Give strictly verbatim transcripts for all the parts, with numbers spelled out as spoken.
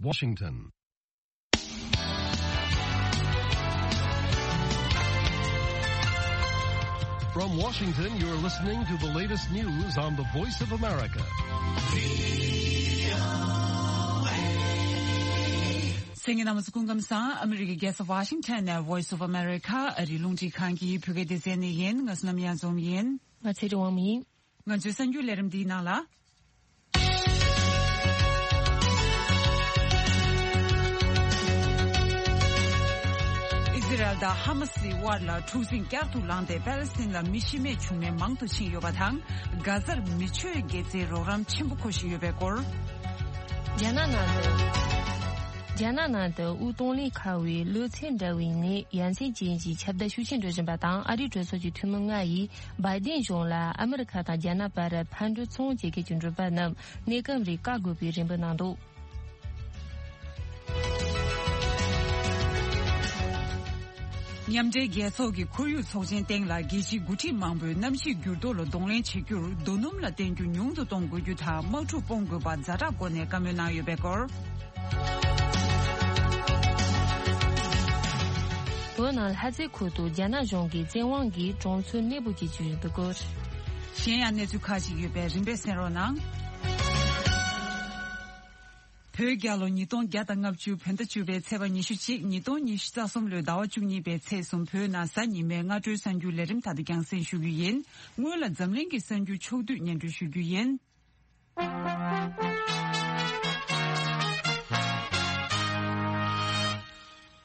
Washington. From Washington, you're listening to the latest news on the Voice of America. གསན་མཁན་རྣམ་པ་ཚོ་སྐུ་ཁམས་བཟང་། ཨ་མི་རི་ཀའི་རྒྱལ་ས་ཝ་ཤིང་ཊོན་ནས་Voice of America ཨ་རིའི་རླུང་འཕྲིན་ཁང་གི་བོད་སྐད་སྡེ་ཚན་ནས་ཡིན། ང་བསོད་ནམས་གཡང་འཛོམས་ཡིན། ང་ཚེ་རིང་དབང་མོ་ཡིན། ང་ཚོའི་གསར་འགྱུར་ལས་རིམ་འདིའི་ནང་ལ། ཨི་ཟི་རལ་དང་ཧ་མ་སིའི་དབར་ལ་འཁྲུག་འཛིང་བསྐྱར་དུ་ལངས་ཏེ། པེ་ལེ་སི་ཐན་ལ་མི་ཤི་རྨས་བྱུང་ནས་མང་དུ་ཕྱིན་ཡོད་པ་དང་། གྷ་ཟར་མི་ཆོས་དགེ་རྩའི་རོགས་རམ་ཆེན་པོ་མཁོ་བཞིན་ཡོད་པའི་སྐོར། རྒྱ་ནག་ནང་དུ། རྒྱ་ནག་ནང་དུ་དབུགས་གཏོང་ལེན་ཁ་བའི་གློ་ཚད་འདྲ་བའི་ནད་ཡ་མཚན་ཅན་གྱི་ཁྱབ་གདལ་ཤུགས་ཆེན་འགྲོ་བཞིན་པ་དང་། ཨ་རིའི་གྲོས་ཚོགས་ཀྱི་འཐུས་མི་ལྔ་ཡིས་བའི་ཏིན་གཞུང་ལ་ཨ་མི་རི་ཁ་དང་རྒྱ་ནག་བར་ཕར་འགྲོ་ཚུར་འོང་བྱེད་མཁན་གྱི་མགྲོན་པོ་རྣམས་གནས་སྐབས་རིང་བཀག་དགོས་པའི་རེ་འབོད་གནང་འདུག་མཉམ་འབྲེལ་རྒྱལ་ཚོགས་ཀྱི་ཁོར་ཡུག་ཚོགས་ཆེན་སྟེང་ལ་རྒྱལ་སྤྱིའི་འགོ་ཁྲིད་མང་པོས་གནམ་གཤིས་འགྱུར་ལྡོག་ལ་གདོང་ལེན་བྱེད་རྒྱུར་རྡོ་སྣུམ་ལ་བརྟེན་རྒྱུ་ཉུང་དུ་གཏོང་དགོས་རྒྱུ་དང་། དམག་འཁྲུག་སྤོང་དགོས་པར་ཛ་དྲག་སྒོ་ནས་བཀའ་མོལ་གནང་ཡོད་པའི་སྐོར། བོད་ནང་ལྷ་རྩེ་ཁུལ་དུ་རྒྱ་ནག་གཞུང་གིས་བཙན་དབང་གིས་གྲོང་ཚོ་གནས་སྤོ་བྱེད་ཀྱི་ཡོད་པའི་སྐོར། གཞན་ཡང་གནས་ཚུལ་ཁག་ཅིག་ཡོད་པས་རིམ་པས་གསན་རོགས་གནང་། བོད་རྒྱལ་ལོ་ཉིས་སྟོང་བརྒྱ་དང་ལྔ་བཅུ་བོད་ཟླ་བཅུ་པའི་ཚེས་པ་ཉི་ཤུ་གཅིག་ཉིས་སྟོང་ཉི་ཤུ་རྩ་གསུམ་ལོའི་ཟླ་བ་བཅུ་གཉིས་པའི་ཚེས་གསུམ་བོད་ནང་གཟའ་ཉི་མའི་སྔ་དྲོའི་གསར་འགྱུར་ལས་རིམ་ད་དུ་རྒྱང་སྲིང་ཞུ་རྒྱུ་ཡིན། སྔོན་ལ་འཛམ་གླིང་གི་གསར་འགྱུར་ཕྱོགས་བསྡུས་སྙན་སྒྲོན་ཞུ་རྒྱུ་ཡིན།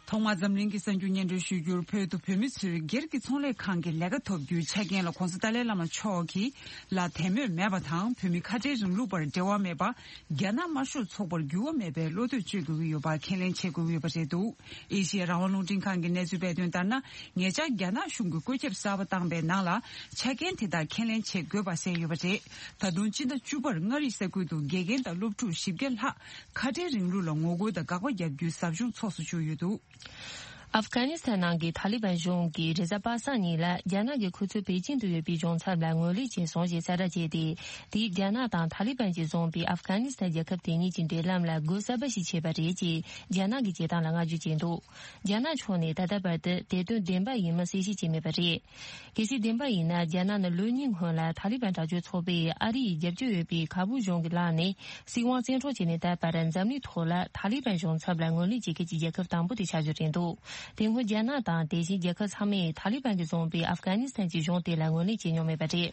ཐོག་མར་འཛམ་གླིང་གི་གསར་འགྱུར་སྙན་སྒྲོན་ཞུ་རྒྱུར། བོད་དུ་བོད་མི་ཚོས་སྒེར་གྱི་ཚོང་ལས་ཁང་གི་ལས་ཀ་ཐོབ་རྒྱུའི་ཆ་རྐྱེན་ལ་༸གོང་ས་ཏཱ་ལའི་བླ་མ་མཆོག་གིས་ལ་དད་མོས་མེད་པ་དང་། བོད་མི་ཁ་བྲལ་རིང་ལུགས་པར་འབྲེལ་བ་མེད་པ། རྒྱ་ནག་དམར་ཤོག་ཚོགས་པར་འགྱུར་བ་མེད་པའི་བློ་འདོད་བཅོལ་དགོས་ཀྱི་ཡོད་པ་ཁས་ལེན་བྱེད་དགོས་ཀྱི་ཡོད་པ་རེད་འདུག་ཨེ་ཤི་ཡ་རང་དབང་རླུང་འཕྲིན་ཁང་གི་གནས་ཚུལ་སྤེལ་དོན་ལྟར་ན། ཉེ་ཆར་རྒྱ་ནག་གཞུང་གིས་བཀོད་ཁྱབ་གསར་པ་བཏང་པའི་ནང་ལ་ཆ་རྐྱེན་དེ་དག་ཁས་ལེན་བྱེད་དགོས་པ་གསལ་ཡོད་པ་རེད། ད་དུང་སྤྱི་ཟླ་བཅུ་པར་མངའ་རིས་ས་ཁུལ་དུ་དགེ་རྒན་དང་སློབ་ཕྲུག་བཞི་བརྒྱ་ལྷག་ཁ་བྲལ་རིང་ལུགས་ལ་ངོ་རྒོལ་དང་དགག་པ་བརྒྱབ་རྒྱུའི་ཟབ་སྦྱོང་ཚོགས་སུ་བཅུག་ཡོད་འདུག་ཨབ་གྷ་ནི་སི་ཐན་ནང་གི་ཐ་ལི་བན་གཞུང་གིས་རེས་གཟའ་པ་སངས་ཉིན་ལ་རྒྱ་ནག་གི་ཁོ་ཚོའི་པེ་ཅིང་དུ་ཡོད་པའི་གཞུང་ཚབ་ལ་ངོས་ལེན་བྱས་སོང་ཞེས་གསལ་བསྒྲགས་བྱས་ཏེ། དེས་རྒྱ་ནག་དང་ཐ་ལི་བན་གྱིས་བཟུང་པའི་ཨབ་གྷ་ནི་སི་ཐན་རྒྱལ་ཁབ་དེ་གཉིས་ཀྱི་འབྲེལ་ལམ་ལ་སྒོ་གསར་པ་ཞིག་ཕྱེས་པ་རེད་ཅེས་རྒྱ་ནག་གི་བྱེད་སྟངས་ལ་བསྔགས་བརྗོད་བྱས་འདུག་རྒྱ་ནག་ཕྱོགས་ནས་ད་ལྟ་བར་དུ་དེ་དོན་བདེན་པ་ཡིན་མིན་གསལ་བཤད་བྱས་མེད་པ་རེད། གལ་སྲིད་བདེན་པ་ཡིན་ན། རྒྱ་ནག་ནི་ལོ་གཉིས་སྔོན་ལ་ཐ་ལི་བན་དྲག་སྤྱོད་ཚོགས་པས་ཨ་རི་ཡི་རྒྱབ་སྐྱོར་ཡོད་པའི་ཁ་བུབ་གཞུང་གི་ལག་ནས་སྲིད་དབང་བཙན་འཕྲོག་བྱས་ནས་ད་བར་འཛམ་གླིང་ཐོག་ལ་ཐ་ལི་བན་གཞུང་ཚབ་ལ་ངོས་ལེན་བྱེད་མཁན་གྱི་རྒྱལ་ཁབ་དང་པོ་དེ་ཆགས་རྒྱུ་རེད་འདུག་དེ་སྔོན་རྒྱ་ནག་དང་དེ་བཞིན་རྒྱལ་ཁབ་ཚང་མས་ཐ་ལི་བན་གྱིས་བཟུང་པའི་ཨབ་གྷ་ནི་སི་ཐན་གྱི་གཞུང་དེ་ལ་ངོས་ལེན་བྱས་མྱོང་མེད་པ་རེད།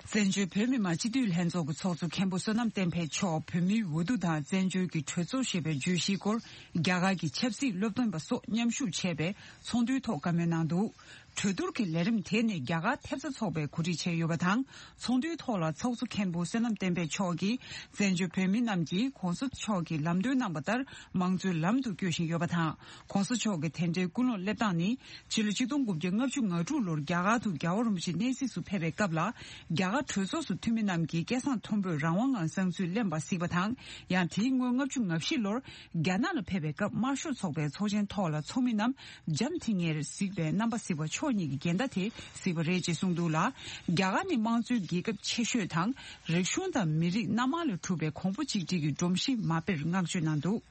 བཙན་བྱོལ་བོད་མི་མང་སྤྱི་འཐུས་ལྷན་ཚོགས་ཀྱི་ཚོགས་གཙོ་མཁན་པོ་བསོད་ནམས་བསྟན་འཕེལ་མཆོག་བོད་མིའི་འོས་བསྡུ་དང་བཙན་བྱོལ་གྱི་གྲོས་ཚོགས་ཞེས་པའི་བརྗོད་གཞིའི་སྐོར། རྒྱ་གར་གྱི་ཆབ་སྲིད་སློབ་སྟོན་པ་སོགས་མཉམ་ཞུགས་བྱས་པའི་ཚོགས་འདུའི་ཐོག་བཀའ་མོལ་གནང་འདུག་གྲོས་བསྡུར་གྱི་ལས་རིམ་དེ་ནི་རྒྱ་གར་ཐེབས་རྩ་ཚོགས་པས་གོ་སྒྲིག་བྱས་ཡོད་པ་དང་། ཚོགས་འདུའི་ཐོག་ལ་ཚོགས་གཙོ་མཁན་པོ་བསོད་ནམས་བསྟན་འཕེལ་མཆོག་གིས། བཙན་བྱོལ་བོད་མི་རྣམས་ཀྱིས་༸གོང་ས་མཆོག་གིས་ལམ་སྟོན་གནང་བ་ལྟར་མང་གཙོའི་ལམ་དུ་བསྐྱོད་བཞིན་ཡོད་པ་དང་། ༸གོང་ས་མཆོག་གི་དེ་འབྲེལ་ཀུན་སློང་སླེབས་སྟངས་ནི། ཕྱི་ལོ་ཆིག་སྟོང་དགུ་བརྒྱ་ལྔ་བཅུ་ང་དྲུག་ལོར་རྒྱ་གར་དུ་རྒྱལ་བ་རིན་པོ་ཆེ་གནས་གཟིགས་སུ་ཕེབས་པའི་སྐབས་ལ། རྒྱ་གར་གྲོས་ཚོགས་སུ་འཐུས་མི་རྣམས་ཀྱིས་སྐད་གསང་མཐོན་པོས་རང་དབང་ངང་བསམ་ཚུལ་གླེང་བ་གཟིགས་པ་དང་། ཡང་དེའི་སྔོན་ལྔ་བཅུ་ང་བཞི་ལོར་རྒྱ་ནག་ལ་ཕེབས་པའི་སྐབས། དམར་ཤོག་ཚོགས་པའི་ཚོགས་ཆེན་ཐོག་ལ་ཚོགས་མི་རྣམས་འཇམ་ཐིང་ངེར་གཟིགས་པའི་རྣམ་པ་གཟིགས་པ་ཕྱོགས་གཉིས་ཀྱི་འགལ་ཟླ་དེ་གཟིགས་པ་རེད་ཅེས་གསུངས་འདུག་ལ། རྒྱ་གར་ནི་དམངས་གཙོའི་རྒྱལ་ཁབ་ཆེ་ཤོས་དང་། རིག་གཞུང་དང་མི་རིགས་སྣ་མང་ལས་གྲུབ་པའི་གོང་བུ་གཅིག་སྒྲིལ་གྱི་སྒྲོམ་གཞི་མ་དཔེར་བསྔགས་བརྗོད་གནང་འདུག་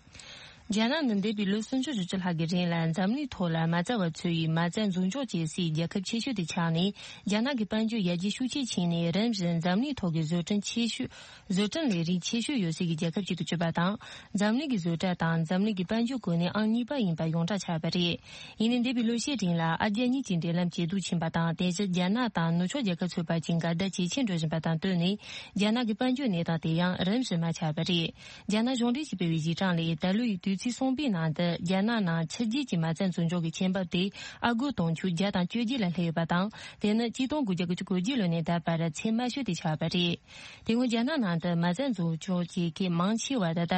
རྒྱ་ནག་ནི་འདས་པའི་ལོ་སུམ་ཅུ་སོ་བཅུ་ལྷག་གི་རིང་ལ་འཛམ་གླིང་ཐོག་ལ་མ་རྩ་བ་ཚོ་ཡི་མ་རྩ་འཛིན་སྐྱོང་བྱེད་སའི་རྒྱལ་ཁབ་ཆེ་ཤོས་དེ་ཆགས་ནས། རྒྱ་ནག་གི་དཔལ་འབྱོར་ཡར་རྒྱས་ཤུགས་ཆེ་ཕྱིན་ནས། རིམ་བཞིན་འཛམ་གླིང་ཐོག་གི་བཟོ་སྐྲུན་ཆེ་ཤོས། བཟོ་སྐྲུན་ལས་རིགས་ཆེ་ཤོས་ཡོད་སའི་རྒྱལ་ཁབ་ཅིག་ཏུ་གྱུར་པ་དང་། འཛམ་གླིང་གི་བཟོ་གྲྭ་དང་འཛམ་གླིང་གི་དཔལ་འབྱོར་གོ་གནས་ཨང་གཉིས་པ་ཡིན་པ་ཡོངས་གྲགས་ཆགས་པ་རེད། ཡིན་ནའི་འདས་པའི་ལོ་ཤས་རིང་ལ་ཨ་རྒྱ་གཉིས་ཀྱི་འབྲེལ་ལམ་ཇེ་སྡུག་ཕྱིན་པ་དང་། དེ་བཞིན་རྒྱ་ནག་དང་ནུབ་ཕྱོགས་རྒྱལ་ཁབ་ཚོའི་བར་གྱི་འགལ་ཟླ་ཇེ་ཆེར་འགྲོ་བཞིན་པ་དང་བསྟུན་ནས། རྒྱ་ནག་གི་དཔལ་འབྱོར་གནས་སྟངས་དེ་ཡང་རིམ་བཞིན་མར་ཆག་པ་རེད། རྒྱ་ནག་གཞུང་འབྲེལ་གྱིས་སྤེལ་བའི་གཞི་གྲངས་ལས། ད་ལོའི་དུས་ཚིགས་གསུམ་པའི་ནང་དུ་རྒྱ་ནག་ནང་ཕྱི་རྒྱལ་གྱི་མ་རྩ་འཛིན་སྐྱོང་གི་ཁྱད་འབབ་དེ་ཨ་སྒོར་དུང་ཕྱུར་བརྒྱ་དང་བཅོ་བརྒྱད་ལ་སླེབས་ཡོད་པ་དང་། དེ་ནི་གཅིག་སྟོང་དགུ་བརྒྱ་དགུ་བཅུ་གོ་བརྒྱད་ལོ་ནས་ད་བར་ཚད་དམའ་ཤོས་དེ་ཆགས་པ་རེད། དེ་སྔོན་རྒྱ་ནག་ནང་དུ་མ་རྩ་འཛིན་སྐྱོང་བྱེད་མཁན་མང་ཆེ་བ་ད་ལྟ་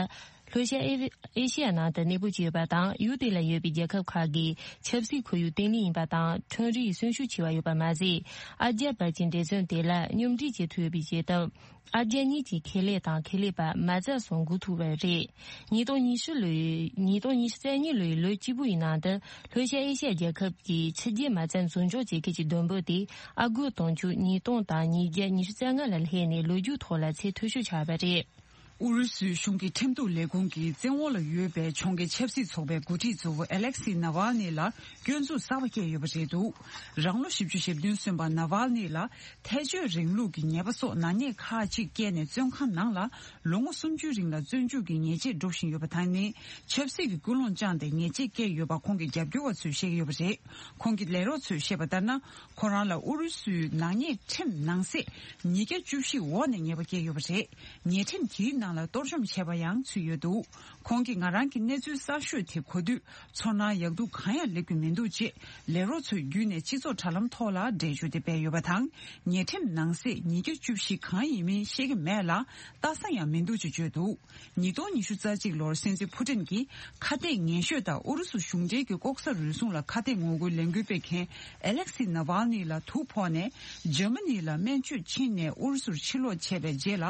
ལྷོ་ཤར་ཨེ་ཨེ་ཤི་ཡ་ནང་དུ་གནས་སྤོ་བྱས་ཡོད་པ་དང་། ཡུལ་དེ་ལ་ཡོད་པའི་རྒྱལ་ཁབ་ཁག་གིས་ཆབ་སྲིད་ཁོར་ཡུག་བརྟན་ལྷིང་ཡིན་པ་དང་། ཁྲོམ་རའི་གསོན་ཤུགས་ཆེ་བ་ཡོད་པ་མ་ཟད། ཨ་རྒྱ་བར་གྱི་འབྲེལ་མཚམས་དེ་ལ་སྙོམས་སྒྲིག་བྱེད་ཐུབ་ཡོད་པའི་བྱེད་སྟངས། ཨ་རྒྱ་གཉིས་ཀྱི་ཁེ་ལས་དང་ཁེ་ལས་པ་མ་རྩ་སོགས་འགུག་ཐུབ་པ་རེད། ཉིས་སྟོང་ཉི་ཤུ་ལོའི། ཉིས་སྟོང་ཉི་ཤུ་རྩ་གཉིས་ལོའི་ལོ་གཅིག་པུ་ཡི་ནང་དུ་ལྷོ་ཤར་ཨེ་ཤི་ཡ་རྒྱལ་ཁབ་ཀྱི་ཕྱི་རྒྱལ་མ་རྩ་འཛིན་སྐྱོང་བྱེད་མཁན་གྱི་བསྡོམས་པ་དེ་ཨ་སྒོར་དུང་ཕྱུར་ཉིས་སྟོང་དང་ཉིས་བརྒྱ་ཉི་ཤུ་རྩ་ལྔ་ལ་སླེབས་ནས། ལོ་རྒྱུས་ཐོག་ལ་ཚད་མཐོ་ཤོས་ཆགས་པ་རེད། ཨུ་རུ་སུའི་གཞུང་གི་ཁྲིམས་གཏུག་ལས་ཁུངས་ཀྱི་བཙན་འོག་ལ་ཡོད་པའི་གྱོང་གུན་ཆབ་སྲིད་ཚོགས་པའི་འགོ་ཁྲིད་གཙོ་བོ་ཨེ་ལེག་སི་ནཱ་ཝལ་ནི་ལ་སྐྱོན་འཛུགས་གསར་པ་བཀལ་ཡོད་པ་རེད་འདུག་རང་ལོ་བཞི་བཅུ་ཞེ་བདུན་སོན་པ་ནཱ་ཝལ་ནི་ལ་ཐལ་སྤྱོད་རིང་ལུགས་ཀྱི་ཉེས་པ་སོགས་ནག་ཉེས་ཁག་ཅིག་བཀལ་ནས་བཙོན་ཁང་ནང་ལ་ལོ་ངོ་སུམ་ཅུའི་རིང་ལ་བཙོན་འཇུག་གི་ཉེས་ཆད་སྒྲུབ་བཞིན་ཡོད་པ་དང་ནི། ཆབ་སྲིད་ཀྱི་ཀུན་སློང་བཅངས་ཏེ་ཉེས་ཆད་བཀལ་ཡོད་པ་ཁོང་གི་རྒྱབ་སྐྱོར་བ་ཚོས་བཤད་ཀྱི་ཡོད་པ་རེད། ཁོང་གི་ལས་རོགས་ཚོས་བཤད་པ་ལྟར་ན། ཁོ་རང་ལ་ཨུ་རུ་སུའི་ནག་ཉེས་ཁྲིམས་ནང་གསེས་ཉིས་བརྒྱ་བཅུ་བཞི་འོག་ནས་ཉེས་པ་བཀལ་ཡོད་པ་རེད། ཉེས་ཁྲིམས་དེའི་ནང་ལ་གཏོར་བཅོམ་བྱས་པ་ཡང་ཚུད་ཡོད་འདུག་ཁོང་གིས་ང་རང་གི་གནས་ཚུལ་གསར་ཤོས་དེ་གོ་དུས་ཚོར་སྣང་ཡག་སྡུག་གང་ཡང་སླེབས་ཀྱི་མི་འདུག་ཅེས་ལས་རོགས་ཚོའི་བརྒྱུད་ནས་སྤྱི་ཚོགས་དྲ་ལམ་ཐོག་ལ་འགྲེལ་བརྗོད་དེ་སྤེལ་ཡོད་པ་དང་། ཉེས་ཁྲིམས་ནང་གསེས་ཉིས་བརྒྱ་བཅུ་བཞི་གང་ཡིན་མིན་ཤེས་ཀྱི་མེད་ལ། ལྟ་ས་ཡང་མི་འདུག་ཅེས་བརྗོད་འདུག་ཉིས་སྟོང་ཉི་ཤུ་རྩ་གཅིག་ལོར་སྲིད་འཛིན་ཕུ་ཏིན་གྱིས་ཁ་གཏད་ངན་ཤོས་དང་ཨུ་རུ་སུ་གཞུང་འབྲེལ་གྱི་ལྐོག་ཟ་རུལ་སུངས་ལ་ཁ་གཏད་ངོ་རྒོལ་ལས་འགུལ་སྤེལ་མཁན་ཨེ་ལེག་སི་ནཱ་ཝལ་ནི་ལ་དུག་ཕོག་ནས་འཇར་མ་ནི་ལ་སྨན་བཅོས་ཕྱིན་ནས་ཨུ་རུ་སུར་ཕྱིར་ལོག་བྱས་པའི་རྗེས་ལ་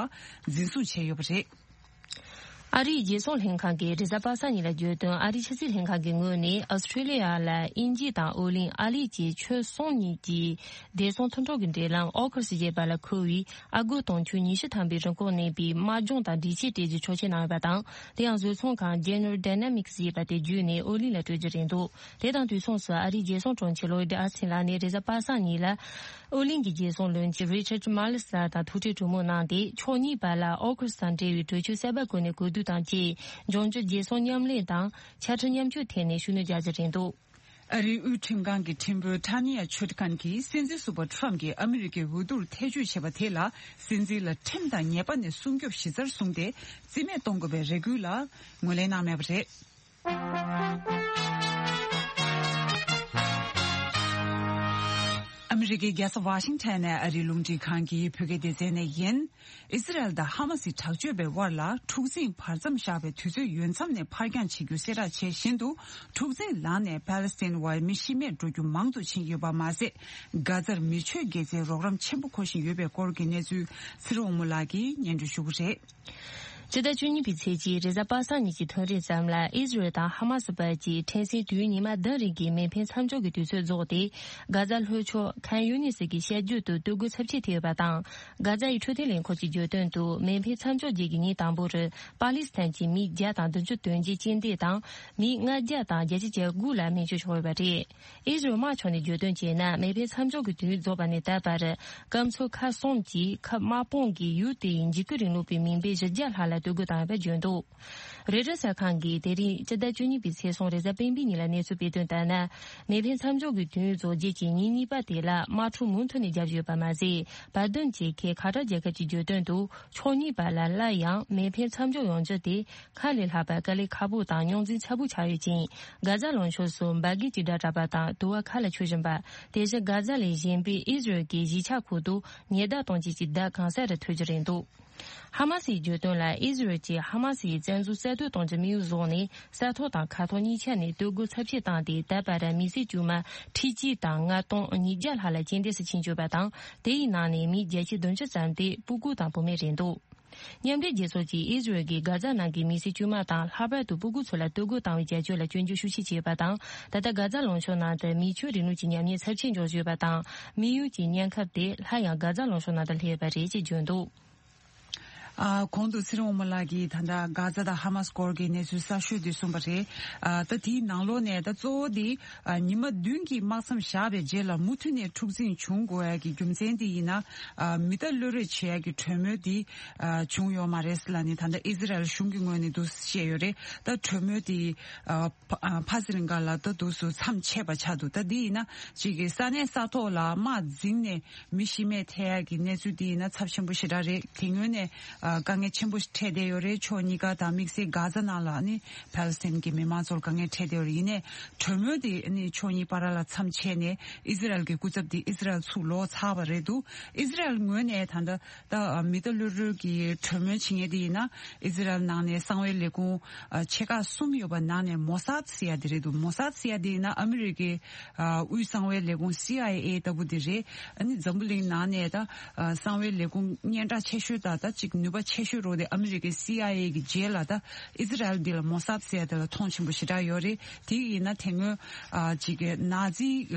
འཛིན་བཟུང་བྱས་ཡོད་པ་རེད། ཨ་རིའི་རྒྱལ་སྲུང་ལྷན་ཁང་གིས་རེས་གཟའ་པ་སངས་ཉིན་ལ་བརྗོད་དོན། ཨ་རིའི་ཕྱི་སྲིད་ལྷན་ཁང་གི་ངོས་ནས་ཨོ་སི་ཁྲེ་ལི་ཡ་ལ་དབྱིན་ཇི་དང་ཨོ་གླིང་ཨ་ལི་བཅས་ཕྱོགས་གསུམ་གཉིས་ཀྱི་བདེ་སྲུང་མཐུན་གྲོགས་ཀྱི་འབྲེལ་ལམ་ཨོ་ཁུ་སི་ཞེས་པ་ལ་མཁོ་བའི་ཨ་སྒོར་དུང་ཕྱུར་ཉི་ཤུ་ཐམ་པའི་རིན་གོང་གནས་པའི་དམག་སྦྱོང་དང་སྒྲིག་ཆས་སྤྲད་རྒྱུའི་ཆོག་མཆན་གནང་ཡོད་པ་དང་། དེ་ཡང་བཟོ་ཚོང་ཁང་General Dynamics ཞེས་པ་དེ་བརྒྱུད་ནས་ཨོ་གླིང་ལ་སྤྲོད་རྒྱུ་རེད་འདུག་དེ་དང་དུས་མཚུངས་སུ་ཨ་རིའི་རྒྱལ་སྲུང་དྲུང་ཆེ་ལོའི་ཌི་ཨོ་སི་ཊིན་ལགས་ནས་རེས་གཟའ་པ་སངས་ཉིན་ལ་ཨོ་གླིང་གི་རྒྱལ་སྲུང་བློན་ཆེན་Richard Marles ལགས་དང་ཐུག་འཕྲད་གྲོས་མོལ་གནང་སྟེ། ཕྱོགས་གཉིས་བར་ལ་ཨོ་ཁུ་སི་དང་འབྲེལ་བའི་གྲོས་ཆོད་གསར་པ་བཀོད་ནས་གོ་བསྡུར་དང་བཅས་འབྱུང་འགྱུར་རྒྱལ་སྲུང་མཉམ་ལས་དང་ཕྱག་ཁྲིམས་མཉམ་སྤྱོད་ཐད་ནས་ཤུགས་སྣོན་རྒྱག་རྒྱུ་རེད་འདུག་ཨ་རིའི་དབུས་ཁྲིམས་ཁང་གི་ཁྲིམས་དཔོན་ཊ་ནི་ཡ་ཆོད་ཁན་གྱིས་སྲིད་འཛིན་ཟུར་པ་ཊརམ་གྱིས་ཨ་མི་རི་ཀའི་འོས་བསྡུར་ཐེ་བྱུས་བྱས་པ་དེ་ལ་སྲིད་འཛིན་ལ་ཁྲིམས་དང་ཉེས་པ་ནས་སྲུང་སྐྱོབ་གཞི་རྩར་བཟུང་སྟེ་རྩིས་མེད་གཏོང་དགོས་པའི་རེ་སྐུལ་ལ་ངོས་ལེན་གནང་མེད་པ་རེད། ཨ་མི་རི་ཀའི་རྒྱལ་ས་ཝ་ཤིང་ཊོན་ནས་ཨ་རིའི་རླུང་འཕྲིན་ཁང་གི་བོད་སྐད་སྡེ་ཚན་ནས་ཡིན། ཨི་ཟི་རལ་དང་ཧ་མ་སི་དྲག་སྤྱོད་པའི་དབར་ལ་འཁྲུག་འཛིང་བར་མཚམས་བཞག་པའི་དུས་ཚོད་ཡོལ་མཚམས་ནས་ཕར་འགྱངས་བྱེད་རྒྱུ་གསལ་བསྒྲགས་བྱས་བཞིན་དུ། འཁྲུག་འཛིང་ལངས་ནས་པ་ལི་སི་ཐན་བར་མི་ཤི་རྨས་འགྲོ་རྒྱུ་མང་དུ་ཕྱིན་ཡོད་པ་མ་ཟད། གྷ་ཛར་མི་ཆོས་དགེ་རྩའི་རོགས་རམ་ཆེན་པོ་མཁོ་བཞིན་ཡོད་པའི་སྐོར་གྱི་གནས་ཚུལ་ཚེ་རིང་དབང་མོ་ལགས་ཀྱིས་སྙན་སྒྲོན་ཞུ་གི་རེད། སྤྱི་ཟླ་བཅུ་གཉིས་པའི་ཚེས་གཅིག་རེས་གཟའ་པ་སངས་ཉིན་གྱི་ཐུན་རིང་ཙམ་ལ་ཨི་ཟི་རལ་དང་ཧ་མ་སི་བར་གྱི་ཕྲན་ཚེགས་དུས་ཡུན་ཉི་མ་བདུན་རིང་གི་མེ་འཕེན་མཚམས་འཇོག་གི་དུས་ཚོད་རྫོགས་ཏེ། གྷ་ཛ་ལྷོ་ཕྱོགས་ཁན་ཡུ་ནིས་ཀྱི་བཤད་རྒྱུད་དུ་སྡོད་དགོས་ཚབས་ཆེ་ཐེབས་ཡོད་པ་དང་། གྷ་ཛ་ཡི་འཕྲོད་བསྟེན་ལས་ཁུངས་ཀྱིས་བརྗོད་དོན་དུ། མེ་འཕེན་མཚམས་འཇོག་རྗེས་ཀྱི་ཉིན་དང་པོར་པ་ལི་སི་ཐན་གྱི་མི་བརྒྱ་དང་བདུན་ཅུ་དོན་གཅིག་རྐྱེན་འདས་དང་། མི་ལྔ་བརྒྱ་དང་བརྒྱད་ཅུ་གྱ་དགུ་ལ་སྨན་བཅོས་བྱུང་ཡོད་པ་རེད། ཨི་ཟི་རལ་དམག་ཕྱོགས་ནས་བརྗོད་དོན་བྱས་ན། མེ་འཕེན་མཚམས་འཇོག་གི་དུས་རྫོགས་པ་ནས་ད་བར་སྐམ་མཚོ་ཁག་གསུམ་གྱི་ཁབ་དམག་དཔུང་གི་ཡུལ་དེའི་འཇིགས་སྐུལ་རིང་ལུགས་པའི་མི་སྦས་བཞི་བརྒྱ་ལྷག་ལ་གཏོར་རྒོལ་བཏང་ཡོད་པ་བརྗོད་འདུག་རོའི་ཊར་གསར་ཁང་གིས་དེ་རིང་སྤྱི་ཟླ་བཅུ་གཉིས་པའི་ཚེས་གསུམ་རེས་གཟའ་སྤེན་པའི་ཉིན་ལ་གནས་ཚུལ་སྤེལ་དོན་ལྟར་ན། མེ་འཕེན་མཚམས་འཇོག་གི་དུས་རྫོགས་རྗེས་ཀྱི་ཉིན་གཉིས་པ་དེ་ལ་དམག་འཁྲུག་མུ་མཐུད་ནས་རྒྱག་བཞིན་ཡོད་པ་མ་ཟད། བར་འདུམ་བྱེད་མཁན་ཁ་ཏར་རྒྱལ་ཁབ་ཀྱིས་བརྗོད་དོན་དུ། ཕྱོགས་གཉིས་བར་ལ་སླར་ཡང་མེ་འཕེན་མཚམས་འཇོག་ཡོང་རྒྱུ་དེ་སྔར་ལས་ལྷག་པར་དཀའ་ལས་ཁག་པོ་དང་རྙོག་འཛིང་ཚ་པོ་ཆགས་ཡོད་ཅིང་། གྷ་ཛ་ལུང་ཕྱོགས་སུ་འབར་གས་ཀྱི་སྒྲ་གྲགས་པ་དང་དུ་བ་མཁའ་ལ་འཕྱུར་བཞིན་པ། དེ་བཞིན་གྷ་ཛ་ལས་གཞན་པའི་ཨི་ཟི་རལ་གྱི་གཞིས་ཆགས་ཁུལ་དུ་ཉི་ཟླ་སྟོང་གཅིག་གི་བརྡ་གང་སར་ཐོས་རྒྱུ་རེད་འདུག་ཧ་མ་སིའི་བརྗོད་དོན་ལ། ཨི་ཟི་རལ་གྱིས་ཧ་མ་སིའི་བཙན་འཛུལ་གསར་གཏོད་གཏོང་རྒྱུ་དམིགས་ཡུལ་བཟུང་ནས། ས་ཐོག་དང་མཁའ་ཐོག་གཉིས་ཆ་ནས་གཏོར་རྒོལ་ཚབས་ཆེ་བཏང་སྟེ། ད་བར་མི་སེར་དཀྱུས་མ་ཁྲི་གཅིག་དང་ལྔ་སྟོང་ཉིས་བརྒྱ་ལྷག་ལ་རྐྱེན་འདས་སུ་ཕྱིན་ཡོད་པ་དང་། དེ་ཡི་ནང་ནས་མི་བརྒྱད་ཅུ་བདུན་ཅུ་ཙམ་དེ་སྤུ་གུ་དང་བུད་མེད་རེད་འདུག་མཉམ་འབྲེལ་རྒྱལ་ཚོགས་ཀྱིས་ཨི་ཟི་རལ་གྱིས་གྷ་ཛ་ནང་གི་མི་སེར་དཀྱུས་མ་དང་། ལྷག་པར་དུ་སྤུ་གུ་ཚོ་ལ་གཏོར་རྒོལ་བཏང་བའི་བྱ་སྤྱོད་ལ་སྐྱོན་བརྗོད་ཤུགས་ཆེ་བྱས་ཡོད་པ་དང་། ད་ལྟ་གྷ་ཛ་ལུང་ཕྱོགས་ནང་དུ་མི་ཆོས་རིང་ལུགས་ཀྱི་ཉམས་ཉེས་ཚབས་ཆེ་འབྱུང་བཞིན་ཡོད་པ་དང་། དམིགས་ཡུལ་གྱི་གཉན་ཁབ་དེ་སླར་ཡང་གྷ་ཛ་ལུང་ཕྱོགས་ནང་དུ་སླེབས་ཡོད་པ་རེད་ཅེས་བརྗོད་འདུག་ཨ། གོང་དུ་ཚེ་རིང་དབང་མོ་ལགས་ཀྱིས་ད་ལྟ་གྷ་ཛ་དང་ཧ་མ་སི་སྐོར་གྱི་གནས་ཚུལ་གསར་ཤོས་དེ་གསུངས་པ་རེད། ཨ། ད་དེའི་ནང་ལོགས་ནས་ད་གཙོ་བོ་དེ། ཨ། ཉི་མ་བདུན་གྱི་དམག་མཚམས་བཞག་པའི་རྗེས་ལ་མུ་མཐུད་ནས་འཁྲུག་འཛིང་བྱུང་དགོས་ཡ་གི་རྒྱུ་མཚན་དེ་ཡིན་ན། ཨ། མི་རྟ་གློད་གྲོལ་བྱེད་ཡ་གི་གྲོས་མོལ་དེ། ཨ། བྱུང་ཡོད་མ་རེད་ལབ་ནས་ད་ལྟ་ཨི་ཟི་རལ་གཞུང་གི་ངོས་ནས་འདུག་བཤད་ཡོད་རེད། ད་གྲོས་མོལ་དེ། ཨ། ཕ་ཨ། ཕ་སི་རིང་ག་ལ་ད་དུས་སུ་མཚམས་ཆད་པ་ཆགས་འདུག་ད་འདི་ཡིན་ན་གཅིག་གི་ས་གནས་ས་ཐོག་ལ་དམག་འཛིང་ནས་མི་ཤི་རྨས་ཐེབས་ཡག་གི་གནས་ཚུལ་འདི་ཡིན་ན་ཚབས་ཆེན་པོ་ཞེ་དྲག་རེད། དེ་སྔོན་ནས་ཨ། དཀའ་ངལ་ཆེན་པོ་འཕྲད་བསྡད་ཡོད་རེད། ཕྱོགས་གཉིས་ཀ་དང་དམིགས་བསལ་གྷ་ཛ་ནང་ལ་ནི་ཕ་ལི་སི་ཐན་གྱི་མི་མང་ཚོར་དཀའ་ངལ་འཕྲད་བསྡད་ཡོད་རེད། ཡིན་ནའི་གྲོས་མོལ་འདི་ནི་ཕྱོགས་གཉིས་བར་ལ་མཚམས་ཆད་ནས་ཨི་ཟི་རལ་གྱི་སྐུ་ཚབ་འདི་ཨི་ཟི་རལ་ཚུར་ལོག་ཚར་བ་རེད་འདུག་ཨི་ཟི་རལ་ངོས་ནས་ད་ལྟ། ད་མི་རྟ་གློད་གྲོལ་གྱི་གྲོས་མོལ་བྱེད་མཁན་དེ་ཡིན་ན་ཨི་ཟི་རལ་ནང་ནས་གསང་བའི་ལས་ཁུངས་ཆེ་ཁག་གསུམ་ཡོད་པ་ནང་ནས་མོ་སཱད་ཟེར་ཡ་དེ་རེད་འདུག་མོ་སཱད་ཟེར་ཡ་དེ་ཡིན་ན་ཨ་མི་རི་ཀའི་དབུས་གསང་བའི་ལས་ཁུངས་སི་ཨའི་ཨེ་ལྟ་བུ་དེ་རེད། ཨ་ནི་འཛམ་བུ་གླིང་ནང་ནས་ད་གསང་བའི་ལས་ཁུངས་སྙན་གྲགས་ཆེ་ཤོས་ད་ད་ཅིག་ནུས་ པ་ཆེ་ཤོས་རོ་དེ་ཨ་མི་རི་ཀའི་སི་ཨའི་ཨེ་གི་རྗེས་ལ་ད་ཨི་ཟི་རལ་འདི་ལ་མོ་སཱད་ཟེར་ཡ་དེ་ལ་མཐོང་ཆེན་པོ་ཞེ་དྲག་ཡོད་རེད། དེ་ཡིན་ན་དེ་སྔོན་ཨ་ཅིག་གི་ནཱ་ཛི་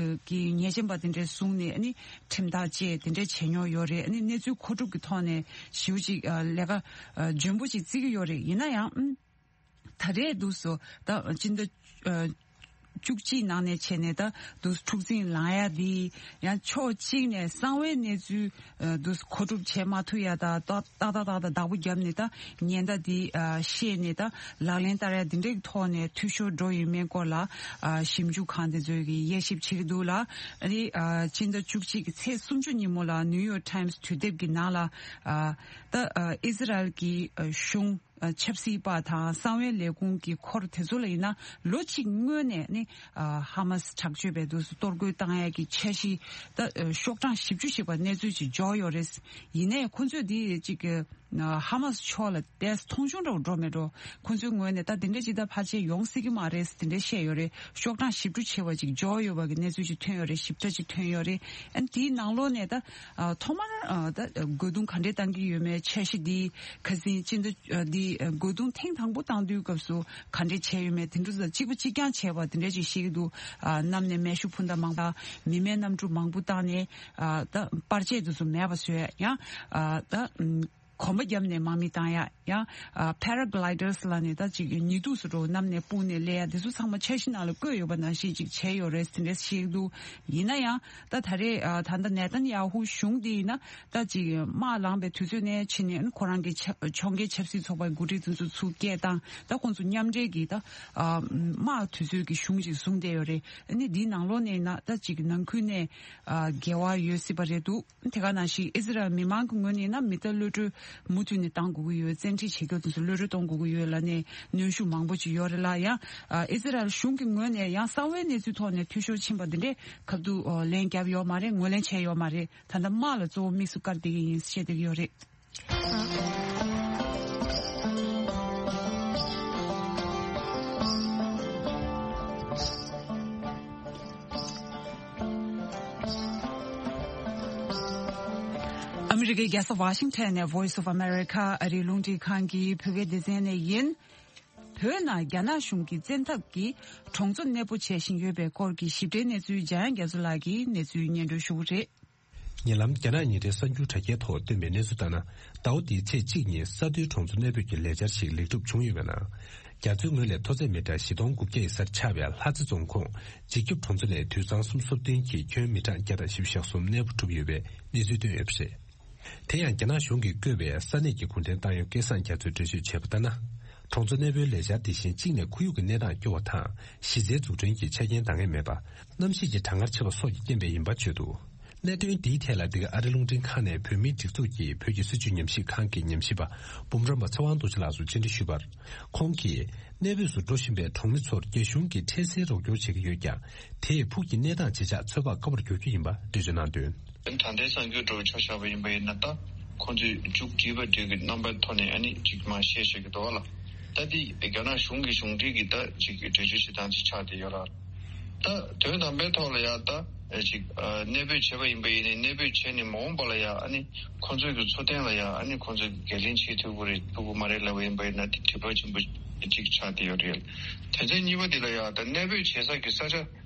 གི་ཉེས་ཅན་པ་དེ་འདྲས་བཟུང་ནས་ཨ་ནི་ཁྲིམས་ཐག་བཅད་དེ་འདྲས་བྱས་མྱོང་ཡོད་རེད། ཨ་ནི་གནས་ཚུལ་མཁོ་སྒྲུབ་ཀྱི་ཐོག་ནས་ཞེ་པོ་ཅིག་ཨ་ལས་ཀ་ཨ་འཇོན་པོ་ཅིག་བརྩི་གི་ཡོད་རེད། ཡིན་ན་ཡང་ཨ་ད་རེས་འདུག་སོ་ད་སྤྱི་ཟླ་ཨ་བཅུ་གཅིག་ནང་ནས་བྱས་ནས་ད་དུ་འཁྲུག་འཛིང་ལངས་ཡ་འདི་ཡང་ཕྱོགས་གཅིག་ནས་གསང་བའི་གནས་ཚུལ་ཨ་དུ་མཁོ་སྒྲུབ་བྱེད་མ་ཐུབ་ཡ་ད་ཏག་ཏག་ཏག་ཏག་བདག་པོ་བརྒྱབ་ནས་ད་ཉེན་བརྡ་འདི་ཨ་ཤེས་ནས་ད་ལག་ལེན་བསྟར་ཡ་འདི་འདྲའི་ཐོག་ནས་འཐུས་ཤོར་འགྲོ་ཡོད་མེད་སྐོར་ལ་ཨ་ཞིབ་འཇུག་ཁང་དེ་ཚོས་ཀྱི་དབྱེ་ཞིབ་བྱེད་ཀྱི་འདུག་ལ། ཨ་ནི་ཨ་སྤྱི་ཟླ་བཅུ་གཅིག་གི་ཚེས་སུམ་ཅུ་ཉིན་མོ་ལ་ནིའུ་ཡོག་ཊའིམ་སི་དུས་དེབ་ཀྱི་ནང་ལ་ཨ་ད་ཨ་ཨི་ཟི་རལ་གྱི་ཨ་གཞུང་ཆབ་སྲིད་པ་དང་གསང་བའི་ལས་ཁུངས་ཀྱི་འཁོར་དེ་ཚོ་ལ་ཡིན་ན་ལོ་གཅིག་སྔོན་ནས་ནི་ཧ་མ་སི་དྲག་སྤྱོད་པའི་དུས་སུ་གཏོར་རྒོལ་བཏང་ཡས་ཀྱི་འཆར་གཞི་ད་ཤོག་གྲངས་བཞི་བཅུ་ཞིག་པ་གནས་ཚུལ་ཅིག་འབྱོར་ཡོད་རེད། ཡིན་ནའི་ཁོ་ཚོས་འདི་ཅིག་ཧ་མ་སི་ཕྱོགས་ལ་ཏོག་ཙམ་མཐོང་ཆུང་འདྲ་བོ་འགྲོ་མེད་འགྲོ། ཁོ་ཚོའི་ངོས་ནས་ད་དེ་འདྲ་ཅིག་ད་ཕལ་ཆེར་ཡོང་སྲིད་ཀྱི་མ་རེད་དེ་འདྲ་བཤད་ཡོད་རེད། ཤོག་གྲངས་བཞི་བཅུ་ཆེ་བ་ཅིག་འབྱོར་ཡོད་པ་གི་གནས་ཚུལ་ཅིག་ཐོན་ཡོད་རེད། ཞིབ་ཕྲ་ཅིག་ཐོན་ཡོད་རེད། ཨ་ནི་དེའི་ནང་ལོགས་ནས་ད་ཨ་ཐོག་མར་ཨ་ད་རྒོལ་རྡུང་ག་འདྲས་བཏང་གི་ཡོད་མེད། འཆར་གཞི་འདི་ཁ་སང་སྤྱི་ཟླ་ཨ་འདི་ཨ་རྒོལ་རྡུང་ཐེངས་དང་པོ་བཏང་དུས་སྐབས་སུ་ག་འདྲས་བྱས་ཡོད་མེད་དེ་འདྲ་ཚོ་གཅིག་པ་གཅིག་རྐྱང་བྱས་པ་དེ་འདྲས་ཅིག་ཤེས་ཀྱི་འདུག་ཨ་གནམ་ནས་མེ་ཤུགས་འཕུར་མདའ་མང་དག་མི་མེད་གནམ་གྲུ་མང་པོ་བཏང་ནས་ཨ་ད་པར་ཆས་དེ་ཚོ་མེད་པ་བཟོས། ཡང་ཨ་ད་ཨམ་གོམ་པ་བརྒྱབ་ནས་དམག་མི་བཏང་ཡ། ཡང་ཨ་Paragliders་ལབ་ནས་ད་ཅིག་ཉི་གདུགས་སུ་འགྲོ་གནམ་ནས་སྤུངས་ནས་སླེབས་ཡ་དེ་ཚོ་ཚང་མ་འཆར་གཞི་ནང་ལ་བཀོད་ཡོད་པ་ནང་བཞིན་ཅིག་བྱས་ཡོད་རེད་དེ་འདྲས་ཤེས་ཀྱི་འདུག་ཡིན་ན་ཡང་ད་ད་རེས་ཨ་ད་ལྟ་ནེ་ཐན་ཡ་ཧུ་གཞུང་འདི་ཡིན་ན་ད་ཅིག་དམག་ལངས་པའི་དུས་ཚོད་ནས་ཕྱིན་ནས་ཁོ་རང་གི་ཕྱོགས་འགལ་ཆབ་སྲིད་ཚོགས་པའི་འགོ་ཁྲིད་དེ་ཚོ་ཚུར་སྐད་བཏང་། ད་ཁོང་ཚོ་མཉམ་འབྲེལ་གྱིས་ད་ཨ་དམག་དུས་ཚོད་ཀྱི་གཞུང་ཅིག་བཟུང་བསྡད་ཡོད་རེད། ཨ་ནི་འདིའི་ནང་ལོགས་ནས་ཡིན་ན་ད་ཅིག་ནང་ཁུལ་ནས་ཨ་འགལ་བ་ཡོད་སྲིད་པ་རེད་འདུག་དེ་ག་ནང་བཞིན་ཨི་ཟི་རལ་མི་མང་གི་ངོས་ནས་ཡིན་ན་མི་ཐར་གློད་གྲོལ་མུ་མཐུད་ནས་གཏང་དགོས་ཀྱི་ཡོད། བཙན་ཁྲིད་བྱེད་མཁན་དེ་ཚོ་གློད་གྲོལ་གཏོང་དགོས་ཀྱི་ཡོད་ལབ་ནས་གནོན་ཤུགས་མང་པོ་ཅིག་ཡོད་རེད་ལ། ཡང་ཨ་ཨི་ཟི་རལ་གཞུང་གི་ངོས་ནས་ཡང་གསང་བའི་གནས་ཚུལ་ཐོག་ནས་འཐུས་ཤོར་ཕྱིན་པ་འདི་འདྲས་ཁ་ཐུག་ཨ་ལན་བརྒྱབ་ཡོད་མ་རེད། ངོས་ལེན་བྱས་ཡོད་མ་རེད། ད་ལྟ་དམག་ལ་གཙོ་བོ་དམིགས་སུ་བཀར་བསྡད་ཀྱི་ཡིན་བཤད་བསྡད་ཀྱི་ཡོད་རེད། ཨ་མི་རི་ཀའི་རྒྱལ་ས་ཝ་ཤིང་ཊོན་ནས་Voice of America ཨ་རིའི་རླུང་འཕྲིན་ཁང་གི་བོད་སྐད་སྡེ་ཚན་ནས་ཡིན། བོད་ནང་རྒྱ་ནག་གཞུང་གི་བཙན་ཐབས་ཀྱིས་གྲོང་ཚོ་གནས་སྤོ་བྱེད་བཞིན་ཡོད་པའི་སྐོར་གྱི་ཞིབ་ཕྲའི་གནས་ཚུལ་འཇམ་དབྱངས་རྒྱ་མཚོ་ལགས་ཀྱིས་གནས་ཚུལ་སྙན་སྒྲོན་ཞུ་གི་རེད། ཉེ་ལམ་རྒྱ་ནག་ཉིན་རེའི་གསར་འགྱུར་དྲ་རྒྱའི་ཐོག་བཏོན་པའི་གནས་ཚུལ་ལྟར་ན། ཟླ་བ་འདིའི་ཚེས་གཅིག་ཉིན་ས་མཐོའི་གྲོང་ཚོ་གནས་སྤོས་ཀྱི་ལས་འཆར་ཞིག་ལེགས་གྲུབ་བྱུང་ཡོད་པས་ན། རྒྱ་མཚོའི་ངོས་ལས་མཐོ་ཚད་མི་ཊར་བཞི་སྟོང་དགུ་བརྒྱ་ཡི་སར་ཆགས་པའི་ལྷ་རྩེ་རྫོང་ཁོངས་འཇིགས་སྐྱོབ་གྲོང་ཚོ་ནས་དུད་ཚང་སུམ་ཅུ་སོ་བདུན་གྱི་ཁྱོན་མི་ཊར་བརྒྱ་དང་བཞི་བཅུ་ཞེ་གསུམ་གནས་སྤོ་གྲུབ་ཡོད་པའི་གནས་ཚུལ་བཏོན་ཡོད་པ་རེད། དེ་ཡང་རྒྱ་ནག་གཞུང་གིས་བསྐོས་པའི་ས་གནས་ཀྱི་གུང་ཁྲན་ཏང་ཡོན་སྐལ་བཟང་རྒྱ་མཚོས་འགྲེལ་བརྗོད་བྱས་པ་ལྟར་ན། གྲོང་ཚོ་གནས་སྤོའི་ལས་འཆར་དེ་བཞིན་གཅིག་ནས་ཁོར་ཡུག་གི་གནས་སྟངས་སྐྱོ་བ་དང་། གཞི་རྩའི་འཛུགས་སྐྲུན་གྱི་ཆ་རྐྱེན་འདང་ངེས་མེད་པ། གནམ་གཤིས་ཀྱི་གྲང་ངར་ཆེ་བ་སོགས་ཀྱི་རྐྱེན་པས་ཡིན་པ་བརྗོད་འདུག་གནད་དོན་འདིའི་ཐད་ལ་འདི་ག་ཨ་རི་རླུང་འཕྲིན་ཁང་ནས་བོད་མིའི་སྒྲིག་འཛུགས་ཀྱི་བོད་ཀྱི་སྲིད་བྱུས་ཉམས་ཞིབ་ཁང་གི་ཉམས་ཞིབ་པ་འབུམ་རམས་པ་ཚེ་དབང་རྡོ་རྗེ་ལགས་སུ་བཅར་འདྲི་ཞུས་པར། ཁོང་གིས་གནས་སྤོས་སུ་འགྲོ་བཞིན་པའི་གྲོང་མི་ཚོར་རྒྱ་གཞུང་གིས་འཕྲལ་སེལ་རོགས་སྐྱོར་བྱེད་ཀྱི་ཡོད་ཀྱང་། དེས་ཕུགས་ཀྱི་གནས་སྟངས་ཇེ་ཆག་ཚོད་དཔག་དཀའ་བར་འགྱུར་རྒྱུ་ཡིན་པ་འགྲེལ་བརྗོད་གནང་དོན། ད་ལྟའི་གསར་འགྱུར་འདྲ་བོ་ཆ་བཞག་པ་ཡིན་པ་ཡིན་ན། ད་ཁོང་ཚོས་མཇུག་བསྒྲིལ་བ་འདྲ་གི་རྣམ་པའི་ཐོག་ནས་ཨ་ནི་ཅིག་མར་བཤད་བཤད་ཀྱི་འདུག་བ་ལ། ད་འདི་རྒྱ་ནག་གཞུང་གི་གཞུང་འབྲེལ་གྱི་ད་ཅིག་འགྲེལ་བརྗོད་བྱེད་སྟངས་ཅིག་ཆགས་བསྡད་ཡོད་ར། ད་དོན་དམ་པའི་ཐོག་ལ་ཡང་ད་ཅིག་གནས་སྤོས་བྱས་པ་ཡིན་པ་ཡིན་ནའི། གནས་སྤོས་བྱས་ནས་མ་འོངས་པ་ལ་ཡང་ཨ་ནི་ཁོང་ཚོའི་གི་འཚོ་རྟེན་ལ་ཡང་ཨ་ནི་ཁོང་ཚོས་འགན་ལེན་བྱེད་ཐུབ་ཀྱི་རེད་ཐུབ་ཀྱི་མ་རེད་ལབ་པ་ཡིན་པ་ཡིན་ན། དེ་དྲི་བ་ཆེན་པོ་ཅིག་ཆགས་བསྡད་ཡོད་རེད། དེ་ཚེ་གཉིས་པ་དེ་ལ་ཡང་ད་གནས་སྤོས་བྱེད་ས་གི་ས་ཆ།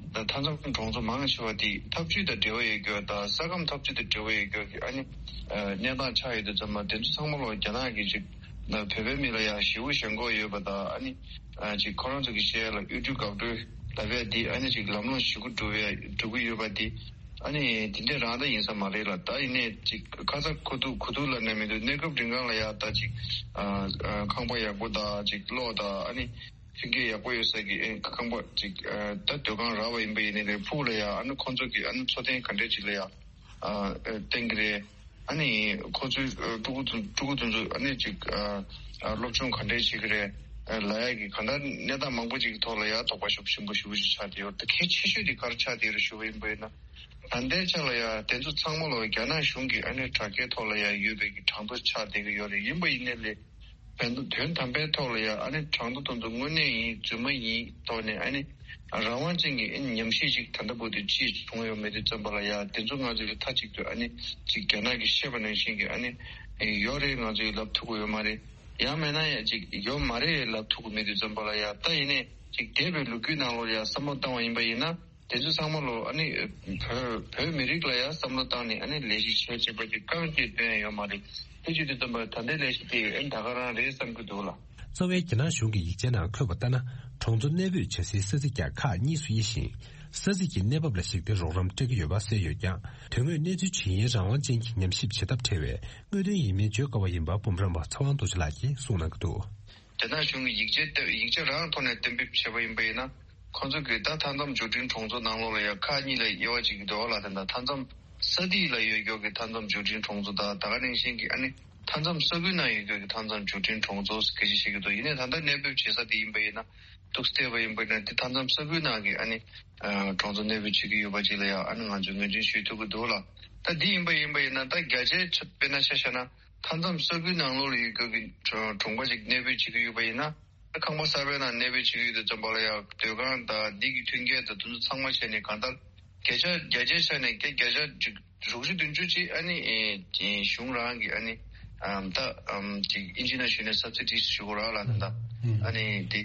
ད་མཐའ་མཚམས་གྲོང་ཚོ་མང་ཆེ་བ་དེ་འཐབ་ཇུས་དང་འབྲེལ་བ་ཡོད་རྒྱུ་དང་ས་ཁམས་འཐབ་ཇུས་དང་འབྲེལ་བ་ཡོད་རྒྱུ་གི་ཨ་ནི་གནས་སྟངས་ཆགས་ཡོད་དུས་ཙམ་པ། དེ་ཚོ་ཚང་མ་ལོ་རྒྱ་ནག་གི་ཅིག་ན་བོད་པའི་མི་ལ་ཡང་ཞེ་པོ་ཞེན་ཁོག་ཡོད་པ་དང་། ཨ་ནི་ཅིག་ཁོ་རང་ཚོ་གི་བཤད་ཡ་ལ་གཡོ་སྒྱུ་འགག་སྒྲོལ་ལབ་ཡ་དེ་ཨ་ནི་ཅིག་ལམ་ལྷོང་ཞེ་པོ་འགྲོ་བའི་འགྲོ་གི་ཡོད་པ་དེ། ཨ་ནི་དེ་འདྲས་རང་ད་ཡིན་ས་མ་རེད་ལ། ད་ཡིན་ནའི་ཅིག་ཁ་ཚ་གོ་ཐུག་གོ་ཐུག་ལབ་ནས་མི་འདུག་གནས་སྐབས་རིང་གང་ལ་ཡང་ད་ཅིག་ཨ་ཨ་ཁང་པ་ཡག་པོ་དང་ཅིག་གློག་དང་ཨ་ནི་ཕ་གི་ཡག་པོ་ཡོད་ས་གི་ཨེ་ཁང་པ་ཅིག་ཨ་ད་སྡོད་ཁང་རག་པ་ཡིན་པ་ཡིན་ནའི་རེད། ཕུགས་ལ་ཡང་ཨ་ནི་ཁོང་ཚོ་གི་ཨ་ནི་འཚོ་རྟེན་ག་འདྲས་ཅིག་ལ་ཡང་ཨ་ཨ་བརྟེན་གི་རེད། ཨ་ནི་ཁོ་ཚོའི་ཨ་ཕྲུ་གུ་ཚོ་ཕྲུ་གུ་དེ་ཚོ་ཨ་ནི་ཅིག་ཨ་ཨ་སློབ་སྦྱོང་ག་འདྲས་བྱེད་གི་རེད་ཨ་ལབ་ཡ་གི་གང་ལྟར་གནས་སྟངས་མང་པོ་ཅིག་གི་ཐོག་ལ་ཡང་དོགས་པ་ཞེ་པོ་ཞེ་པོ་ཞེ་པོ་ཅིག་ཆགས་བསྡད་ཡོད། ད་གལ་ཆེ་ཤོས་དེ་ག་རེ་ཆགས་བསྡད་ཡོད་རེད་ཞུ་བ་ཡིན་པ་ཡིན་ན། ད་ལྟའི་ཆ་ལ་ཡང་དེ་ཚོ་ཚང་མ་ལོ་རྒྱ་ནག་གཞུང་གི་ཨ་ནི་དྲ་རྒྱའི་ཐོག་ལ་ཡང་ཡོད་པའི་གི་གྲངས་ཐོ་ཆགས་བསྡད་ཀྱི་ཡོད་རེད། ཡིན་པ་ཡིན་ནའི་ལས་དོན་དོན་དམ་པའི་ཐོག་ལ་ཡང་ཨ་ནི་གྲངས་ཐོ་དེ་ཚོ་དངོས་གནས་ཡིན་རྫུན་མ་ཡིན་ཐོག་ནས་ཨ་ནི་རང་དབང་ཅན་གྱི་ཨ་ནི་ཉམས་ཞིབ་ཅིག་ད་ལྟ་བར་དུ་ཅིག་བྱུང་ཡོད་མེད་དུས་ཙམ་པ་ལ་ཡང་དེ་ཚོ་ང་ཚོས་མཐའ་གཅིག་ཏུ་ཨ་ནི་ཅིག་རྒྱ་ནག་གིས་བཤད་པ་ནང་བཞིན་གྱི་ཨ་ནི་ ཡོད་རེད། ང་ཚོས་ལབ་ཐུབ་ཀྱི་ཡོད་མ་རེད། ཡང་མིན་ན་ཡང་ཅིག་ཡོད་མ་རེད་ལབ་ཐུབ་ཀྱི་མེད་དུས་ཙམ་པ་ལ་ཡ། ད་ཡིན་ནའི་ཅིག་འདས་པའི་ལོ་རྒྱུས་ནང་ལོགས་ལ་ཡ་བསམ་བློ་བཏང་བ་ཡིན་པ་ཡིན་ན། དེ་ཚོ་ཚང་མ་ལོ་ཨ་ནི་བོད་བོད་མི་རིགས་ལ་ཡ་བསམ་བློ་བཏང་ནས་ཨ་ནི་ལས་གཞི་བྱས་བྱས་པ་ཅིག་རྐང་གཅིག་བཏོན་ཡ་ཡོད་མ་རེད། དེ་བྱེད་དུས་ཙམ་པ་ད་ལྟའི་ལས་གཞི་དེ་ཨ་ནི་ད་ག་རང་རེད་བསམ་གྱི་འདུག་ལ། རྩ་བའི་རྒྱ་ནག་གཞུང་གི་ཡིག་ཆའི་ནང་འཁོད་པ་ལྟར་ན། གྲོང་ཚོ་གནས་སྤོས་བྱ་སའི་ས་ཚིགས་ཀྱང་ཁག་གཉིས་སུ་དབྱེ་ཞིང་། ས་ཚིགས་ཀྱི་གནས་བབ་ལ་གཞིགས་ཏེ་རོགས་རམ་སྤྲད་ཀྱི་ཡོད་པ་གསལ་ཡོད་ཀྱང་། དོན་དངོས་གནས་ཚུལ་ཇི་ཡིན་རང་དབང་ཅན་གྱི་ཉམས་ཞིབ་བྱེད་ཐབས་བྲལ་བས། དངོས་དོན་ཡིན་མིན་བརྗོད་དཀའ་བ་ཡིན་པ་འབུམ་རམས་པ་ཚེ་དབང་རྡོ་རྗེ་ལགས་ཀྱིས་གསུངས་གནང་གི་འདུག། རྒྱ་ནག་གཞུང་གི་ཡིག་ཆའི་སྟེང་ཡིག་ཆ་རང་ཐོག་ནས་གཏན་འབེབས་བྱས་པ་ཡིན་པ་ཡིན་ན། ཁོང་ཚོ་གིས་ད་མཐའ་མཚམས་འབྱོར་འབྲིང་གྲོང་ཚོ་ནང་ལོགས་ལ་ཡང་ཁག་གཉིས་ལ་དབྱེ་བ་ཕྱེ་གི་འདུག་ལ། དེ་འདྲ་མཐའ་མཚམས་ས་ཐིག་ལ་ཡོད་ཀྱོག་གི་མཐའ་མཚམས་འབྱོར་འབྲིང་གྲོང་ཚོ་དང་། ད་ག་ནང་བཞིན་གྱི་ཨ་ནི་མཐའ་མཚམས་ས་ཁུལ་ནང་ཡོད་ཀྱོག་གི་མཐའ་མཚམས་འབྱོར་འབྲིང་གྲོང་ཚོ་སྐད་ཆ་བཤད་ཀྱི་འདུག། ཡིན་ནའི་ད་ལྟ་གནས་སྤོས་བྱེད་ས་དེ་ཡིན་པ་ཡིན་ན། འདུག་སྟེ་བ་ཡིན་པ་ཡིན་ན་དེ་མཐའ་མཚམས་ས་ཁུལ་ནང་གི་ཨ་ནི་གྲོང་ཚོ་གནས་སྤོས་བྱེད་ཀྱི་ཡོད་པ་ཅིག་ལ་ཡང་ཨ་ནི་ང་ཚོས་ངོས་འཛིན་ཞུ་ཐུབ་ཀྱི་འདུག་ལ། ད་འདི་ཡིན་པ་ཡིན་པ་ཡིན་ན་ད་བརྒྱ་ཆའི་ཆ་དཔེར་ན་ཆ་བཞག་ན། མཐའ་མཚམས་ས་ཁུལ་ནང་ལོགས་ལ་ཡོད་ཀྱོག་གི་གྲོང་པ་ཅིག་གནས་སྤོས་བྱེད་ཀྱི་ཡོད་པ་ཡིན་ན། ཁང་པ་གསར་པའི་ནང་གནས་སྤོས་བྱེད་ཀྱི་ཡོད་དུས་ཙམ་པ་ལ་ཡང་སྡོད་ཁང་དང་འདི་གི་མཐུན་རྐྱེན་དང་དེ་ཚོ་ཚང་མ་བྱས་ནས་གང་ལྟར་བརྒྱ་ཆ་བརྒྱ་ཆའི་ཆ་ནས་བརྒྱ་ཆ་ཅིག་དྲུག་ཅུ་བདུན་ཅུ་ཅིག་ཨ་ནི་ཨེ་གཞུང་རང་གི་ཨ་ནི་ཨམ་ད་ཨམ་ཅིག་ཨིན་ཇི་ནང་ཞུས་ནས་སབ་སི་ཌི་ཞུ་དགོས་ར་ལ། ད་ད་ཨ་ནི་འདི་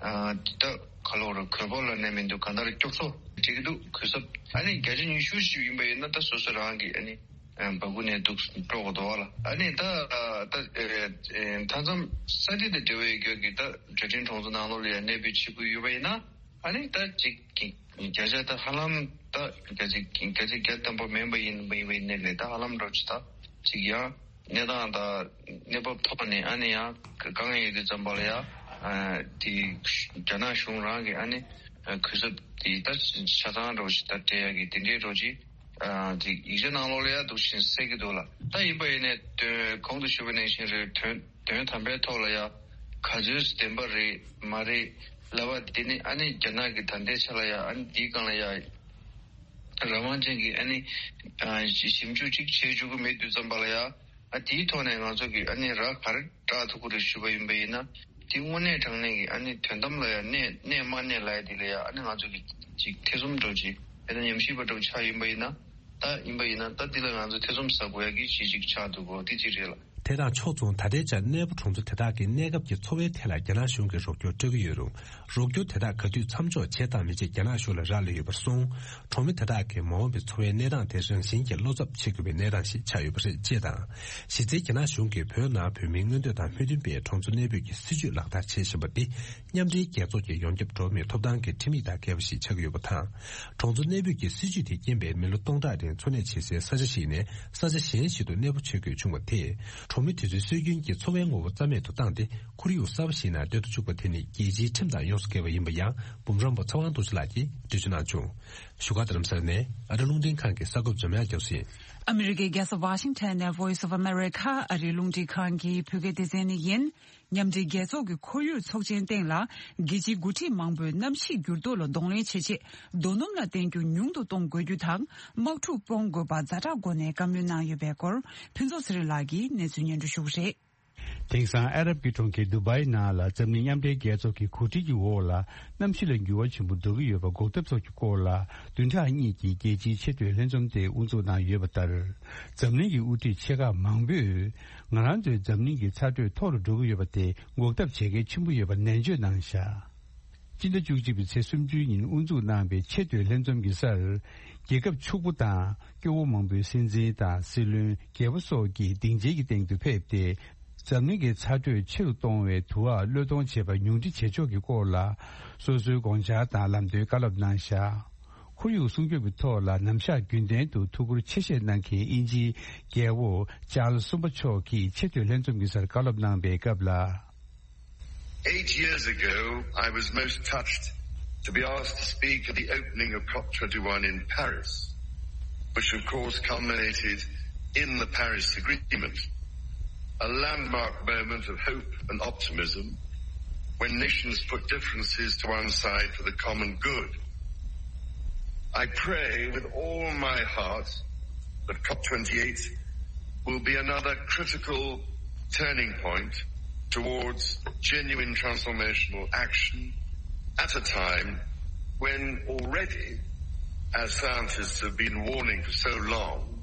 ཨ་ད་ག་ལོ་ར་གོས་སྤོ་ལ་ནས་མི་འདུག། གང་ལྟར་སྐྱོབ་གསོ་བྱེད་ཀྱི་འདུག། གུས་ཞབས་ཨ་ནི་བརྒྱ་ཆ་ཉི་ཤུ་ཞིག་ཡིན་པ་ཡིན་ན་ད་སོ་སོ་རང་གི་ཨ་ནི་ཨ་འབག་གུ་ནས་འདུག་སྤྲོ་གི་འདུག་བ་ལ། ཨ་ནི་ད་ཨ་ད་ཨེ་ཨེ་མཐའ་མཚམས་ས་ཆ་དང་འབྲེལ་བའི་རྒྱུ་གི་ད་འབྱོར་འབྲིང་གྲོང་ཚོ་ནང་ལོགས་ལ་ཡང་གནས་སྤོས་བྱེད་དགོས་ཡོད་པ་ཡིན་ན། ཨ་ནི་ད་ཅིག་གི་བརྒྱ་ཆ་ད་ཧ་ལམ་ད་བརྒྱ་ཆ་བརྒྱ་ཆ་བརྒྱ་ཐམ་པ་མིན་པ་ཡིན་པ་ཡིན་པ་ཡིན་ནའི་ལས་ད་ཧ་ལམ་འདྲ་ཅིག་ད་ཅིག་ཡང་གནས་སྟངས་ད་གནས་བབ་ཐོག་ནས་ཨ་ནི་ཡང་གང་ཡིན་དུས་ཙམ་པ་ལ་ཡང་ཨ་དེ་རྒྱ་ནག་གཞུང་རང་གི་ཨ་ནི་གུས་ཞབས་དེ་ད་ཆ་ཚང་འདྲ་ཅིག་ད་སྤྲད་ཡ་གི་དེ་འདྲའི་འདྲ་ཅིག་ཨ་དེ་ཡིག་ཆ་ནང་ལོགས་ལ་ཡང་འདུག་བཞིན་གསལ་གི་འདུག་ལ། ད་ཡིན་པ་ཡིན་ནའི་དོན་གོང་དུ་ཞུས་པ་ནང་བཞིན་རེད། དོན་དོན་དམ་པའི་ཐོག་ལ་ཡང་ག་ཚོད་བདེན་པ་རེད་མ་རེད་ལབ་པ་དེ་ནི་ཨ་ནི་རྒྱ་ནག་གི་ད་ལྟའི་ཆ་ལ་ཡང་ཨ་ནི་འདིའི་སྒང་ལ་ཡང་རང་དབང་ཅན་གྱི་ཨ་ནི་ཨ་ཞིབ་འཇུག་ཅིག་བྱེད་བཅུག་གི་མེད་དུས་ཙམ་པ་ལ་ཡང་ཨ་དེའི་ཐོག་ནས་ང་ཚོ་གི་ཨ་ནི་ར་ག་རེ་བཀྲག་ཐུབ་ཀྱི་རེད་ཞུས་པ་ཡིན་པ་ཡིན་ན། དེ་དངོས་གནས་དྲང་གནས་ཀྱི་ཨ་ནི་དོན་དམ་ལ་ཡང་གནས་གནས་མ་གནས་ལབ་ཡ་དེ་ལ་ཡང་ཨ་ནི་ང་ཚོ་གི་ཅིག་ཐེ་ཚོམ་འདྲ་ཅིག་དཔེར་ན་ཉམས་ཞིབ་པ་འདྲ་ཆགས་ཡིན་པ་ཡིན་ན། ད་ཡིན་པ་ཡིན་ན་ད་འདི་ལ་ང་ཚོ་ཐེ་ཚོམ་ཟ་དགོས་ཡ་གི་གཞི་ཅིག་ཆགས་འདུག་གོ། དེ་གཅིག་རེད་ལ། དེ་དང་ཕྱོགས་མཚུངས། ད་ལྟའི་ཆར་གནས་སྤོ་གྲོང་ཚོ་དེ་དག་གི་གནས་སྐབས་ཀྱི་འཚོ་བའི་ཐད་ལ་རྒྱ་ནག་གཞུང་གིས་རོགས་སྐྱོར་སྤྲོད་ཀྱི་ཡོད་རུང་། རོགས་སྐྱོར་དེ་དག་ག་དུས་མཚམས་འཇོག་བྱེད་དང་མི་བྱེད་རྒྱ་ནག་གཞུང་ལ་རག་ལས་ཡོད་པར་སོང་། གྲོང་མི་དེ་དག་གི་མ་འོངས་པའི་འཚོ་བའི་གནས་སྟངས་དེ་རང་བཞིན་གྱིས་བློ་འཚབ་བྱེད་དགོས་པའི་གནས་སྟངས་ཤིག་ཆགས་ཡོད་པ་རེད། ཅེས་དང་། གཞི་རྩའི་རྒྱ་ནག་གཞུང་གིས་བོད་ནང་བོད་མིའི་མངོན་འདོད་དང་མོས་མཐུན་པའི་གྲོང་ཚོ་གནས་སྤོས་ཀྱི་སྲིད་ཇུས་ལག་བསྟར་བྱེད་བཞིན་པ་འདི། མཉམ་འབྲེལ་རྒྱལ་ཚོགས་ཀྱི་ཡོངས་ཁྱབ་འགྲོ་བ་མིའི་ཐོབ་ཐང་གི་ཁྲིམས་ཡིག་དང་འགལ་བ་ཞིག་ཆགས་ཀྱི་ཡོད་པ་དང་། གྲོང་ཚོ་གནས་སྤོས་ཀྱི་སྲིད་ཇུས་དེ་རྐྱེན་པས་མི་ལོ་སྟོང་ཕྲག་རིང་འཚོ་གནས་བྱེད་སའི་ས་ཆ་ཞིག་ནས་ས་ཆ་གཞན་ཞིག་ཏུ་གནས་སྤོ་བྱེད་དགོས་བྱུང་བ་དེས། གྲོང་མི་དེ་ཚོའི་སྲོལ་རྒྱུན་གྱི་འཚོ་བའི་ངོ་བོ་རྩ་མེད་དུ་བཏང་སྟེ། ཁོར་ཡུག་གསར་པ་ཞིག་ནང་སྡོད་དུ་བཅུག་པ་དེ་ནི་རྒྱལ་སྤྱིའི་ཁྲིམས་དང་ཡོངས་སུ་འགལ་བ་ཡིན་པ་ཡང་འབུམ་རམས་པ་ཚེ་དབང་རྡོ་རྗེ་ལགས་ཀྱིས་འགྲེལ་བརྗོད་གནང་བྱུང་། བཞུགས་སྒར་རྡ་རམ་ས་ལ་ནས་ཨ་རི་རླུང་འཕྲིན་ཁང་གི་གསར་འགོད་འཛོམས་དབྱངས་རྒྱ་མཚོ་ཡིན། ཨ་མི་རི་ཀའི་རྒྱལ་ས་ཝ་ཤིང་ཊོན་ནས་Voice of America ཨ་རིའི་རླུང་འཕྲིན་ཁང་གི་བོད་སྐད་སྡེ་ཚན་ནས་ཡིན། མཉམ་འབྲེལ་རྒྱལ་ཚོགས་ཀྱི་ཁོར་ཡུག་ཚོགས་ཆེན་སྟེང་ལ། རྒྱལ་སྤྱིའི་འགོ་ཁྲིད་མང་པོས་གནམ་གཤིས་འགྱུར་ལྡོག་ལ་གདོང་ལེན་བྱེད་ཆེད། རྡོ་སྣུམ་ལ་བརྟེན་རྒྱུ་ཉུང་དུ་གཏོང་དགོས་རྒྱུ་དང་། དམག་འཁྲུག་སྤོང་དགོས་པ་ཛ་དྲག་སྒོ་ནས་བཀའ་མོལ་གནང་ཡོད་པའི་སྐོར། ཕུན་ཚོགས་ཚེ་རིང་ལགས་ཀྱིས་གནས་ཚུལ་སྙན་སྒྲོན་ཞུ་གི་རེད། དེང་སང་ཨ་རབ་ཀྱི་གྲོང་ཁྱེར་དུ་བྷའི་ནང་ལ་འཛམ་གླིང་མཉམ་འབྲེལ་རྒྱལ་ཚོགས་ཀྱི་གོ་སྒྲིག་གི་འོག་ལ། གནམ་གཤིས་ལ་འགྱུར་བ་ཆེན་པོ་འགྲོ་གི་ཡོད་པ་འགོག་ཐབས་སོགས་ཀྱི་སྐོར་ལ། བདུན་ཕྲག་གཉིས་ཀྱི་རྒྱལ་སྤྱིའི་ཆེས་མཐོའི་ལྷན་འཛོམས་དེ་དབུ་འཛུགས་གནང་ཡོད་པ་ལྟར། འཛམ་གླིང་གི་དབུ་ཁྲིད་ཆེ་ཁག་མང་པོས། ང་རང་ཚོའི་འཛམ་གླིང་གི་ཚ་དྲོད་མཐོ་རུ་འགྲོ་གི་ཡོད་པ་དེ་འགོག་ཐབས་བྱེད་གལ་ཆེན་པོ་ཡོད་པ་ནན་བརྗོད་གནང་བཞག། སྤྱི་ཟླ་བཅུ་གཅིག་པའི་ཚེས་སུམ་ཅུའི་ཉིན་དབུ་འཛུགས་གནང་པའི་ཆེས་མཐོའི་ལྷན་འཛོམས་ཀྱི་སར། རྒྱལ་ཁབ་ཕྱུག་པོ་དང་སྐྱོ་བོ་མང་པོའི་སྲིད་འཛིན་དང་སྲིད་བློན། རྒྱལ་པོ་སོགས་ཀྱིས་སྡིངས་ཆའི་སྟེང་དུ་ཕེབས་ཏེ། འཛམ་གླིང་གི་ཚ་དྲོད་ཆེ་རུ་གཏོང་བའི་དུ་བ་གློད་གཏོང་བྱེད་པ་ཉུང་འཕྲི་བྱེད་ཕྱོགས་ཀྱི་སྐོར་ལ། སོ་སོའི་དགོངས་འཆར་དང་ལམ་སྟོན་བཀའ་སློབ་གནང་བཞག། ཁོར་ཡུག་སྲུང་སྐྱོབ་ཀྱི་ཐོག་ལ་ནམ་ཞག་རྒྱུན་ལྡན་དུ་ཐུགས་ཁུར་ཆེ་བཞེས་གནང་མཁན་དབྱིན་ཇིའི་རྒྱལ་པོ་ཅཱལ་གསུམ་པ་མཆོག་གིས་ཆེས་མཐོའི་ལྷན་འཛོམས་ཀྱི་སར་བཀའ་སློབ་གནང་པའི་སྐབས་ལ། Eight years ago, I was most touched to be asked to speak at the opening of COP twenty-one in Paris, which of course culminated in the Paris Agreement, a landmark moment of hope and optimism when nations put differences to one side for the common good. I pray with all my heart that COP twenty-eight will be another critical turning point towards genuine transformational action at a time when already, as scientists have been warning for so long,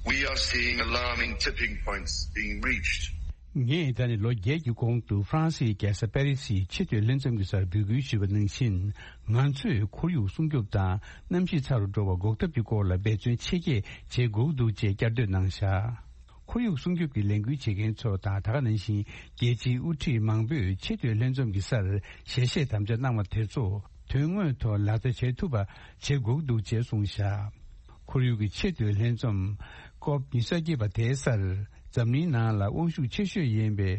We are seeing alarming tipping points being reached. ངས་ད་ནི་ལོ་བརྒྱད་ཀྱི་གོང་དུ་ཧྥ་རན་སིའི་རྒྱལ་ས་པེ་རི་སིའི་ཆེས་མཐོའི་ལྷན་འཛོམས་ཀྱི་སར་འབོད་སྐུལ་ཞུས་པ་ནང་བཞིན། ང་ཚོས་ཁོར་ཡུག་སྲུང་སྐྱོབ་དང་གནམ་གཤིས་ཚ་རུ་འགྲོ་བ་འགོག་ཐབས་ཀྱི་སྐོར་ལ་འབད་བརྩོན་ཆེ་བསྐྱེད་བྱེད་དགོས་འདུག་ཅེས་བསྐྱར་ཟློས་གནང་བཞག་ཁོར་ཡུག་སྲུང་སྐྱོབ་ཀྱི་ལས་འགུལ་བྱེད་མཁན་ཚོ་དང་། ད་ག་ནང་བཞིན་རྒྱལ་སྤྱིའི་དབུ་ཁྲིད་མང་པོས་ཆེས་མཐོའི་ལྷན་འཛོམས་ཀྱི་སར་ཞལ་བཞེས་དམ་བཅའ་གནང་བ་དེ་ཚོ་དོན་དངོས་ཐོག་ལག་བསྟར་བྱེད་ཐུབ་པ་བྱེད་དགོས་འདུག་ཅེས་གསུངས་བཞག་ཁོར་ཡུག་གི་ཆེས་མཐོའི་ལྷན་འཛོམས་ཀོབ་ཉི་ཤུ་རྩ་བརྒྱད་པ་དེའི་སར་འཛམ་གླིང་ནང་ལ་དབང་ཤུགས་ཆེ་ཤོས་ཡིན་པའི་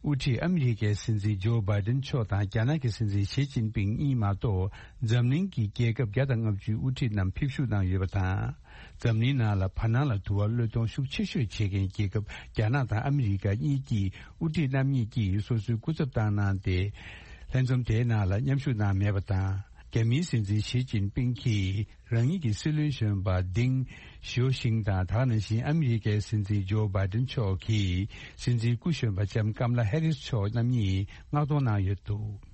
དབུ་ཁྲིད་ཨ་མི་རི་ཀའི་སྲིད་འཛིན་ཇོ་བྷའི་ཏིན་མཆོག་དང་རྒྱ་ནག་གི་སྲིད་འཛིན་ཞི་ཅིན་ཕིང་གཉིས་མ་གཏོགས། འཛམ་གླིང་གི་རྒྱལ་ཁབ་བརྒྱ་དང་ལྔ་བཅུའི་དབུ་ཁྲིད་རྣམས་ཕེབས་ཞུགས་གནང་ཡོད་པ་དང་། འཛམ་གླིང་ནང་ལ་བར་སྣང་ལ་དུ་བ་བློས་གཏོང་ཤུགས་ཆེ་ཤོས་བྱེད་མཁན་རྒྱལ་ཁབ་རྒྱ་ནག་དང་ཨ་མི་རི་ཀ་གཉིས་ཀྱི་དབུ་ཁྲིད་རྣམ་གཉིས་ཀྱིས་སོ་སོའི་སྐུ་ཚབ་བཏང་གནང་སྟེ། ལྷན་འཛོམས་དེའི་ནང་ལ་མཉམ་ཞུགས་གནང་མེད་པ་དང་། རྒྱ་མིའི་སྲིད་འཛིན་ཞི་ཅིན་ཕིང་གིས་རང་ཉིད་ཀྱི་སྲིད་བློན་གཞོན་པ་ཏིང་ཞའོ་ཕིང་དང་། ད་ག་ནང་བཞིན་ཨ་མི་རི་ཀའི་སྲིད་འཛིན་ཇོ་བྷའི་ཏིན་མཆོག་གིས་སྲིད་འཛིན་སྐུ་གཞོན་པ་ལྕམ་ཀམ་ལ་ཧེ་རིས་མཆོག་རྣམ་གཉིས་མངགས་གཏོང་གནང་ཡོད་འདུག་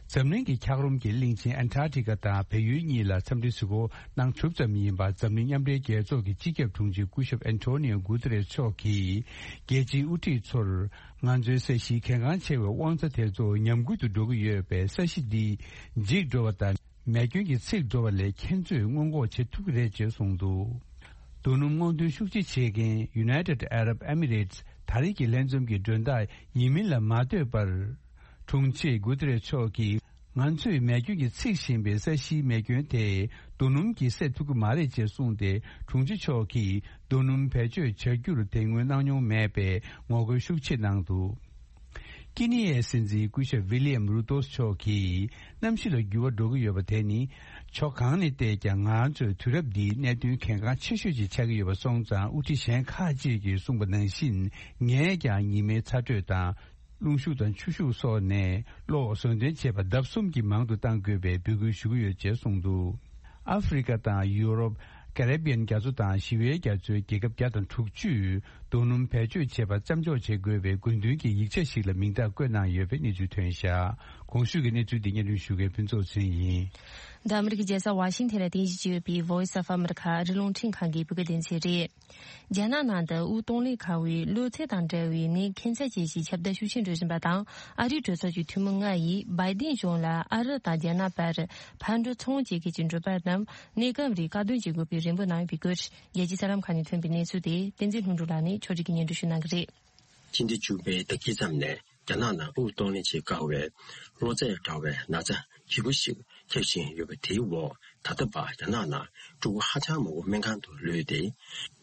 འཛམ་གླིང་གི་འཁྱགས་རོམ་གྱི་གླིང་ཆེན་ཨན་ཊར་ཀི་ཀ་དང་བལ་ཡུལ་གཉིས་ལ་འཚམས་འདྲི་གཟིགས་སྐོར་གནང་གྲུབ་ཙམ་ཡིན་པ། འཛམ་གླིང་མཉམ་འབྲེལ་རྒྱལ་ཚོགས་ཀྱི་སྤྱི་ཁྱབ་དྲུང་ཆེ་སྐུ་ཞབས་ཨན་ཐོ་ནིའོ་གུ་ཏེ་རེས་མཆོག་གིས། རྒྱལ་སྤྱིའི་དབུ་ཁྲིད་ཚོར། ང་ཚོའི་ས་གཞིའི་གལ་འགངས་ཆེ་བའི་དབང་རྩ་དེ་ཚོ་ཉམས་རྒུད་དུ་འགྲོ་གི་ཡོད་པས། ས་གཞི་འདི་འཇིག་འགྲོ་བ་དང་མེ་སྐྱོན་གྱིས་འཚིག་འགྲོ་བ་ལས་ཁྱེད་ཚོས་སྔོན་འགོག་བྱེད་ཐུབ་ཀྱི་རེད་ཅེས་གསུངས་འདུག་རྡོ་སྣུམ་སྔོག་འདོན་ཤུགས་ཆེ་བྱེད་མཁན་United Arab Emirates ད་རེས་ཀྱི་ལྷན་འཛོམས་ཀྱི་མགྲོན་བདག་ཡིན་མིན་ལ་མ་ལྟོས་པར། དྲུང་ཆེ་གུ་ཏེ་རེ་མཆོག་གིས། ང་ཚོས་མེ་སྐྱོན་གྱིས་འཚིག་བཞིན་པའི་ས་གཞིའི་མེ་སྐྱོན་དེ་རྡོ་སྣུམ་གྱིས་སེལ་ཐུབ་ཀྱི་མ་རེད་ཅེས་གསུངས་ཏེ། དྲུང་ཆེ་མཆོག་གིས་རྡོ་སྣུམ་བེད་སྤྱོད་བྱ་རྒྱུར་དེ་སྔོན་གནང་མྱོང་མེད་པའི་ངོ་རྒོལ་ཤུགས་ཆེ་གནང་འདུག་ཀི་ནི་ཡའི་སྲིད་འཛིན་སྐུ་ཞབས་ཝི་ལི་ཡམ་རུ་ཏོ་མཆོག་གིས། གནམ་གཤིས་ལ་འགྱུར་བ་འགྲོ་གི་ཡོད་པ་དེ་ནི། ཕྱོགས་གང་ནས་བལྟས་ཀྱང་ང་ཚོའི་དུས་རབས་འདིའི་གནད་དོན་གལ་འགངས་ཆེ་ཤོས་ཤིག་ཆགས་ཀྱི་ཡོད་པ་སོང་ཙང་། དབུ་ཁྲིད་གཞན་ཁག་ཅིག་གིས་གསུངས་པ་ནང་བཞིན། ངས་ཀྱང་ཉི་མའི་ཚ་དྲོད་དང་། རླུང་ཤུགས་དང་ཆུ་ཤུགས་སོགས་ནས་གློག་བཟོ་འདྲེན་བྱེད་པ་ལྡབ་གསུམ་གྱིས་མང་དུ་གཏང་དགོས་པའི་འབོད་སྐུལ་ཞུ་གི་ཡོད་ཅེས་གསུངས་འདུག་ཨ་ཧྥེ་རི་ཁ་དང་ཡུ་རོབ། ཀ་རི་བི་ཡན་རྒྱ་མཚོ་དང་ཞི་བའི་རྒྱ་མཚོའི་རྒྱལ་ཁབ་བརྒྱ་དང་དྲུག་ཅུས་རྡོ་སྣུམ་བེད་སྤྱོད་བྱེད་པ་མཚམས་འཇོག་བྱེད་དགོས་པའི་དགོས་འདུན་གྱི་ཡིག་ཆ་ཞིག་ལ་མིང་རྟགས་བཀོད་གནང་ཡོད་པའི་གནས་ཚུལ་ཐོན་བཞག་གོང་ཞུས་ཀྱི་གནས་ཚུལ་འདི་སྙན་སྒྲོན་ཞུ་མཁན་ཕུན་ཚོགས་ཚེ་རིང་ཡིན། འདི་ཨ་མི་རི་ཀའི་རྒྱལ་ས་ཝ་ཤིང་ཐན་ལ་རྟེན་གཞི་བྱས་ཡོད་པའི་Voice of America ཨ་རིའི་རླུང་འཕྲིན་ཁང་གི་བོད་སྐད་སྡེ་ཚན་རེད། རྒྱ་ནག་ནང་དུ་དབུགས་གཏོང་ལེན་ཁང་བའི་གློ་ཚད་དང་འབྲེལ་བའི་ནད་ཁྱད་མཚར་ཅན་ཞིག་ཁྱབ་གདལ་ཤུགས་ཆེན་འགྲོ་བཞིན་པ་དང་། ཨ་རིའི་གྲོས་ཚོགས་ཀྱི་འཐུས་མི་ལྔ་ཡིས་བྷའི་ཏིན་གཞུང་ལ་ཨ་རི་དང་རྒྱ་ནག་བར་ཕར་འགྲོ་ཚུར་འོང་བྱེད་མཁན་གྱི་འགྲུལ་པ་རྣམས་གནས་སྐབས་རིང་བཀག་སྡོམ་བྱེད་དགོས་པའི་རེ་འབོད་གནང་ཡོད་པའི་སྐོར། རྒྱལ་སྤྱིའི་གསར་ལམ་ཁག་ནས་ཐོན་པའི་གནས་ཚུལ་དེ་བསྟན་འཛིན་ལྷུན་གྲུབ་ལགས་ནས་ཕྱོགས་སྒྲིག་གིས་སྙན་སྒྲོན་ཞུ་གནང་གི་རེད། ཕྱི་ཟླ་བཅུ་པའི་ཟླ་དཀྱིལ་ཙམ་ནས་རྒྱ་ནག་ནང་དབུགས་གཏོང་ལེན་བྱེད་དཀའ་བའི་གློ་ཚད་འདྲ་བའི་ན་ཚ་ལྗིད་པོ་ཞིག་ཁྱབ་བཞིན་ཡོད་པ་དེའི་འོག་ད་ལྟ་བར་རྒྱ་ནག་ནང་ཕྲུ་གུ་ཧ་ཅང་མང་པོ་སྨན་ཁང་དུ་ལུས་ཏེ།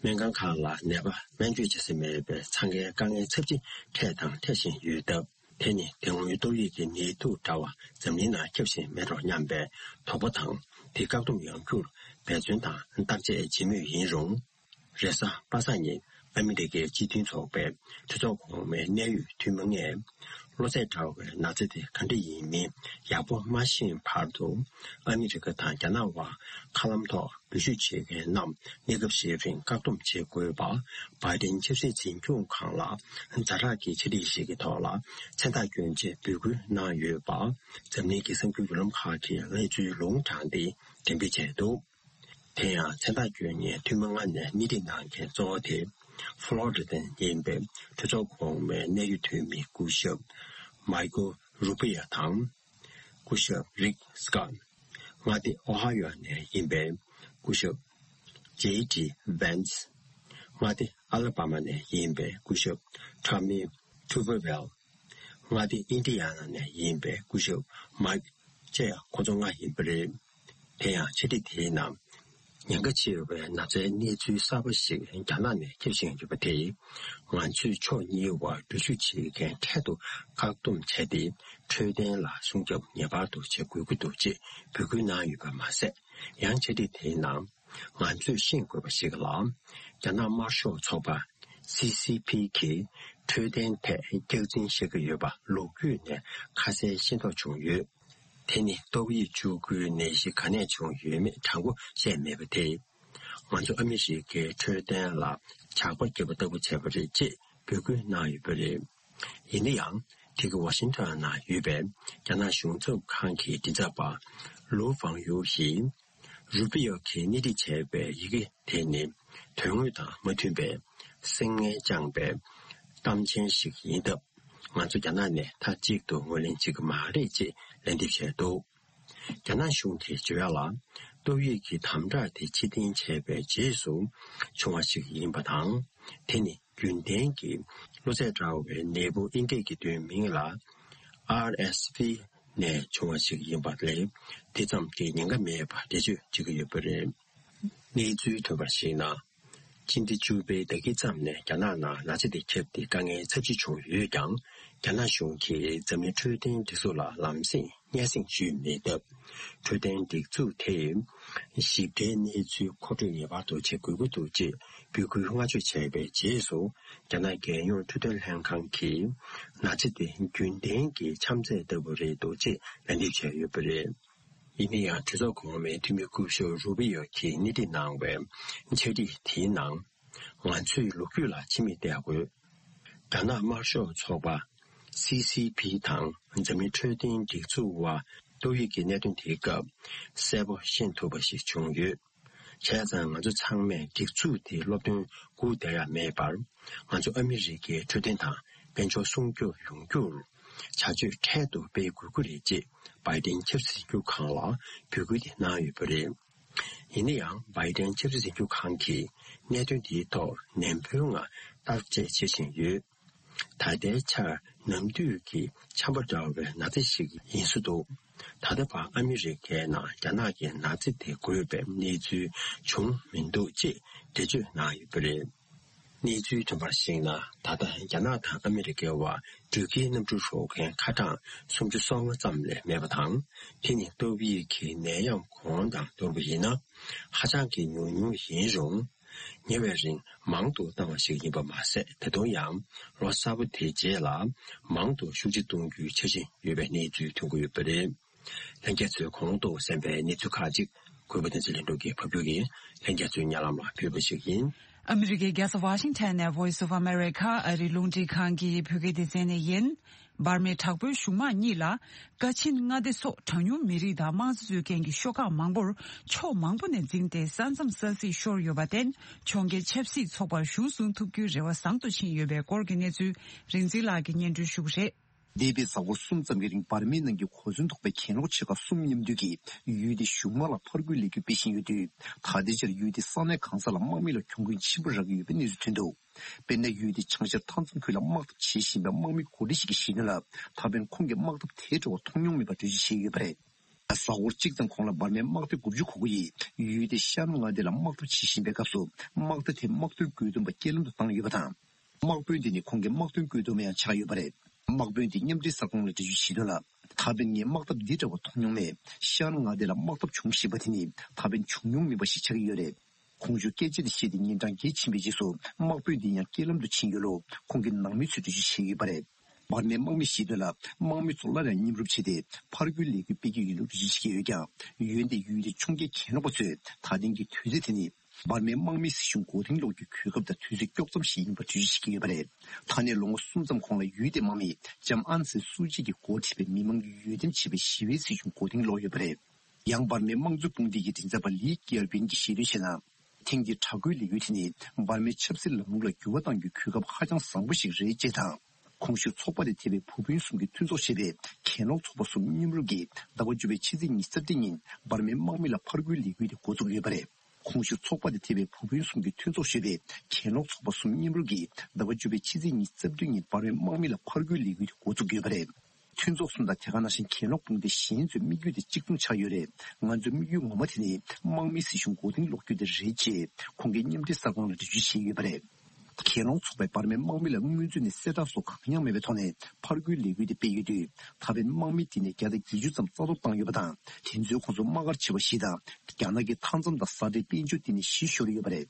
སྨན་ཁང་ཁག་ལ་ནད་པ་སྨན་བཅོས་བྱེད་ས་མེད་པའི་འཚང་ཁའི་དཀའ་ངལ་ཚབས་ཆེ་འཕྲད་དང་འཕྲད་བཞིན་ཡོད་སྟབས། དེ་ནི་དེ་སྔོན་ཏོག་དབྱིབས་ཀྱི་ནད་དུག་འདྲ་བ་འཛམ་གླིང་ནང་ཁྱབ་བཞིན་མེད་འགྲོ་སྙམ་པའི་དོགས་པ་དང་། དེ་བཀག་སྡོམ་ཡོང་རྒྱུར་འབད་བརྩོན་དང་བརྟག་དཔྱད་བྱེད་མུས་ཡིན་རུང་། རེས་གཟའ་པ་སངས་ཉིན་ཨ་མི་རི་ཀའི་སྤྱི་མཐུན་ཚོགས་པའི་གྲོས་ཚོགས་གོང་མའི་གནད་ཡོད་འཐུས་མི་ལྔས། གློ་ཚད་འདྲ་བའི་ན་ཚ་དེ་ག་འདྲ་ཡིན་མིན་ཡག་པོ་མ་ཤེས་བར་དུ། ཨ་མི་རི་ཀ་དང་རྒྱ་ནག་དབར་མཁའ་ལམ་ཐོག་འབུད་ཤུགས་བྱེད་མཁན་རྣམས་གནས་སྐབས་ཤིག་རིང་བཀག་སྡོམ་བྱེད་དགོས་པ། བྷའི་ཏིན་ཆབ་སྲིད་འཛིན་སྐྱོང་ཁང་ལ་ཛ་དྲག་གི་ཆ་སྒྲིག་ཞིག་གི་ཐོག་ལ་མཚན་རྟགས་བསྐྱོན་ཆེད་འབོད་སྐུལ་གནང་ཡོད་པ། འཛམ་གླིང་གི་གསར་འགྱུར་བརྒྱུད་ལམ་ཁག་གིས་གནས་ཚུལ་ལུང་དྲངས་ཏེ་འགྲེམས་སྤེལ་བྱས་འདུག་དེ་ཡང་མཚན་རྟགས་བསྐྱོན་མཁན་འཐུས་མི་ལྔ་ནས་སྣེ་ཁྲིད་གནང་མཁན་གཙོ་བོ་དེ། ཧྥ་ལོ་རི་ཌ་ནས་ཡིན་པའི་གྲོས་ཚོགས་གོང་མའི་གནད་ཡོད་འཐུས་མི་སྐུ་ཞབས་མའི་ཀལ་རུ་པི་ཡ་དང་། སྐུ་ཞབས་རིག་སི་ཀོཊ། མངའ་སྡེ་ཨོ་ཧ་ཡོ་ནས་ཡིན་པའི་སྐུ་ཞབས་ཇེ་ཌི་ཝན་སི། མངའ་སྡེ་ཨ་ལ་བྷ་མ་ནས་ཡིན་པའི་སྐུ་ཞབས་ཊོ་མི་ཐུ་བེ་ཝེལ། མངའ་སྡེ་ཨིན་ཌི་ཡ་ན་ནས་ཡིན་པའི་སྐུ་ཞབས་མའིཀ་བཅས་ཁོ་ཚོ་ལྔ་ཡིན་པ་རེད། དེ་ཡང་ཆེད་སྒྲིག་དེའི་ནང་། ཉེན་ཁ་ཆེ་བའི་ན་ཚའི་གནས་ཚུལ་གསར་པ་ཞིག་རྒྱ་ནག་ནས་ཁྱབ་བཞིན་ཡོད་པ་དེས། ང་ཚོས་ཕྱོགས་གཉིས་དབར་འགྲུལ་བཞུད་བྱེད་མཁན་འཕྲལ་དུ་བཀག་སྡོམ་བྱས་ཏེ། འཕྲོད་བསྟེན་ལ་སྲུང་སྐྱོབ་ངེས་པར་དུ་བྱེད་དགོས་ཀྱི་འདུག་ཅེས་འབོད་སྐུལ་གནང་ཡོད་པ་མ་ཟད། ཡང་ཆེད་སྒྲིག་དེའི་ནང་། ང་ཚོས་ཤེས་དགོས་པ་ཞིག་ལ། རྒྱ་ནག་དམར་ཤོག་ཚོགས་པ། སི་སི་ཕི་གིས་འཕྲོད་བསྟེན་ཐད་རྒྱག་འཛིང་བྱེད་ཀྱི་ཡོད་པ་ལོ་རྒྱུས་ནས་ཁ་གསལ་ཤེས་རྟོགས་བྱུང་ཡོད། དེ་ནི་ཏོག་དབྱིབས་བཅུ་དགུའི་ནད་གཞི་ག་ནས་བྱུང་ཡོད་མེད་དྲང་པོ་བཤད་མེད་པ་དེས། ང་ཚོ་ཨ་མི་རི་ཀའི་འཕྲོད་བསྟེན་ལ་ཇག་པ་བརྒྱབ་པ་ལྟ་བུ་བྱས་པ་རེད་ཅེས་འབོད་སྐུལ་གནང་ཡོད་པ་རེད། ཡིན་ན་ཡང་། དེ་གི་ཝ་ཤིང་ཊོན་ནང་ཡོད་པའི་རྒྱ་ནག་གཞུང་ཚབ་ཁང་གི་མགྲིན་ཚབ་པ་ལུའུ་ཧྥང་ཡུའུ་ཡིས། རུ་པི་ཡོ་གིས་སྣེ་ཁྲིད་བྱས་པའི་ཡི་གེ་དེ་ནི་དོན་དངོས་དང་མ་མཐུན་པའི་སེམས་ངན་བཅངས་པའི་གཏམ་ཆེན་ཞིག་ཡིན་སྟབས། ང་ཚོ་རྒྱ་ནག་ནས་མཐའ་གཅིག་ཏུ་ངོས་ལེན་བྱེད་ཀྱི་མ་རེད་ཅེས་ལན་འདེབས་བྱས་འདུག་རྒྱ་ནག་གཞུང་གིས་བརྗོད་ཡག་ལ། ཏོག་དབྱིབས་ཀྱི་དམ་དྲག་དེ་ཕྱིར་འཐེན་བྱས་པའི་རྗེས་སུ་བྱུང་བ་ཞིག་ཡིན་པ་དང་། དེ་ནི་རྒྱུན་ལྡན་གྱི་གློ་ཚད་འདྲ་བའི་ནད་འབུ་ཨིན་སྐད་ཀྱི་དོན་མིང་ལ་ཨར་ཨེས་ཝི་ནས་བྱུང་བ་ཞིག་ཡིན་པ་ལས། དེ་ཙམ་གྱིས་ཉེན་ཁ་མེད་པར་འགྲེལ་བརྗོད་བྱེད་ཀྱི་ཡོད་པ་རེད། གནས་ཚུལ་ཐོན་པར་གཞིགས་ན། སྤྱི་ཟླ་བཅུ་པའི་ཟླ་དཀྱིལ་ཙམ་ནས་རྒྱ་ནག་ནང་ན་ཚ་དེ་ཁྱབ་སྟེ་དཀའ་ངལ་ཚབས་ཆེ་བྱུང་ཡོད་ཀྱང་། རྒྱ་ནག་གཞུང་གིས་འཛམ་གླིང་འཕྲོད་བསྟེན་སྒྲིག་འཛུགས་ལ་ལམ་སེང་སྙན་སེང་ཞུས་མེད་སྟབས། འཕྲོད་བསྟེན་སྒྲིག་འཛུགས་དེས་ཞིབ་ཕྲའི་གནས་ཚུལ་མཁོ་སྤྲོད་ངེས་པར་དུ་བྱེད་དགོས་ཀྱི་འདུག་ཅེས་འབོད་སྐུལ་སྔ་གཞུག་བྱས་པའི་རྗེས་སུ། རྒྱ་ནག་རྒྱལ་ཡོངས་འཕྲོད་བསྟེན་ལྷན་ཁང་གིས་ན་ཚ་དེ་རྒྱུན་ལྡན་གྱི་ཆམ་ཚད་ལྟ་བུ་རེད་འདུག་ཅེས་ལན་འདེབས་བྱས་ཡོད་པ་རེད། ཡིན་ན་ཡང་། གྲོས་ཚོགས་གོང་མའི་འཐུས་མི་སྐུ་ཞབས་རུ་པི་ཡོ་གིས་སྣེ་ཁྲིད་གནང་བའི་འཆར་སྒྲིག་དེའི་ནང་། ང་ཚོས་ལོ་རྒྱུས་ལ་ཕྱི་མིག་གཏད་དགོས། རྒྱ་ནག་དམར་ཤོག་ཚོགས་པ་སི་སི་པི་དང་འཛམ་གླིང་འཕྲོད་བསྟེན་སྒྲིག་འཛུགས་དབར་ཏོག་དབྱིབས་ཀྱི་གནད་དོན་དེའི་སྐབས་གསལ་པོ་ཤེས་ཐུབ་པ་ཞིག་བྱུང་ཡོད། བྱས་ཙང་ང་ཚོ་ཚང་མས་སྒྲིག་འཛུགས་དེའི་སློབ་སྟོན་སྒུག་བསྡད་ཡ་མེད་པར། ང་ཚོ་ཨ་མི་རི་ཀའི་འཕྲོད་བསྟེན་དང་དཔལ་འབྱོར་སྲུང་སྐྱོབ་ཡོང་རྒྱུར་བྱ་སྤྱོད་འཕྲལ་དུ་སྤེལ་དགོས་ཀྱི་རེད་ཅེས་བྷའི་ཏིན་ཆབ་སྲིད་འཛིན་སྐྱོང་ཁང་ལ་འབོད་སྐུལ་དེ་གནང་ཡོད་པ་རེད། ཡིན་ན་ཡང་། བྷའི་ཏིན་ཆབ་སྲིད་འཛིན་སྐྱོང་ཁང་གིས་གནད་དོན་དེའི་ཐོག་ནན་པོའི་ངང་བརྟག་དཔྱད་བྱེད་བཞིན་ཡོད། ད་ལྟའི་ཆར་ནམ་དུས་ཀྱི་ཆམ་པ་འདྲ་བའི་ན་ཚ་ཞིག་ཡིན་སྲིད་འདུག་ད་ལྟ་བར་ཨ་མི་རི་ཀའི་ནང་རྒྱ་ནག་གི་ན་ཚ་དེ་འགོས་པའི་གནས་ཚུལ་བྱུང་མི་འདུག་ཅེས་འགྲེལ་བརྗོད་གནང་ཡོད་པ་རེད། གནས་ཚུལ་ཐོན་པར་གཞིགས་ན། ད་ལྟ་རྒྱ་ནག་དང་ཨ་མི་རི་ཀའི་བར་འགྲུལ་སྐྱེལ་གནམ་གྲུ་རོལ་མཁན་ཁ་གྲངས་སུམ་ཅུ་སོ་ལྔ་ཙམ་ལས་མེད་པ་དང་། དེ་ནི་ཏོག་དབྱིབས་ཀྱི་ནད་ཡམས་གོང་དང་བསྡུར་བ་ཡིན་ན། ཧ་ཅང་གི་ཉུང་ཉུང་ཡིན་རུང་། ཉེ་བའི་རིང་མང་དུ་བཏང་བ་ཞིག་ཡིན་པ་མ་ཟད། ད་དུང་ཡང་ལོ་གསར་པ་དེའི་རྗེས་ལ་མང་དུ་ཤུགས་ཆེ་གཏོང་རྒྱུའི་འཆར་གཞི་ཡོད་པའི་གནས་ཚུལ་ཐོན་གྱི་ཡོད་པ་རེད། ལྷན་རྒྱས་ཚོས་གོང་དུ་གསན་པའི་གནས་ཚུལ་ཁག་ཅིག་གུས་པ་བསྟན་འཛིན་ལྷུན་གྲུབ་ཀྱིས་ཕབ་སྒྱུར་གྱིས་ལྷན་རྒྱས་ཚོའི་སྙན་ལམ་ལ་ཕུལ་བ་ཞིག་ཡིན། ཨ་མི་རི་ཀའི་རྒྱལ་ས་ཝ་ཤིང་ཊོན་ནས་Voice of America ཨ་རིའི་རླུང་འཕྲིན་ཁང་གི་བོད་སྐད་སྡེ་ཚན་ནས་ཡིན། འབར་མའི་དྲག་པོའི་གཞུང་དམག་གཉིས་ལ་ཀ་ཆིན་མངའ་སྡེ་སོགས་གྲངས་ཉུང་མི་རིགས་དང་དམངས་གཙོ་རྩོད་མཁན་གྱི་ཤོག་ཁག་མང་པོར་ཕྱོགས་མང་པོ་ནས་འཛིངས་ཏེ། ས་མཚམས་ས་སྲིད་ཤོར་ཡོད་པར་བརྟེན། ཕྱོགས་འགལ་ཆབ་སྲིད་ཚོགས་པར་གཞུང་བཟུང་ཐུབ་རྒྱུའི་རེ་བ་བཟང་དུ་ཕྱིན་ཡོད་པའི་སྐོར་གྱི་གནས་ཚུལ་རིག་འཛིན་ལགས་ཀྱིས་སྙན་སྒྲོན་ཞུ་གི་རེད། འདས་པའི་གཟའ་འཁོར་གསུམ་ཙམ་གྱི་རིང་འབར་མའི་ནང་གི་གོ་མཚོན་ཐོགས་པའི་གྱེན་ལོག་ཆེ་ཁག་གསུམ་མཉམ་འདུས་ཀྱིས་ཡུལ་དེའི་གཞུང་དམག་ལ་ཕར་རྒོལ་ལས་འགུལ་སྤེལ་བཞིན་ཡོད་དུས། ད་ལྟའི་ཆར་ཡུལ་དེའི་ས་གནས་གང་ས་ལ་དམག་མི་ལ་གྱོང་གུན་ཆེན་པོ་རག་གི་ཡོད་པའི་གནས་ཚུལ་ཐོན་འདུག་དཔེར་ན། ཡུལ་དེའི་བྱང་ཤར་མཐའ་མཚམས་ཁུལ་ལ་དམག་འཐབ་བྱེད་བཞིན་པའི་དམག་མི་འགོ་ཁྲིད་ཞིག་གིས་བཤད་དོན་ལ། ད་ཕན་ཁོང་གིས་དམག་འཐབ་དེ་འདྲ་བ་མཐོང་མྱོང་མེད་པར་འགྲེལ་བརྗོད་བྱས་ཡོད་པ་རེད། གཟའ་འཁོར་གཅིག་ཙམ་གོང་ལ་འབར་མའི་དམག་སྡེ་དགུ་བཅུ་གོ་དགུ་ཡིས་ཡུལ་དེའི་ཤར་མངའ་སྡེ་ལ་དམག་འཐབ་བྱེད་བཞིན་པའི་སྐབས་སུ། དམག་སྡེ་དེས་དམག་དོན་བཀོད་འདོམས་པ་རྐྱེན་ལམ་དུ་བཏང་ཡོད་པ་དང་། དམག་དཔོན་དེ་ནི་ཁོང་གི་དམག་དོན་བཀོད་འདོམས་པ་ཡང་ཆགས་ཡོད་པ་རེད། དམག་དཔོན་དེས་མཉམ་འབྲེལ་གསར་ཁང་ལ་འགྲེལ་བརྗོད་བྱས་དོན་ལ། ད་ཕན་ངས་དམག་འཐབ་འདི་འདྲ་བ་མཐོང་མྱོང་མེད། ཤར་མངའ་སྡེ་ལ་དམག་འཐབ་བྱུང་བཞིན་པ་དེ་ནི་ད་ཕན་བྱུང་མྱོང་མེད་པ་ཞིག་ཆགས་ཀྱི་ཡོད་རེད། ཁོང་ཚོས་སྐད་ཆ་དེ་བཤད་དེ་ཉིན་གྲངས་བརྒྱད་ཕྱིན་པའི་རྗེས་སུ། དམག་དཔོན་དེ་ཡང་རྐྱེན་ལམ་དུ་ཕྱིན་ཡོད་ལུགས་ཁོང་གི་ནང་མི་ཚོས་འགྲེལ་བརྗོད་བྱས་ཡོད་པ་རེད། འབར་མའི་དམག་མིས་བཤད་དོན་ལ། དམག་མི་ཚོ་སླར་ཡང་མཉམ་རུབ་བྱས་ཏེ། ཕར་རྒོལ་ལས་འགུལ་སྤེལ་གྱི་ཡོད་ལུགས་འགྲེལ་བརྗོད་བྱས་ཡོད་ཀྱང་། འོན་ཏེ་ཡུལ་དེའི་ཕྱོགས་འགལ་གྱེན་ལོག་པ་ཚོས་ད་ཐེངས་ཀྱི་དུས་ཚོད་དེ་ནི། འབར་མའི་དམག་མིའི་སྲིད་གཞུང་མགོ་རྟིང་སློག་རྒྱུའི་གོ་སྐབས་དང་དུས་ཚོད་དཀྱོག་ཙམ་ཞིག་ཡིན་པར་འགྲེལ་བརྗོད་བྱེད་ཀྱི་ཡོད་པ་རེད། ད་ནས་ལོ་ངོ་གསུམ་ཙམ་གོང་ལ་ཡུལ་དེའི་དམག་མིས་ལྕམ་ཨན་སན་སུའུ་ཅི་གིས་འགོ་ཁྲིད་པའི་མི་མང་གིས་འོས་འདེམས་བྱས་པའི་ཞི་བའི་སྲིད་གཞུང་མགོ་རྟིང་སློག་ཡོད་པ་རེད། ཡང་འབར་མའི་དམངས་གཙོ་དཔུང་སྡེ་ཡི་མགྲིན་ཚབ་པ་ལི་ཀྱི་ཡར་པིན་གྱིས་བཤད་དོན་བྱས་ན། ཐེངས་འདིའི་དྲག་རྒོལ་ལས་འགུལ་དེ་ནི་འབར་མའི་ཆབ་སྲིད་ལམ་ལུགས་ལ་འགྱུར་བ་གཏང་རྒྱུའི་གོ་སྐབས་ཧ་ཅང་བཟང་པོ་ཞིག་རེད་ཅེས་དང་། གོང་ཞུས་ཚོགས་པ་དང་ཐེ་བའི་བུ་སྤུན་གསུམ་གྱིས་མཐུན་ཚོགས་ཞེས་པའི་གྱེན་ལོག་ཚོགས་པ་གསུམ་མཉམ་རུབ་ཀྱིས་ཟླ་བ་བཅུ་པའི་ཕྱི་ཚེས་ཉི་ཤུ་རྩ་བདུན་ཉིན་འབར་མའི་དམག་མི་ལ་ཕར་རྒོལ་ལས་འགུལ་དེ་འགོ་བཙུགས་ཡོད་པ་རེད། གོང་ཞུས་ཚོགས་པ་དང་ཐེ་བའི་བུ་སྤུན་གསུམ་གྱིས་མཐུན་ཚོགས་ཞེས་པའི་གྱེན་ལོག་ཚོགས་པ་གསུམ་མཉམ་རུབ་ཀྱིས་ཟླ་བ་བཅུ་པའི་ཕྱི་ཚེས་ཉི་ཤུ་རྩ་བདུན་ཉིན་འབར་མའི་དམག་མི་ལ་ཕར་རྒོལ་ལས་འགུལ་དེ་འགོ་བཙུགས་ཡོད་པ་རེད། མཐུན་ཚོགས་གསུམ་དང་དེ་ག་ནང་བཞིན་གྱེན་ལོག་དཔུང་སྡེ་གཞན་ཚོའི་དམིགས་ཡུལ་དེ་གཅིག་མཚུངས་ཆགས་ཡོད་རེད། ང་ཚོའི་དམིགས་ཡུལ་ངོ་མ་དེ་ནི་དམག་མིའི་སྲིད་གཞུང་མགོ་རྟིང་སློག་རྒྱུ་དེ་རེད་ཅེས་ཁོང་གིས་མཉམ་འབྲེལ་གསར་ཁང་ལ་འགྲེལ་བརྗོད་བྱས་ཡོད་པ་རེད། གྱེན་ལོག་ཚོགས་པས་འབར་མའི་དམག་མི་ལ་སྔོན་ཚུད་ནས་གསལ་བསྒྲགས་སོགས་གང་ཡང་མེད་པའི་ཐོག་ནས་ཕར་རྒོལ་ལས་འགུལ་དེ་སྤེལ་ཡོད་དུས། ད་ཕན་དམག་མི་དེ་ནས་བརྒྱ་དང་བརྒྱད་ཅུ་ཙམ་རྩ་གཏོར་བཏང་ཡོད་པ་དང་། དེ་ཚོའི་ཁོངས་སུ་དམག་སྒར་ཆེ་བ་བཞི་དང་། རྒྱ་ནག་གི་མཐའ་མཚམས་དང་ས་ཁྲའི་དཔལ་འབྱོར་དེ་ནས་བཞི་ཤོར་ཡོད་པ་རེད།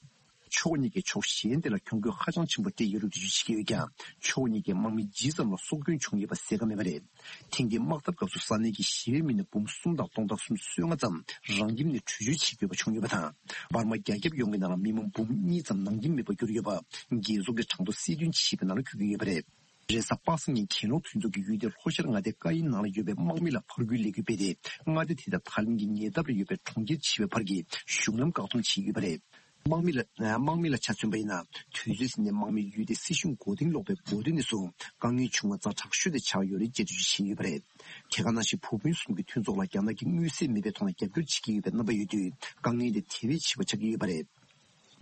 ཕྱོགས་གཉིས་ཀས་ཕྱོགས་གཞན་དེ་ལ་གྱོང་གུད་ཧ་ཅང་ཆེན་པོ་སྤྲད་ཡོད་ལུགས་འགྲེལ་བརྗོད་བྱེད་ཀྱི་ཡོད་ཀྱང་། ཕྱོགས་གཉིས་ཀས་དམག་མི་ཇི་ཙམ་ལ་སྲོག་སྐྱོན་བྱུང་ཡོད་པ་གསལ་ཁ་མེད་པ་རེད། ཐེངས་འདིའི་དམག་འཐབ་སྐབས་སུ་ས་གནས་ཀྱི་ཞི་བའི་མི་སྣ་འབུམ་གསུམ་དང་སྟོང་ཕྲག་སུམ་ཅུ་སོ་ལྔ་ཙམ་རང་ཁྱིམ་ནས་བྲོས་བྱོལ་བྱེད་དགོས་པ་བྱུང་ཡོད་པ་དང་། འབར་མ་རྒྱ་ཁྱབ་ཡོངས་ཀྱི་ནང་ལ་མི་མང་འབུམ་གཉིས་ཙམ་ནང་ཁྱིམ་མེད་པར་གྱུར་ཡོད་པ་རྒྱལ་ཚོགས་ཀྱི་གྲངས་ཐོ་གསལ་སྟོན་བྱས་པའི་ནང་ལ་འཁོད་ཀྱི་ཡོད་པ་རེད། རེས་གཟའ་པ་སངས་ཉིན་གྱེན་ལོག་མཐུན་ཚོགས་ཀྱི་ཡུལ་དེ་ལྷོ་ཤར་མངའ་སྡེ་ཀ་ཡིན་ནང་ལ་ཡོད་པའི་དམག་མི་ལ་ཕར་རྒོལ་ལས་འགུལ་སྤེལ་ཏེ། མངའ་སྡེ་དེ་དང་ཐའི་ལན་གྱི་ཉེ་འདབས་ལ་ཡོད་པའི་གྲོང་ཁྱེར་ཆེ་བའི་བར་གྱི་གཞུང་ལམ་བཀག་སྡོམ་བྱས་ཡོད་པ་རེད། དམག་མི་ལ་དམག་མི་ལ་ཆ་མཚོན་པ་ཡིན་ན། དུས་ཚོད་ཟིན་ནས་དམག་མིའི་ཡུལ་དེ་སྲིད་གཞུང་མགོ་རྟིང་སློག་པའི་འགོ་སྟོད་ནས་བཟུང་དཀའ་ངལ་བྱུང་བ་ཛ་དྲག་ཤོས་དེ་ཆགས་ཡོད་རེད་ཅེས་འགྲེལ་བརྗོད་བྱས་ཡོད་པ་རེད། དེ་ག་ནང་བཞིན་བུ་སྤུན་གསུམ་གྱི་མཐུན་ཚོགས་ལ་རྒྱ་ནག་གིས་མངོན་གསལ་མེད་པའི་ཐོག་ནས་རྒྱབ་སྐྱོར་བྱེད་ཀྱི་ཡོད་པའི་རྣམ་པ་ཡོད་དུས། དཀའ་ངལ་དེ་དེ་བས་ཆེ་བ་ཆགས་ཀྱི་ཡོད་པ་རེད།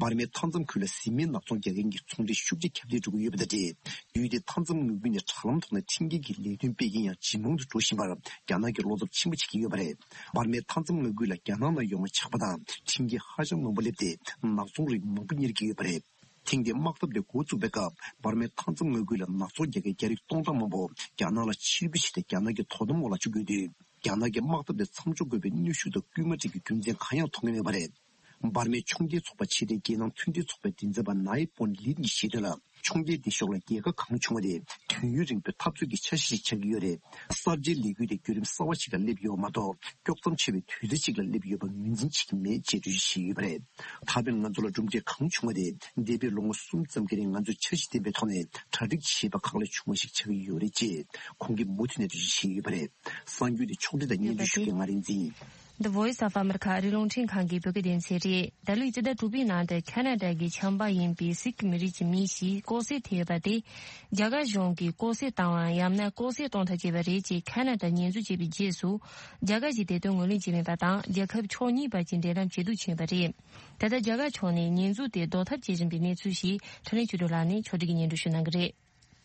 འབར་མའི་མཐའ་མཚམས་ཁུལ་ལ་བཟི་སྨན་ནག་ཚོང་རྒྱག་མཁན་གྱི་ཚོང་འབྲེལ་ཤུགས་ཆེ་ཁྱབ་གདལ་འགྲོ་གི་ཡོད་པ་དང་འབྲེལ། ཡུལ་དེའི་མཐའ་མཚམས་མངའ་ཁུལ་ནས་དྲ་ལམ་ཐོག་ནས་ཁྲིམས་འགལ་གྱི་ལས་དོན་སྤེལ་མཁན་ཡང་ཇེ་མང་དུ་འགྲོ་བཞིན་པར། རྒྱ་ནག་གིས་བློ་འཚབ་ཆེན་པོ་བྱེད་ཀྱི་ཡོད་པ་རེད། འབར་མའི་མཐའ་མཚམས་མངའ་ཁུལ་ལ་རྒྱ་ནག་ནང་ཡོང་བ་ཆགས་པ་དང་། ཁྲིམས་འགལ་ཧ་ཅང་མང་པོ་སླེབས་ཏེ། ནག་ཚོང་རིགས་མང་པོ་གཉེར་གྱི་ཡོད་པ་རེད། ཐེངས་འདིའི་དམག་འཐབ་དེ་འགོ་བཙུགས་པའི་སྐབས། འབར་མའི་མཐའ་མཚམས་མངའ་ཁུལ་ལ་ནག་ཚོང་རྒྱག་མཁན་རྒྱ་རིགས་སྟོང་ཕྲག་མང་པོ་རྒྱ་ནག་ལ་ཕྱིར་འབུད་བྱས་ཏེ། རྒྱ་ནག་གི་དོ་དམ་འོག་ལ་བཅུག་ཡོད་དུས། རྒྱ་ནག་གི་དམག་འཐབ་དེ་མཚམས་འཇོག་དགོས་པའི་གནོན་ཤུགས་དང་སྐུལ་མ་སྤྲད་རྒྱུའི་རྒྱུ་མཚན་གང་ཡང་མཐོང་གི་མེད་པ་རེད། འབར་མའི་ཕྱོགས་འགལ་ཚོགས་པ་ཕྱི་འབྲེལ་རྒྱལ་ནང་མཐུན་སྒྲིལ་ཚོགས་པའི་མགྲིན་ཚབ་པ་ནའི་པོན་ལིན་གྱིས་བཤད་དོན་ལ། ཕྱོགས་འགལ་འདི་ཕྱོགས་ལ་རྒྱལ་ཁ་གང་བྱུང་བ་དེ་དུས་ཡུན་རིང་པོའི་འཐབ་རྩོད་ཀྱི་འཆར་གཞི་ཞིག་ཆགས་ཀྱི་ཡོད་རེད། གསར་བརྗེའི་ལས་འགུལ་དེ་བརྒྱུད་རིམ་གསར་བ་ཞིག་ལ་སླེབས་ཡོད་མ་གཏོགས། དཀྱོག་མཚམས་ཆེ་བའི་དུས་ཚོད་ཅིག་ལ་སླེབས་ཡོད་པ་ངོས་འཛིན་བྱེད་ཀྱི་མེད་ཅེས་འགྲེལ་བརྗོད་བྱས་ཡོད་པ་རེད། ད་ཕན་ང་ཚོ་ལ་གྲུབ་འབྲས་གང་བྱུང་བ་དེ། འདས་པའི་ལོ་ངོ་གསུམ་ཙམ་གྱི་རིང་ང་ཚོས་འཆར་གཞི་ལྡན་པའི་ཐོག་ནས་གྲ་སྒྲིག་བྱས་པ་ཁག་ལས་བྱུང་བ་ཞིག་ཆགས་ཀྱི་ཡོད་རེད་ཅེས་ཁོང་གིས་མུ་མཐུད་ནས་འགྲེལ་བརྗོད་བྱས་ཡོད་པ་རེད། གསར་འགྱུར་དེ་ཕྱོགས་སྒྲིག་དང་སྙན་སྒྲོན་ཞུ་མཁན་ང་རིག་འཛིན། The Voice of America ཨ་རིའི་རླུང་འཕྲིན་ཁང་གི་བོད་སྐད་སྡེ་ཚན་རེད། ད་ལོའི་སྤྱི་ཟླ་དྲུག་པའི་ནང་དུ་ཁ་ན་ཌ་གི་ཆམ་པ་ཡིན་པའི་སིག་མི་རིགས་ཀྱི་མི་ཞིག་ལྐོག་བསད་ཐེབས་ཡོད་པ་དེ། རྒྱ་གར་གཞུང་གིས་ལྐོག་བསད་བཏང་བ་ཡང་ན་ལྐོག་བསད་གཏོང་ཐབས་བྱས་པ་རེད་ཅེས་ཁ་ན་ཌ་ཉེས་འཛུགས་བྱས་པའི་རྗེས་སུ། རྒྱ་གར་གྱིས་དེ་དོན་ངོས་ལེན་བྱས་མེད་པ་དང་། རྒྱལ་ཁབ་ཕྱོགས་གཉིས་བར་གྱི་འབྲེལ་ལམ་ཇེ་སྡུག་ཕྱིན་པ་རེད། ད་ལྟ་རྒྱ་གར་ཕྱོགས་ནས་ཉེས་འཛུགས་དེ་ཟློག་ཐབས་བྱེད་བཞིན་པའི་གནས་ཚུལ་ཞིག་འཕྲིན་ལས་ཆོས་སྒྲོན་ལགས་ནས་ཕྱོགས་སྒྲིག་གིས་སྙན་སྒྲོན་ཞུ་གནང་གི་རེད།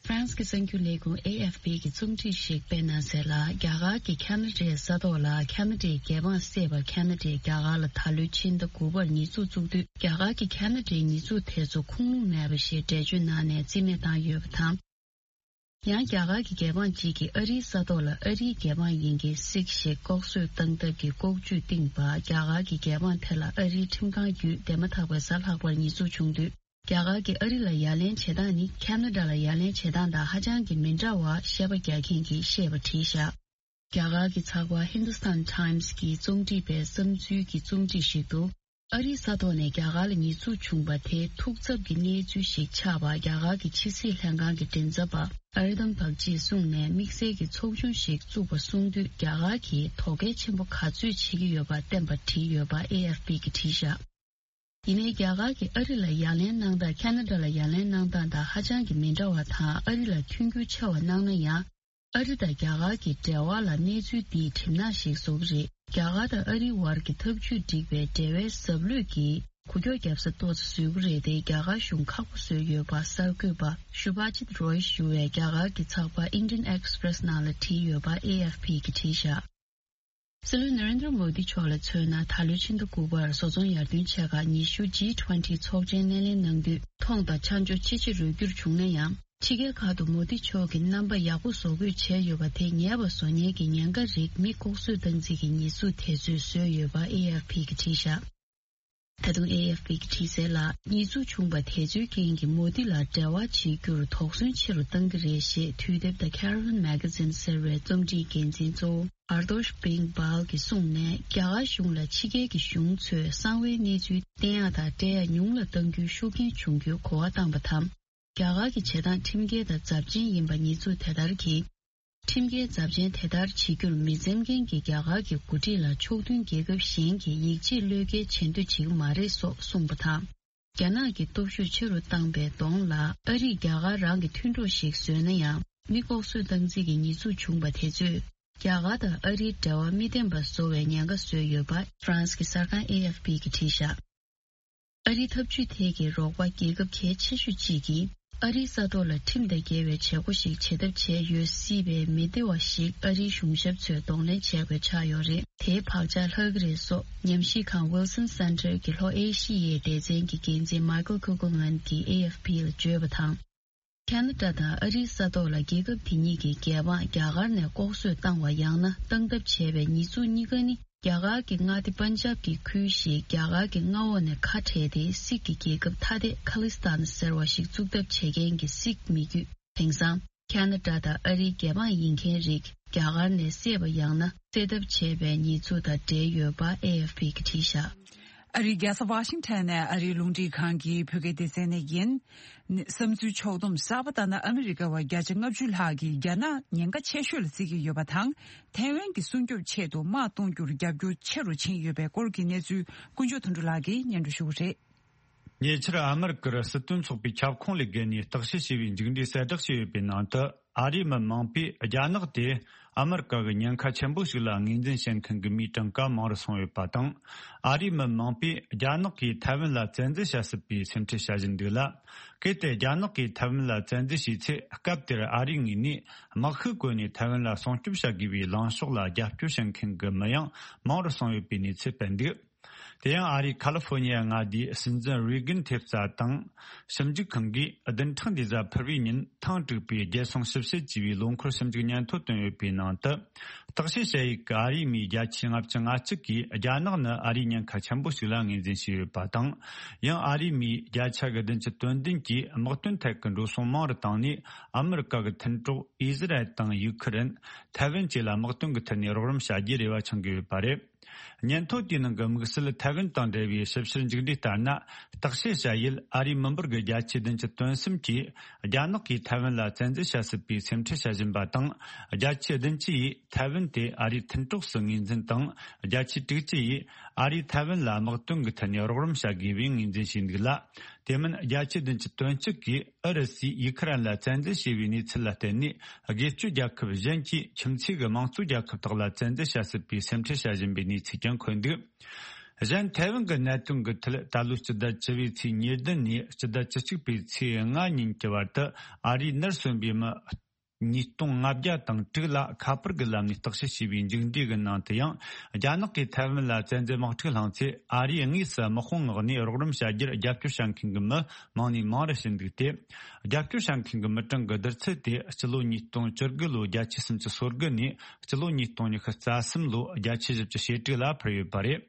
ཧྥ་རན་སི་གི་གསར་འགྱུར་ལས་ཁུངས་ཨེ་ཨེཕ་པི་གིས་རྩོམ་སྒྲིག་ཞིག་སྤེལ་གནང་གསལ་ལ། རྒྱ་གར་གྱི་ཁ་ན་ཌའི་ས་ཐོག་ལ་ཁ་ན་ཌའི་རྒྱལ་འབངས་བསད་པར་ཁ་ན་ཌས་རྒྱ་གར་ལ་ད་ལོའི་ཕྱི་ཟླ་དགུ་པར་ཉེས་འཛུགས་བཙུགས་དུས། རྒྱ་གར་གྱིས་ཁ་ན་ཌའི་ཉེས་འཛུགས་དེ་ཚོ་ཁུངས་ལུང་མེད་པ་ཞེས་འགྲེལ་བརྗོད་གནང་ནས་རྩིས་མེད་བཏང་ཡོད་པ་དང་། ཡང་རྒྱ་གར་གྱི་རྒྱལ་འབངས་གཅིག་གིས་ཨ་རིའི་ས་ཐོག་ལ་ཨ་རིའི་རྒྱལ་འབངས་ཡིན་མཁན་སིག་ཞིག་ལྐོག་གསོད་བཏང་ཐབས་ཀྱི་ལྐོག་ཇུས་བཏིང་བར། རྒྱ་གར་གྱི་རྒྱལ་འབངས་དེ་ལ་ཨ་རིའི་ཁྲིམས་ཁང་བརྒྱུད་འདས་མ་ཐག་པའི་གཟའ་ལྷག་པར་ཉེས་འཛུགས་བྱུང་དུས། རྒྱ་གར་གྱིས་ཨ་རི་ལ་ཡ་ལན་བྱེད་སྟངས་ནི་ཁ་ན་ཌ་ལ་ཡ་ལན་བྱེད་སྟངས་དང་ཧ་ཅང་གི་མི་འདྲ་བ་བཤད་པ་རྒྱག་མཁན་གྱིས་བཤད་པ་བྲིས་བཞག་རྒྱ་གར་གྱི་ཚགས་པར་Hindustan Times གྱིས་རྩོམ་སྒྲིག་པའི་བསམ་ཚུལ་གྱི་རྩོམ་སྒྲིག་ཞིག་ཏུ། ཨ་རིའི་ས་ཐོག་ནས་རྒྱ་གར་ལ་ཉེས་འཛུགས་བྱུང་བ་དེ་ཐུགས་འཚབ་ཀྱི་གནས་ཚུལ་ཞིག་ཆགས་པར། རྒྱ་གར་གྱི་ཕྱི་སྲིད་ལྷན་ཁང་གི་མགྲིན་ཚབ་པ་ཨར་དམ་བག་ཅིས་གསུངས་ནས། དམིགས་བསལ་གྱི་ཚོགས་ཆུང་ཞིག་བཙུགས་པ་གསུང་དུས། རྒྱ་གར་གྱིས་དོ་གལ་ཆེན་པོ་ག་ཚོད་བྱེད་ཀྱི་ཡོད་པ་བསྟན་པ་བྲིས་ཡོད་པ་ཨེ་ཨེཕ་པི་གིས་བྲིས་བཞག་ཡིན་ནའི། རྒྱ་གར་གྱིས་ཨ་རི་ལ་ཡ་ལན་གནང་སྟངས་ཁ་ན་ཌ་ལ་ཡ་ལན་གནང་སྟངས་དང་ཧ་ཅང་གི་མི་འདྲ་བ་དང་། ཨ་རི་ལ་མཐུན་འགྱུར་ཆེ་བ་གནང་ན་ཡང་། ཨ་རི་དང་རྒྱ་གར་གྱི་འབྲེལ་བ་ལ་གནས་ཚུལ་འདིས་གྲིབ་ནག་ཞིག་བཟོ་གི་རེད། རྒྱ་གར་དང་ཨ་རིའི་བར་གྱི་འཐབ་ཇུས་འགྲིག་པའི་འབྲེལ་བའི་ཟབ་ལྷོད་ཀྱིས་འགུལ་སྐྱོད་བརྒྱབ་ས་ཏོག་ཙམ་བཟོ་གི་རེད་དེ། རྒྱ་གར་གཞུང་ཁག་པོ་བཟོས་ཡོད་པ་གསར་འགོད་པ་ཤུ་བྷ་ཇིད་རོ་ཡི་ཞུ་བའི་རྒྱ་གར་གྱི་ཚགས་པར་Indian Express ནང་ལ་བྲིས་ཡོད་པ་ཨེ་ཨེཕ་པི་གིས་བྲིས་བཞག་སྲིད་བློན་ན་རེན་དྲ་མོ་དི་མཆོག་ལ་མཚོན་ན། ད་ལོའི་ཕྱི་ཟླ་དགུ་པར་བཟོ་ཚོང་ཡར་ཐོན་ཆེ་ཁག་ཉི་ཤུ་ཇི་ཊུ་ཝེན་ཊི་ཚོགས་ཆེན་སྣེ་ལེན་གནང་དུས། མཐོང་དང་ཆ་འཇོག་ཆེ་ཆེ་རུ་འགྱུར་བྱུང་ན་ཡང་། ཕྱི་རྒྱལ་ཁག་ཏུ་མོ་དི་མཆོག་གི་རྣམ་པ་ཡག་པོ་བཟོ་འགོད་བྱས་ཡོད་པ་དེ། ཉེས་པ་བཟོ་མཁན་གྱི་ཉེན་ཁ་རིགས་མི་ལྐོག་གསོད་བཏང་རྩིས་ཀྱི་ཉེས་འཛུགས་དེ་ཚོས་བཟོས་ཡོད་པ་ཨེ་ཨེཕ་པི་གིས་བྲིས་བཞག་ད་དུང་ཨེ་ཨེཕ་པི་གིས་བྲིས་གསལ་ལ། ཉེས་འཛུགས་བྱུང་བ་དེ་ཚོའི་རྐྱེན་གྱིས་མོ་དི་ལ་འབྲེལ་བ་བྱེད་རྒྱུར་དོགས་ཟོན་ཆེ་རུ་གཏང་གི་རེད་ཞེས། དུས་དེབ་The Caravan Magazine ཟེར་བའི་རྩོམ་སྒྲིག་འགན་འཛིན་གཙོ་བོ་Ardorsh Bing Bal གྱིས་གསུངས་ནས། རྒྱ་གར་གཞུང་ལ་ཕྱི་རྒྱལ་གྱི་གཞུང་ཚོས་གསང་བའི་གནས་ཚུལ་བསྟན་ཡག་དང་སྤྲད་ཡག་ཉུང་ལ་གཏང་རྒྱུའི་ཤུགས་རྐྱེན་བྱུང་རྒྱུའི་གོ་བ་བཏང་བ་དང་། རྒྱ་གར་གྱི་བྱེད་སྟངས་ཁྲིམས་འགལ་དང་ཚབས་ཆེན་ཡིན་པ་ཉེས་འཛུགས་དེ་ལྟར་གྱིས། ཁྲིམས་འགལ་ཚབས་ཆེན་དེ་ལྟར་བྱེད་རྒྱུར་མི་འཛེམ་མཁན་གྱི་རྒྱ་གར་གྱི་འགོ་ཁྲིད་ལ་ཕྱོགས་མཐུན་རྒྱལ་ཁབ་གཞན་གྱིས་ཡིད་ཆེས་བློས་འགེལ་བྱེད་འདོད་བྱེད་ཀྱི་མ་རེད་སོགས་གསུངས་པ་དང་། རྒྱ་ནག་གི་སྟོབས་ཤུགས་ཆེ་རུ་བཏང་པའི་གདོང་ལ། ཨ་རིས་རྒྱ་གར་རང་གི་མཐུན་གྲོགས་ཤིག་བཟོས་ན་ཡང་། མི་ལྐོག་གསོད་བཏང་རྩིས་ཀྱི་ཉེས་འཛུགས་བྱུང་པ་དེ་ཚོས། རྒྱ་གར་དང་ཨ་རིའི་འབྲེལ་བ་མི་བརྟན་པ་བཟོ་བའི་ཉེན་ཁ་བཟོས་ཡོད་པ་ཧྥ་རན་སི་གི་གསར་ཁང་ཨེ་ཨེཕ་པི་གིས་བྲིས་བཞག་ཨ་རིའི་འཐབ་ཇུས་ཐད་ཀྱི་རོགས་པ་རྒྱལ་ཁབ་གལ་ཆེ་ཤོས་གཅིག་གིས། ཨ་རིའི་ས་ཐོག་ལ་ཁྲིམས་དང་འགལ་བའི་བྱེད་སྒོ་ཞིག་བྱེད་ཐབས་བྱས་ཡོད་སྲིད་པའི་མི་སྡེ་བ་ཞིག་ཨ་རིའི་གཞུང་ཞབས་ཚོས་གདོང་ལེན་བྱས་པ་ཆགས་ཡོད་རེད། དེའི་བག་ཆགས་ལྷག་གི་རེད་སོགས། ཉམས་ཞིབ་ཁང་Wilson Center གྱི་ལྷོ་ཨེ་ཤི་ཡའི་སྡེ་ཚན་གྱི་འགན་འཛིན་Michael Kugelman གྱིས་ཨེ་ཨེཕ་པི་ལ་བརྗོད་པ་དང་། ཁ་ན་ཌ་དང་ཨ་རིའི་ས་ཐོག་ལ་རྒྱལ་ཁབ་དེ་གཉིས་ཀྱི་རྒྱལ་འབངས་རྒྱ་གར་ནས་ལྐོག་གསོད་བཏང་བ་ཡང་ན་བཏང་ཐབས་བྱས་པའི་ཉེས་འཛུགས་གཉིས་ཀ་ནི། རྒྱ་གར་གྱི་མངའ་སྡེ་པན་ཇབ་ཀྱི་ཁུལ་ཞིག་རྒྱ་གར་གྱི་མངའ་འོག་ནས་ཁ་བྲལ་ཏེ། སིག་གི་རྒྱལ་ཁབ་ཐ་དད་ཁ་ལི་སྟན་ཟེར་བ་ཞིག་བཙུགས་ཐབས་བྱེད་མཁན་གྱི་སིག་མི་རྒྱུད། དེང་སང་ཁ་ན་ཌ་དང་ཨ་རིའི་རྒྱལ་འབངས་ཡིན་མཁན་རིགས་རྒྱ་གར་ནས་བསད་པ་ཡང་ན་བསད་ཐབས་བྱས་པའི་ཉེས་འཛུགས་དང་འབྲེལ་ཡོད་པ་ཨེ་ཨེཕ་པི་གིས་བྲིས་བཞག་ཨ་རིའི་རྒྱལ་ས་ཝ་ཤིང་ཊོན་ནས་ཨ་རིའི་རླུང་འཕྲིན་ཁང་གི་བོད་སྐད་སྡེ་ཚན་ནས་ཡིན། བསམ་ཚུལ་ཕྱོགས་བསྡོམས་གསར་པ་ལྟར་ན། ཨ་མི་རི་ཀ་བ་བརྒྱ་ཆ་ལྔ་བཅུ་ལྷག་གིས་རྒྱ་ནག་ཉེན་ཁ་ཆེ་ཤོས་ལ་བརྩི་གི་ཡོད་པ་དང་། ཐའེ་ཝན་གྱི་སྲུང་སྐྱོབ་ཆེད་དུ་དམག་གཏོང་རྒྱུར་རྒྱབ་སྐྱོར་ཆེ་རུ་ཕྱིན་ཡོད་པའི་སྐོར་གྱི་གནས་ཚུལ། ཀུན་མཆོག་དོན་གྲུབ་ལགས་ཀྱིས་སྙན་སྒྲོན་ཞུ་གི་རེད། ཉེ་ཆར་ཨ་མི་རི་ཀར་སྲིད་དོན་ཚོགས་པའི་ཁྱབ་ཁོངས་ལས་བརྒལ་ནས་བརྟག་དཔྱད་བྱས་པའི་མཇུག་འབྲས་གསལ་བསྒྲགས་བྱས་ཡོད་པའི་ནང་དུ། ཨ་རིའི་མི་མང་པོས་རྒྱ་ནག་དེ་ཨ་མི་རི་ཀ་གི་ཉེན་ཁ་ཆེན་པོ་ཞིག་ལ་ངོས་འཛིན་བྱེད་མཁན་གྱི་མིའི་གྲངས་ཀ་མང་རུ་སོང་ཡོད་པ་དང་། ཨ་རིའི་མི་མང་པོས་རྒྱ་ནག་གིས་ཐའེ་ཝན་ལ་བཙན་འཛུལ་བྱ་སྲིད་པའི་སེམས་ཁྲལ་བྱ་བཞིན་འདུག་ལ། གལ་ཏེ་རྒྱ་ནག་གིས་ཐའེ་ཝན་ལ་བཙན་འཛུལ་བྱས་ཚེ། སྐབས་དེར་ཨ་རིའི་ངོས་ནས་དམག་ཤུགས་བཀོལ་ནས་ཐའེ་ཝན་ལ་སྲུང་སྐྱོབ་བྱ་དགོས་པའི་ལངས་ཕྱོགས་ལ་རྒྱབ་སྐྱོར་བྱེད་མཁན་གྱི་མི་ཡང་མང་རུ་སོང་ཡོད་པའི་གནས་ཚུལ་སྤེལ་འདུག་དེ་ཡང་ཨ་རིའི་ཁ་ལི་ཧྥོ་ནི་ཡ་མངའ་སྡེའི་སྲིད་འཛིན་རེ་གན་ཐེབས་རྩ་དང་ཞིབ་འཇུག་ཁང་གིས་བདུན་ཕྲག་འདིའི་གཟའ་ཕུར་བུའི་ཉིན་ཐེངས་དྲུག་པའི་རྒྱལ་སྲུང་ཞིབ་བཤེར་ཅེས་པའི་ལོ་འཁོར་ཞིབ་འཇུག་སྙན་ཐོ་བཏོན་ཡོད་པའི་ནང་དུ། བརྟག་དཔྱད་བྱ་ཡུལ་གྱི་ཨ་རིའི་མིའི་བརྒྱ་ཆའི་ལྔ་བཅུ་ང་གཅིག་གིས་རྒྱ་ནག་ནི་ཨ་རིའི་ཉེན་ཁ་ཆེན་པོ་ཞིག་ལ་ངོས་འཛིན་བྱས་ཡོད་པ་དང་། ཡང་ཨ་རིའི་མིའི་བརྒྱ་ཆ་གི་བདུན་ཅུ་དོན་བདུན་གྱིས་དམག་དོན་ཐད་ཀྱི་འགྲོ་སོང་མང་རུ་བཏང་ནས། ཨ་མི་རི་ཀ་གི་མཐུན་གྲོགས་ཨི་ཟི་རལ་དང་ཡུ་ཁུ་རེན། ཐའེ་ཝན་བཅས་ལ་དམག་དོན་གྱི་ཐད་ནས་རོགས་རམ་བྱ་རྒྱུའི་རེ་བ་འཆང་གི་ཡོད་པ་རེད། སྙན་ཐོ་དེའི་ནང་གི་དམིགས་བསལ་ཐའེ་ཝན་དང་འབྲེལ་བའི་ཞིབ་བཤེར་མཇུག་འབྲས་ལྟར་ན། བརྟག་དཔྱད་བྱ་ཡུལ་ཨ་རིའི་མི་འབོར་གྱི་བརྒྱ་ཆའི་བདུན་ཅུ་དོན་གསུམ་གྱིས་རྒྱ་ནག་གིས་ཐའེ་ཝན་ལ་བཙན་འཛུལ་བྱ་སྲིད་པའི་སེམས་ཁྲལ་བྱ་བཞིན་པ་དང་། བརྒྱ་ཆའི་བདུན་ཅུ་ཡིས་ཐའེ་ཝན་དེ་ཨ་རིའི་མཐུན་གྲོགས་སུ་ངོས་འཛིན་དང་། བརྒྱ་ཆའི་དྲུག་ཅུ་ཡིས་ཨ་རིས་ཐའེ་ཝན་ལ་དམག་དོན་གྱི་ཐད་ནས་རོགས་རམ་བྱ་དགོས་པའི་ངོས་འཛིན་བྱས་འདུག་ལ། དེ་མིན་བརྒྱ་ཆའི་བདུན་ཅུ་དོན་གཅིག་གིས་ཨུ་རུ་སུས་ཡུ་ཁུ་རེན་ལ་བཙན་འཛུལ་བྱས་པའི་གནས་ཚུལ་ལ་བརྟེན་ནས། སྒེར་གཅོད་རྒྱལ་ཁབ་གཞན་གྱིས་ཁྱིམ་མཚེས་ཀྱི་དམངས་གཙོ་རྒྱལ་ཁབ་དག་ལ་བཙན་འཛུལ་བྱ་སྲིད་པའི་སེམས་ཁྲལ་བྱ་བཞིན་པའི་གནས་ཚུལ་ཀྱང་འཁོད་འདུག་གཞན་ཐའེ་ཝན་གྱི་གནད་དོན་གྱི་ཐད། ད་ལོའི་སྤྱི་ཟླ་བཅུ་བའི་ཚེས་ཉེར་བདུན་ནས་སྤྱི་ཟླ་བཅུ་གཅིག་པའི་ཚེས་ལྔ་ཉིན་གྱི་བར་དུ། ཨ་རིས་ནར་སོན་པའི་མི་ཉིས་སྟོང་ལྔ་བརྒྱ་དང་དྲུག་ལ་ཁ་པར་གྱི་ལམ་ནས་བརྟག་དཔྱད་བྱས་པའི་མཇུག་འབྲས་ཀྱི་ནང་དུ་ཡང་། རྒྱ་ནག་གིས་ཐའེ་ཝན་ལ་བཙན་འཛུལ་དམག་འཁྲུག་བསླངས་ཚེ། ཨ་རིས་དངོས་སུ་དམག་དཔུང་མངགས་ནས་རོགས་རམ་བྱ་རྒྱུར་རྒྱབ་སྐྱོར་བྱ་མཁན་གྱི་མི་མང་ནས་མང་རུ་ཕྱིན་འདུག་སྟེ། རྒྱབ་སྐྱོར་བྱ་མཁན་གྱི་མི་གྲངས་ཀྱི་བསྡུར་ཚད་དེ་སྤྱི་ལོ་ཉིས་སྟོང་བཅུ་དགུ་ལོའི་བརྒྱ་ཆའི་སུམ་ཅུ་སོ་དགུ་ནས་སྤྱི་ལོ་ཉིས་སྟོང་ཉི་ཤུ་རྩ་གསུམ་ལོའི་བརྒྱ་ཆའི་བཞི་བཅུ་ཞེ་དྲུག་ལ་འཕར་ཡོད་པ་རེད།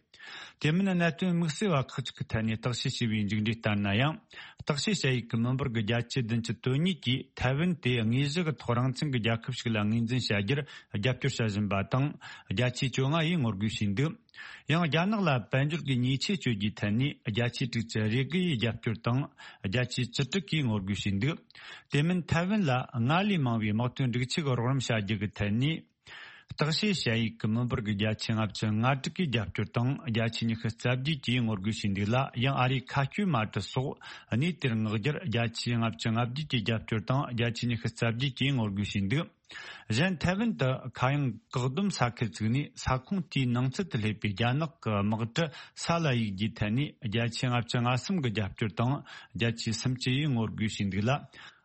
དེ་མིན་གནད་དོན་དམིགས་བསལ་བ་ཁག་ཅིག་གི་ཐད་ནས་བརྟག་དཔྱད་བྱས་པའི་མཇུག་འབྲས་ལྟར་ན་ཡང་། བརྟག་དཔྱད་བྱ་ཡུལ་གྱི་མི་འབོར་གྱི་བརྒྱ་ཆའི་བདུན་ཅུ་དོན་གཉིས་ཀྱིས་ཐའེ་ཝན་དེ་དངོས་གཞི་གི་ཐོག་རང་བཙན་གྱི་རྒྱལ་ཁབ་ཞིག་ལ་ངོས་འཛིན་བྱ་རྒྱུར་རྒྱབ་སྐྱོར་བྱ་བཞིན་པ་དང་། བརྒྱ་ཆའི་བཅོ་ལྔ་ཡིས་ངོ་རྒོལ་བྱས་འདུག་ཡང་རྒྱ་ནག་ལ་དཔལ་འབྱོར་གྱི་ཉེས་ཆད་གཅོད་རྒྱུའི་ཐད་ནས་བརྒྱ་ཆའི་དྲུག་ཅུ་རེ་དགུ་ཡིས་རྒྱབ་སྐྱོར་དང་། བརྒྱ་ཆའི་བཅུ་དྲུག་གིས་ངོ་རྒོལ་བྱས་འདུག་དེ་མིན་ཐའེ་ཝན་ལ་སྔར་ལས་མང་བའི་དམག་དོན་སྒྲིག་ཆས་ཀྱི་རོགས་རམ་བྱ་རྒྱུ་གི་ཐད་ནས། བརྟག་དཔྱད་བྱ་ཡུལ་གྱི་མི་འབོར་གྱི་བརྒྱ་ཆའི་ལྔ་བཅུ་ང་དྲུག་གིས་རྒྱབ་སྐྱོར་དང་། བརྒྱ་ཆའི་ཉི་ཤུ་རྩ་བརྒྱད་ཀྱིས་ངོ་རྒོལ་བྱས་འདུག་ལ། ཡང་ཨ་རིའི་མཁའ་སྐྱོད་མ་གྲུ་སོགས་གནས་དེར་མངགས་རྒྱུར་བརྒྱ་ཆའི་ལྔ་བཅུ་ང་བརྒྱད་ཀྱིས་རྒྱབ་སྐྱོར་དང་། བརྒྱ་ཆའི་ཉི་ཤུ་རྩ་བརྒྱད་ཀྱིས་ངོ་རྒོལ་བྱས་འདུག་གཞན་ཐའེ་ཝན་དུ་མཁའ་དབྱིངས་བཀག་སྡོམ་ས་ཁུལ་བཙུགས་ནས། ས་ཁོངས་དེའི་ནང་ཚུད་དུ་སླེབས་པའི་རྒྱ་ནག་གི་དམག་གྲུ་ས་ལ་གཡུག་རྒྱུའི་ཐད་ནས་བརྒྱ་ཆའི་ལྔ་བཅུ་ང་གསུམ་གྱིས་རྒྱབ་སྐྱོར་དང་། བརྒྱ་ཆའི་སུམ་ཅུ་ཡིས་ངོ་རྒོལ་བྱས་འདུག་ལ།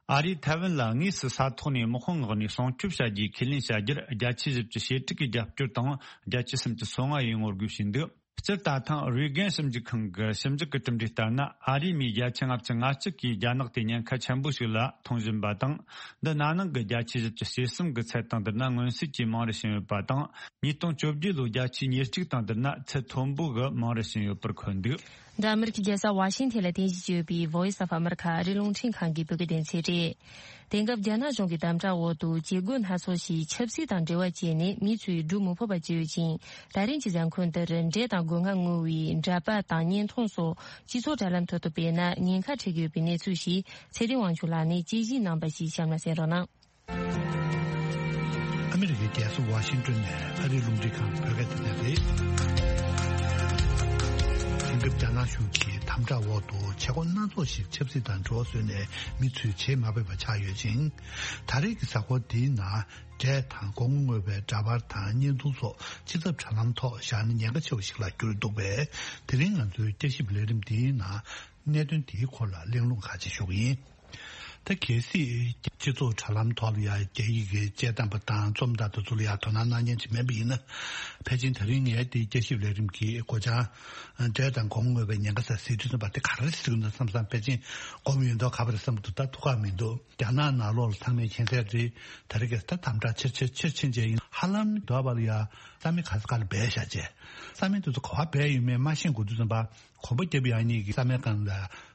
ཨ་རིས་ཐའེ་ཝན་ལ་དངོས་སུ་ས་ཐོག་ནས་དམག་དཔུང་མངགས་ནས་སྲུང་སྐྱོབ་བྱ་རྒྱུའི་ཁས་ལེན་བྱ་རྒྱུར་བརྒྱ་ཆའི་བཞི་བཅུ་ཞེ་དྲུག་གིས་རྒྱབ་སྐྱོར་དང་། བརྒྱ་ཆའི་སུམ་ཅུ་སོ་ལྔ་ཡིས་ངོ་རྒོལ་བྱས་འདུག་སྤྱིར་ད་ཐེངས་རེ་གན་ཞིབ་འཇུག་ཁང་གི་ཞིབ་འཇུག་གི་གྲུབ་འབྲས་ལྟར་ན། ཨ་རིའི་མིའི་བརྒྱ་ཆ་ལྔ་བཅུ་ང་གཅིག་གིས་རྒྱ་ནག་དེ་ཉེན་ཁ་ཆེན་པོ་ཞིག་ལ་མཐོང་བཞིན་པ་དང་། འདི་ན་ནིང་གི་བརྒྱ་ཆའི་བཞི་བཅུ་ཞེ་གསུམ་གྱི་ཚད་དང་བསྡུར་ན་མངོན་གསལ་གྱིས་མང་རུ་ཕྱིན་ཡོད་པ་དང་། ཉིས་སྟོང་བཅོ་བརྒྱད་ལོའི་བརྒྱ་ཆའི་ཉེར་གཅིག་དང་བསྡུར་ན་ཚད་མཐོན་པོ་གི་མང་རུ་ཕྱིན་ཡོད་པར་འཁོད་འདུག་འདི་ཨ་མི་རི་ཀའི་རྒྱལ་ས་ཝ་ཤིང་ཐན་ལ་རྟེན་གཞི་བྱས་ཡོད་པའི་Voice of America ཨ་རིའི་རླུང་འཕྲིན་ཁང་གི་བོད་སྐད་སྡེ་ཚན་རེད། དེང་སྐབས་རྒྱ་ནག་གཞུང་གི་དམ་དྲག་འོག་ཏུ་བྱེད་སྒོ་སྣ་ཚོགས་ཤིག་ཆབ་སྲིད་དང་འབྲེལ་བ་བྱས་ནས་མི་ཚོས་སྒྲུབ་མི་ཕོད་པ་བྱས་ཡོད་ཅིང་། ད་རིང་གི་གཟའ་འཁོར་འདིར་འབྲས་དང་སྒོ་ང་བསྔོ་བའི་འདྲ་པར་དང་བརྙན་ཐུང་སོགས་སྤྱི་ཚོགས་དྲ་ལམ་ཐོག་ཏུ་སྤེལ་ན་ཉེན་ཁ་འཕྲད་ཀྱི་ཡོད་པའི་གནས་ཚུལ་ཞིག་ཚེ་བརྟན་དབང་ཕྱུག་ལགས་ནས་དཔྱད་ཞིབ་གནང་བ་ཞིག་གཤམ་ལ་གསན་རོགས་གནང་། ཨ་མི་རི་ཀའི་རྒྱལ་ས་ཝ་ཤིང་ཏོན་ནས་ཨ་རིའི་རླུང་འཕྲིན་ཁང་བོད་སྐད་སྡེ་ཚན་རེད། དེང་སྐབས་རྒྱ་ནག་གཞུང་གི་དམ་དྲག་འོག་ཏུ་བྱེད་སྒོ་སྣ་ཚོགས་ཤིག་ཆབ་སྲིད་དང་འབྲེལ་བ་བཟོས་ནས་མི་ཚོས་བྱེད་མ་ཕོད་པ་ཆགས་ཡོད་ཅིང་། ད་རེས་ཀྱི་གཟའ་འཁོར་འདིའི་ནང་འབྲས་དང་སྒོ་ང་བསྔོ་བའི་འདྲ་པར་དང་བརྙན་ཐུང་སོགས་སྤྱི་ཚབ་དྲ་ལམ་ཐོག་བཞག་ན་ཉེན་ཁ་ཆེ་བ་ཞིག་ལ་གྱུར་འདུག་པས། དེ་རིང་ང་ཚོའི་བསྐྱར་ཞིབ་ལས་རིམ་འདིའི་ནང་གནད་དོན་དེའི་སྐོར་ལ་གླེང་སློང་ཁག་ཅིག་ཞུ་གི་ཡིན། ད་གལ་སྲིད་སྤྱི་ཚོགས་དྲ་ལམ་ཐོག་ལ་ཡང་རྒྱ་ཡིག་གི་དཔྱད་གཏམ་པ་དང་རྩོམ་པ་དེ་ཚོ་ལ་ཡང་དོ་སྣང་གནང་མཁན་ཅིག་མེད་པ་ཡིན་ན། ཕལ་ཆེར་ད་རིང་ངས་འདི་བསྐྱར་ཞིབ་ལས་རིམ་གྱི་སྒོ་བྱང་འབྲས་དང་སྒོ་ང་བསྔོ་བའི་ཉེན་ཁ་ཟེར་ཟེར་དུས་ཙམ་པ་དེ་ག་རེ་ཟེར་གྱི་འདུག་བསམ་བསམ་ཕལ་ཆེར་སྒོམ་ཡོད་མདོག་ཁ་པོ་རེད་བསམ་གྱི་འདུག་ད་ཐུགས་ཁག་མི་འདུག་རྒྱ་ནག་ནང་ལོགས་ལ་ཚང་མས་མཁྱེན་གསལ་རེད། ད་རེས་ཀྱི་ད་དམ་དྲག་ཆེར་ཆེར་ཆེར་ཕྱིན་བྱས་ཡིན། ཧ་ལམ་འདོད་པ་ལ་ཡང་ས་མིག་ག་ས་ག་ལ་སྦས་བཞག་བྱས། ས་མིག་དེ་ཚོ་ག་པར་སྦས་ཡོད་མེད་མ་ཤེས་དགོས་དུས་ཙམ་པ། གོམ་པ་རྒྱབ་ཡག་གཉིས་ཀྱི་ས་མའི་སྒང་ལ་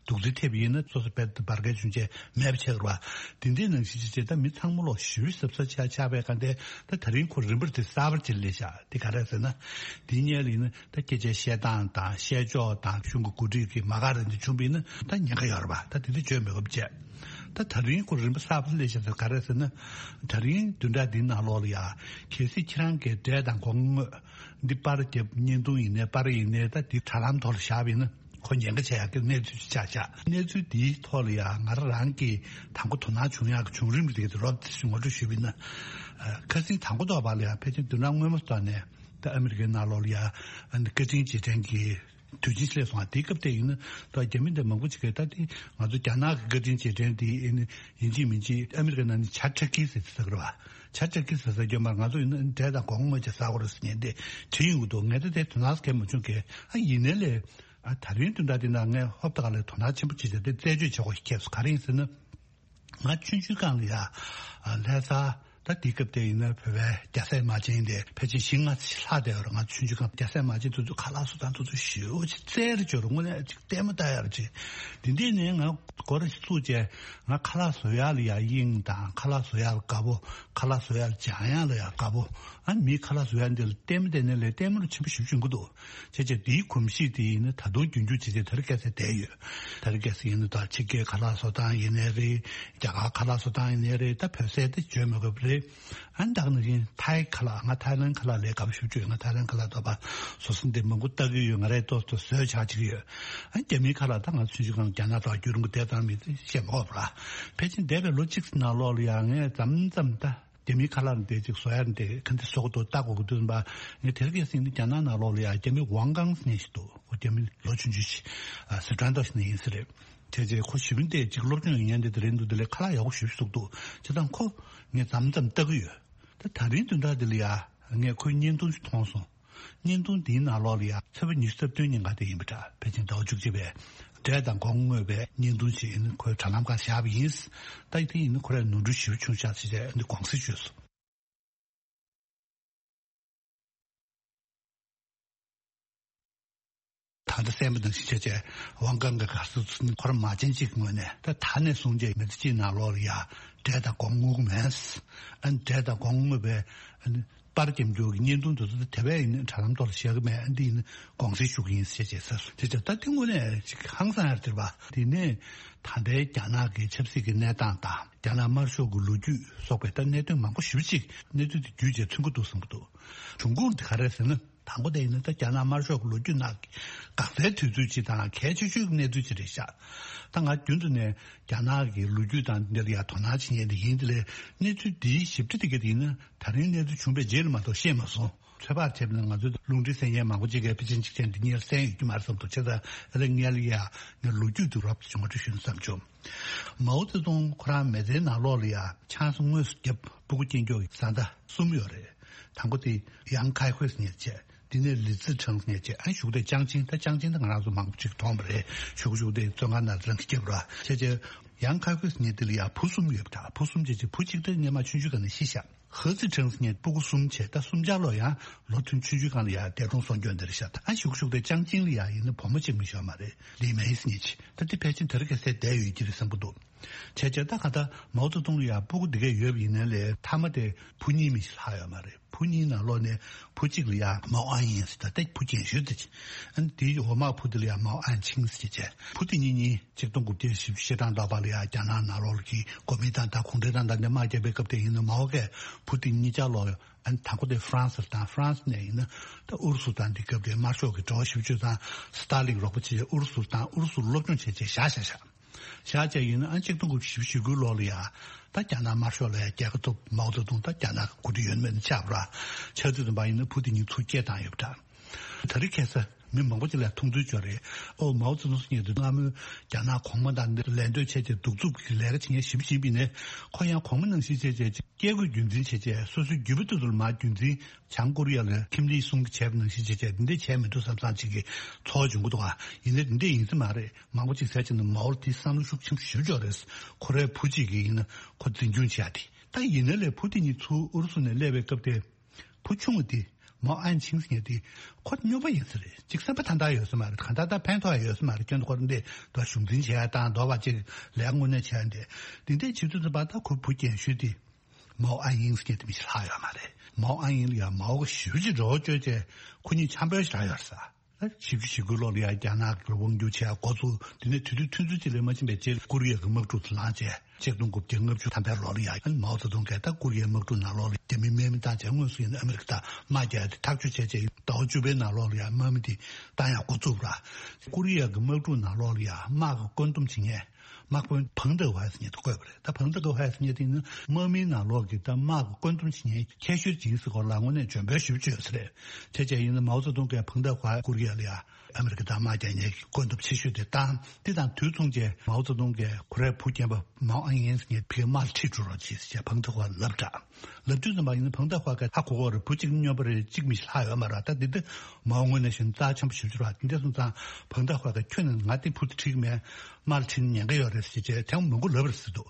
རྡོག་རྫིས་ཐེབས་ཡིན་ན་སོ་སོ་བེད་དུ་འབར་གའི་བྱུང་རྗེས་མེད་པ་ཆགས་ར་བ། དེ་འདྲའི་ནང་བཞིན་ཅིག་བྱས་ད་མི་ཚང་མ་ལོག་ཞུ་བའི་ཟབ་ས་ཆགས་ཆགས་པའི་སྒང་དེ་ད་ད་རིང་ཁོ་རིམ་པར་དེ་གསར་པར་ཅིག་སླེབས་ཤག་དེ་ག་རེ་ཟེར་ན། དེའི་སྔོན་ལ་ཡིན་ན་ད་སྐད་ཆའི་བཤད་སྟངས་དང་བཤད་ཕྱོགས་དང་གཞུང་གི་འགོ་ཁྲིད་ཀྱི་མ་ག་རེ་འདི་བྱུང་བ་ཡིན་ན་ད་ཉེན་ཁ་ཡོད་ར་བ། ད་དེ་འདྲ་བརྗོད་མི་དགོས་པ་བྱས། ད་ད་རིང་ཁོ་རིམ་པ་གསར་པ་སླེབས་ཤག་ཟེར་ག་རེ་ཟེར་ན། ད་རིང་བདུན་ཕྲག་འདིའི་ནང་ལོགས་ལ་ཡ་གལ་སྲིད་ཁྱེད་རང་གིས་འབྲས་དང་སྒོང་དངོས་འདི་པར་རྒྱབ་བརྙན་ཐུང་ཡིན་ནའི་པར་ཡིན་ནའི་ད་འདི་དྲ་ལམ་ཐོག་ལ་བཞག་པ་ཡིན་ན་ཁོ་ཉེན་ཁ་ཆེ་ཡག་གི་གནས་ཚུལ་ཅིག་ཆགས་ཤག་གནས་ཚུལ་འདིའི་ཐོག་ལ་ཡ་ང་རང་རང་གིས་དང་པོ་དོ་སྣང་བྱུང་ཡག་གི་བྱུང་རིམ་རིགས་དེ་རོབ་ཙམ་ངོ་སྤྲོད་ཞུས་པ་ཡིན་ན། ཁ་སང་དང་པོ་ཐོག་བར་ལ་ཡ་ཕལ་ཆེར་བདུན་ཕྲག་སྔོན་མ་ཐོག་ནས་ད་ཨ་མི་རི་ཀའི་ནང་ལོགས་ལ་ཡ་བཀའ་དྲིན་རྗེས་དྲན་གྱི་དུས་ཆེན་སླེབས་སོང་བ། དེའི་སྐབས་དེ་ཡིན་ན་ད་རྒྱ་མི་འདི་མང་པོ་ཅིག་གིས་ད་དེ་ང་ཚོ་རྒྱ་ནག་གི་བཀའ་དྲིན་རྗེས་དྲན་དེ་ཡིན་ཡིན་གཅིག་མིན་གཅིག་ཨ་མི་རི་ཀའི་ནང་ནས་ཇ་ཊར་ཀི་ཟེར་ཟེར་གི་རེད་བ། ཇ་ཊར་ཀི་ཟེར་ཟེར་རྒྱུ་མ་ང་ཚོ་ཡིན་ན་འབྲས་དང་སྒོང་དངོས་ཅིག་ཟ་དགོས་རེད་ཟེར་མཁན་དེ་བྲིས་ཡོང་གི་འདུག་ངས་ད་དེ་དོ་སྣང་གང་མ་བྱུང་གི། ཨ་ཡིན་ནའི་ལས་ཨ་ད་རིང་བདུན་ཕྲག་འདི་ནང་ངས་ཧོབ་ཏེ་ག་ལ་དོ་སྣང་ཆེན་པོ་བྱས་བྱས་དེ་རྩད་གཅོད་བྱེད་དགོས་ཤིག་ཁེལ་སོང་། ག་རེ་ཡིན་ཟེར་ན། ང་ཆུང་ཆུང་སྒང་ལ་ཡ། ལྷ་ས་ད་དེ་སྐབས་དེ་ཡིན་ན་བོད་པའི་རྒྱ་སྲས་མ་བྱན་དེ་ཕལ་ཆེར་བཞི་ལྔ་ཙམ་ལྷག་བསྡད་ཡོད་རེད། ང་ཆུང་ཆུང་སྒང་རྒྱ་སྲས་མ་བྱན་དེ་ཚོ་ཁ་ལག་བཟོ་སྟངས་དེ་ཚོ་ཞེ་པོ་ཅིག་རྩལ་རེ་སྦྱོར་དངོས་གནས་ཅིག་ལྟད་མོ་ལྟ་ཡག་རེད་ཅིག་དེ་འདྲས་ནས་ང་སྒོ་ར་ཞིག་བཙུགས་བྱས་ང་ཁ་ལག་བཟོ་ཡག་ལ་ཡ་དབྱིངས་དང་ཁ་ལག་བཟོ་ཡག་ལ་དགའ་པོ། ཁ་ལག་བཟོ་ཡག་ལ་སྦྱང་ཡག་ལ་ཡ་དགའ་པོ། ཨ་མི་ཁ་ལག་བཟོ་ཡག་འདི་ལ་ལྟད་མོ་བལྟས་ནས་ལས་ལྟད་མོ་རུ་ཆེན་པོ་ཞེ་པོ་བྱུང་གི་འདུག་བྱས་བྱས་དེའི་གོམས་གཤིས་དེ་ཡིན་ན་ད་དུང་རྒྱུན་འཇུག་བྱས་བྱས་དེ་རིང་ཁ་སང་བསྡད་ཡོད། དེ་རིང་ཁ་སང་ཡིན་ན་ད་ཕྱི་རྒྱལ་ཁ་ལག་བཟོ་སྟངས་ཡིན་ནའི་རེད། རྒྱ་གར་ཁ་ལག་བཟོ་སྟངས་ཡིན་ནའི་རེད། ད་བོད་ཟས་དེ་བརྗོད་མི་དགོས་པ་རེད། ཨ་ནི་ད་ག་ནང་བཞིན་ཐའི་ཁ་ལག་ང་ཐའི་ལན་ཁ་ལག་ལས་དགའ་པོ་ཞེ་པོ་ཅིག་ཡོད། ང་ཐའི་ལན་ཁ་ལག་དོ་པ་བཟོ་ས་འདི་མང་པོ་ལྟ་གི་ཡོད། ང་རས་ཏོག་ཏོག་བཟོས་བྱ་བྱེད་ཀྱི་ཡོད། ཨ་ནི་རྒྱ་མིའི་ཁ་ལག་ད་ང་ཆུང་ཆུང་སྒང་རྒྱ་ནག་ཐོག་རྒྱུན་རིང་པོ་བསྡད་ཙང་མི་ཤེས་མ་དགོས་པ་ར། ཕལ་ཆེར་འདས་པའི་ལོ་གཅིག་ནང་ལོགས་ལ་ཡང་ངས་མཚམས་མཚམས་ད། རྒྱ་མིའི་ཁ་ལག་འདི་ཅིག་བཟོ་ཡག་འདི་ག་འདི་བཟོ་གི་འདུག་ལྟ་དགོས་ཀྱི་འདུག་ཟེར་བ། ངས་དེ་རིང་ཁ་སང་ནི་རྒྱ་ནག་ནང་ལོགས་ལ་ཡང་རྒྱ་མི་ཝང་ཀང་ཟེར་མཁན་ཞིག་འདུག་ཁོ་རྒྱ་མི་ལོ་ཆུང་ཆུང་ཞིག་ཨ་སི་ཁྲོན་ཏོ་ཞིག་ནས་ཡིན་ས་རེད། བྱས་རྗེས་ཁོ་ཞི་མི་འདི་ཅིག་སློབ་སྦྱོང་ཡོད་མཁན་འདི་དེ་རིང་འདུག་དེ་ལས་ཁ་ལག་ཡག་པོ་ཞེ་པོ་ཞིག་འདུག་བྱས་ཙང་ཁོ་ངས་མཚམས་མཚམས་ལྟ་གི་ཡོད། ད་ད་རིང་བདུན་ཕྲག་འདི་ལ་ཡང་ངས་ཁོའི་བརྙན་ཐུང་ཞིག་མཐོང་སོང་། བརྙན་ཐུང་འདིའི་ནང་ལོགས་ལ་ཡང་ཚེས་པ་ཉི་ཤུ་རྩ་བདུན་ཉིན་ཀ་དེ་ཡིན་པ་འདྲ། ཕལ་ཆེར་ཟླ་བ་བཅུ་གཅིག་པའི་འབྲས་དང་སྒོང་དངོས་པའི་བརྙན་ཐུང་ཞིག་ཡིན། ཁོའི་དྲ་ལམ་སྒང་བཞག་པ་ཡིན། ད་དེ་ཡིན་ན་ཁོ་རས་ནོར་འཁྲུལ་ཞེ་པོ་བྱུང་ཤག་ཟེར་ཏེ་འདི་དགོངས་སེལ་ཞུས་སོང་། ད་ལྟ་གསན་པ་ནང་བཞིན་བྱས་བྱས་ཝང་ཀང་གི་ག་ཚོད་ཚོད་ཁོ་རང་མ་བྱན་གཅིག་གི་ངོས་ནས་ད་ད་ནས་བཟུང་བྱས་མི་ཚེ་གཅིག་ནང་ལོགས་ལ་ཡ་འབྲས་དང་སྒོང་དངོས་ཀྱི་མེད། ཨ་ནི་འབྲས་དང་སྒོང་དངོས་པའི་ཨ་ནི་པར་རྒྱབ་འགྱུར་གྱི་བརྙན་ཐུང་དེ་ཚོ་དེ་བས་ཡིན་དྲ་ལམ་ཐོག་ལ་བཞག་གི་མེད། ཨ་འདི་ཡིན་དགོངས་སེལ་ཞུ་གི་ཡིན་ཞེས་བྱས་ཟེར་སོང་། དེ་ཚོ་ད་དེ་དངོས་གནས་ཅིག་ཧང་སང་ཡར་དེར་བ། དེ་ནས་ད་ལྟའི་རྒྱ་ནག་གི་ཆབ་སྲིད་ཀྱི་གནས་སྟངས་དང་རྒྱ་ནག་དམར་ཤོག་གི་ལོ་རྒྱུས་སོགས་པའི་ད་གནད་དོན་མང་པོ་ཞེ་པོ་ཅིག་གནས་ཚུལ་དེ་བརྒྱུད་བྱས་མཚོན་གྱི་འདུག་བསམ་གྱི་འདུག་འབྱུང་ཁུངས་དེ་ག་རེ་ཟེར་ན། དང་པོ་དེ་ཡིན་ན་ད་རྒྱ་ནག་དམར་ཤོག་གི་ལོ་རྒྱུས་ནང་གི་འགག་རྩའི་དུས་ཚོད་ཅིག་དང་གལ་ཆེ་ཤོས་ཀྱི་གནས་ཚུལ་ཅིག་རེད་ཤག་ད་ང་རྒྱུན་དུ་ནས་རྒྱ་ནག་གི་ལོ་རྒྱུས་དང་འདི་ལ་ཡང་དོ་སྣང་བྱེད་མཁན་དེ་ཡིན། དེ་ལས་གནས་ཚུལ་འདིའི་ཞིབ་ཕྲ་དེ་ག་དེ་ཡིན་ན་ད་རིང་གནས་ཚུལ་བྱུང་བའི་རྗེས་ལ་མ་གཏོགས་ཤེས་མ་སོང་། ཚོད་དཔག་བྱས་པ་ན་ང་ཚོའི་རླུང་འཕྲིན་གསན་མཁན་མང་པོ་ཅིག་གིས་ཕལ་ཆེར་གཅིག་ཅན་འདི་གཉེར་གསན་ཡོད་ཀྱི་མ་རེད་བསམ་འདུག་བྱས་ཙང་ཨ་ལེ་ངས་ལ་ཡ་ངས་ལོ་རྒྱུས་དེ་རོབ་ཙམ་ངོ་སྤྲོད་ཞུས་ན་བསམ་བྱུང་། མའོ་ཙེ་ཏུང་ཁོ་རང་མི་ཚེའི་ནང་ལོགས་ལ་ཡ་ཆང་ས་དངོས་སུ་བརྒྱབ་སྤུ་གུ་སྐྱེས་མགྱོགས་ཀྱི་བཟའ་ཟླ་གསུམ་ཡོད་རེད། དང་པོ་དེ་ཡང་ཁའི་ཧུའེ་ཟེར་མཁན་བྱས། དེ་ནས་ལི་ཙི་ཁྲང་ཟེར་མཁན་བྱས། ཨ་གཞུག་དེ་ཅང་ཅིང་། ད་ཅང་ཅིང་ད་ང་རང་ཚོ་མང་པོ་ཅིག་མཐོང་བ་རེད། གཞུག་གཞུག་དེ་བཙོན་ཁང་ནང་རང་གི་སྐྱབས་ར་བྱས་བྱས། ཡང་ཁའི་ཧུའེ་ཟེར་མཁན་དེ་ལ་ཡ་བུ་གསུམ་ཡོད་པ་འདྲ། བུ་གསུམ་བྱས་བྱས་བུ་གཅིག་དེ་སྔོན་མ་ཆུང་ཆུང་སྒང་ནས་ཤི་ཤག་ཧི་ཙི་ཁྲང་ཟེར་མཁན་སྤུ་གུ་གསུམ་བྱས། ད་གསུམ་ཆ་ལོ་ཡང་ལོ་ཐུང་ཆུང་ཆུང་སྒང་ལ་ཡ་འདས་གྲོངས་སོང་རྒྱུ་འདི་རེད་ཤག་ད་ཨ་གཞུག་གཞུག་དེ་ཅང་ཅིང་ལ་ཡ་ཡིན་ན་བུ་མོ་གཅིག་མི་ཤོར་མ་རེད། ལི་མེ་ཟེར་མཁན་ཅིག་ད་དེ་ཕལ་ཆེར་དེ་རིང་ཁ་སང་བསྡད་ཡོད་ཀྱི་རེད་བསམ་གྱི་འདུག་བྱས་བྱས་ད་ག་ད་མའོ་ཙེ་ཏུང་ལ་ཡ་སྤུ་གུ་འདི་གས་ཡོད་པ་ཡིན་ནའི་ལས་མཐའ་མ་དེ་བུ་གཉིས་མི་ཤི་ལྷག་ཡོད་མ་རེད། བུ་གཉིས་ནང་ལོགས་ནས་བུ་གཅིག་ལ་ཡ་མའོ་ཨན་ཡིན་ཟེར། ད་ལྟ་བུ་རྒན་ཤོས་དེ་ཅིག་ཨ་ནི་དེའི་འོག་མ་བུ་དེ་ལ་ཡ་མའོ་ཨན་ཆིང་ཟེར་བྱས། བུ་དེ་གཉིས་གཉིས་གཅིག་སྟོང་དགུ་བརྒྱ་བཞི་བཅུ་ཞེ་གྲངས་ལྷག་པ་ལ་ཡ་རྒྱ་ནག་ནང་ལོགས་ཀྱི་གོ་མིན་ཏང་དང་གུང་ཁྲན་ཏང་དང་འདི་དམག་རྒྱག་པའི་སྐབས་དེ་ཡིན་ན་མའོ་གས་བུ་དེ་གཉིས་ཆ་ལོ། ཨ་ནི་དང་པོ་དེ་ཧྥ་རན་སི་དང་། ཧྥ་རན་སི་ནས་ཡིན་ན་ད་ཨུ་རུ་སུ་དང་འདི་སྐབས་དེ་དམར་ཤོག་གི་འབྲེལ་བ་ཞེ་པོ་ཅིག་དང་། སི་ཏཱ་ལིན་རོགས་པ་བྱས། ཨུ་རུ་སུ་དང་ཨུ་རུ་སུར་སློབ་སྦྱོང་བྱས་བྱས་བཞག་བཞག་བཞག་བཞག་བྱས་ཡིན་ན། ཨ་གཅིག་སྟོང་དགུ་བརྒྱ་བཞི་བཅུ་ཞེ་དགུའི་ལོ་ལ་ཡ་ད་རྒྱ་ནག་དམར་ཤོག་ལ་ཡ་རྒྱལ་ཁ་ཐོབ། མའོ་ཙེ་ཏུང་ད་རྒྱ་ནག་གི་འགོ་ཁྲིད་ཡོད་མེད་ནི་ཆགས་པ་ར། ཆགས་དུས་ཙམ་པ་ཡིན་ན་བུ་དེ་གཉིས་ཚུར་སྐད་བཏང་ཡོད་པ་འདྲ། ད་རེས་ཁ་སང་མི་མང་པོ་ཅིག་ལ་མཐོང་ཚུལ་ཅིག་ཡོད་རེད། ཨོ་མའོ་ཙེ་ཏུང་ཟེར་མཁན་དེ་སྔ་མོའི་རྒྱ་ནག་གོང་མ་དང་འདི་ལད་ཟློས་བྱས་བྱས་གདུག་རྩུབ་ཀྱི་ལས་ཀ་བྱེད་མཁན་ཞེ་པོ་ཅིག་ཡིན་པ་ཡིན་ནའི། ཁོ་ཡང་གོང་མ་ནང་བཞིན་བྱས་བྱས་སྐད་དགོས་རྒྱུན་འཛིན་བྱས་བྱས། སོ་སོའི་རྒྱུད་པ་དེ་ཚོ་ལ་མར་རྒྱུན་འཛིན། བྱང་ཀོ་རི་ཡ་ལ་ཁིམ་ལི་སུང་གིས་བྱས་པ་ནང་བཞིན་བྱས་བྱས་འདི་འདྲས་བྱས་མི་འདུག་བསམ་བསམ་ཅིག་གི་ཚོར་བ་བྱུང་གི་འདུག་ག་ཡིན་ནའི་འདི་འདྲས་ཡིན་ས་མ་རེད། མང་པོ་ཅིག་ཟེར་གྱི་འདུག་མའོ་ལ་དེའི་བསམ་བློ་ཤུགས་ཆེན་པོ་ཞེ་པོ་ཅིག་ཡོད་རེད། ཁོ་རའི་བུ་གཅིག་གིས་ཡིན་ན་ཁོ་འཛིན་སྐྱོང་བྱེད་ཡ་དེ། ད་ཡིན་ནའི་ལས་བུ་དེ་གཉིས་ཚུར་ཨུ་རུ་སུ་ནས་སླེབས་པའི་སྐབས་དེ། བུ་ཆུང་བ་དེ་ མའོ་ཨན་ཆིང་ཟེར་མཁན་དེ་ཁོ་སྨྱོན་པ་ཡིན་ས་རེད། ཅིག་བསམ་པ་ཐ་དད་ཡོད་ས་མ་རེད། གང་ལྟར་ད་ཕན་ཐོགས་ཡོད་ས་མ་རེད། ཁྱོད་ཁོ་འདི་ད་གཞུང་འཛིན་བྱས་དང་འདོགས་པ་ཅིག་ལས་དངོས་གནས་བྱས་འདི་འདི་འདྲའི་བྱེད་དུས་ཙམ་པ་ད་ཁོ་བུ་རྒན་ཤོས་དེ་མའོ་ཨན་ཡིང་ཟེར་མཁན་དེ་མི་ཞིག་ལྷག་ཡོད་མ་རེད། མའོ་ཨན་ཡིང་ལ་ཡང་མའོ་གི་ཞེ་པོ་ཅིག་འགྲོ་བ་བཅོས་བྱས་ཁོ་གཉིས་འཆམ་པོ་ཞིག་རག་ཡོད་ས། བཞི་བཅུ་ཞེ་དགུ་ལོ་ལ་ཡང་རྒྱ་ནག་གི་དབང་སྒྱུར་བྱས་འགོ་བཙུགས། དེ་ནས་དུས་ཚོད་ཐུང་ཚོད་ཅིག་ལས་མ་ཕྱིན་པའི་རྗེས་ཀོ་རི་ཡ་གི་དམག་འཁྲུག་དེ་ལངས་བྱས། ཆིག་སྟོང་དགུ་བརྒྱ་ལྔ་བཅུ་ཐམ་པའི་ལོ་ལ་ཡང་མའོ་ཙེ་ཏུང་གིས་ད་ཀོ་རི་ཡའི་དམག་འཁྲུག་ནང་ལོགས་ལ་རྒྱ་མི་རྨས་མེད་བཏང་བྱས། དངོས་སུ་ཡིན་ན་ཨ་མི་རི་ཀ་དང་དམག་རྒྱག་དེ་ཐག་གཅོད་བྱས་བྱས། ཟླ་བ་བཅུ་པའི་ནང་ལོགས་ལ་ཡང་དམག་མི་དེ་བཏང་ཡག་འགོ་བཙུགས་པ་རེད། ཀོ་རི་ཡ་གི་དམག་འཁྲུག་ནང་ལོགས་ལ་ཡང་དམག་གི་བཀོད་འདོམས་བྱེད་མཁན་དམག་དཔོན་ཕང་ཏེ་ཧྭ་ཟེར་མཁན་དེ་བསྐོས་པ་རེད། ད་ཕང་ཏེ་ཧྭ་ཟེར་མཁན་དེ་ནི་དམག་མིའི་ནང་ལོགས་ཀྱི་ད་དམག་གི་བཀོད་འདོམས་བྱེད་མཁན་ཁྱད་ཆོས་ཅིག་ཡིན་ཟེར་སྐོར་ལ་དངོས་གནས་འཇོན་པོའི་ཞིབ་བརྗོད་ཟེར་རེད། དེ་བྱས་ཡིན་ན་མའོ་ཙེ་ཏུང་གིས་ཕང་ཏེ་ཧྭ་ཀོ་རི་ཡ་ལ་ཡང་ཨ་མི་རི་ཀ་དང་དམག་རྒྱག་མཁན་གྱི་བཀོད་འདོམས་ཆེ་ཤོས་དེ་བཏང་། དེ་དང་དུས་མཚུངས་ཀྱི་མའོ་ཙེ་ཏུང་གིས་ཁོ་རའི་བུ་རྒན་པ་མའོ་ཨན་ཡིན་ཟེར་མཁན་ཕ་གིར་དམག་ལ་ཁྲིད་འགྲོ་རོགས་གྱིས་ཟེར་བྱས་ཕང་ཏེ་ཧྭ་ལབ་དྲགས། ལབ་དུས་ཙམ་པ་ཡིན་ན་ཕང་ཏེ་ཧྭ་གིས་ཧ་གོ་གོ་རེད། བུ་གཅིག་སྨྱོན་པ་རེད། གཅིག་མི་ཞིག་ལྷག་ཡོད་མ་རེད། ད་འདི་འདི་མའོ་དངོས་གནས་བཤད་ན་རྩ་ཆེན་པོ་ཞེ་པོ་ཅིག་རེད། འདི་འདྲ་སོང་ཙང་ཕང་ཏེ་ཧྭ་གིས་ཁྱོད་ནི་ང་དེ་བུ་དེ་ཁྲིད་ཀྱི་མེད། དམག་ལ་ཁྲིད་ན་ཉེན་ཁ་ཡོད་རེད་ཟེར་བྱས་དེ་མང་པོ་ལབ་རེད་ཟེར་འདུག་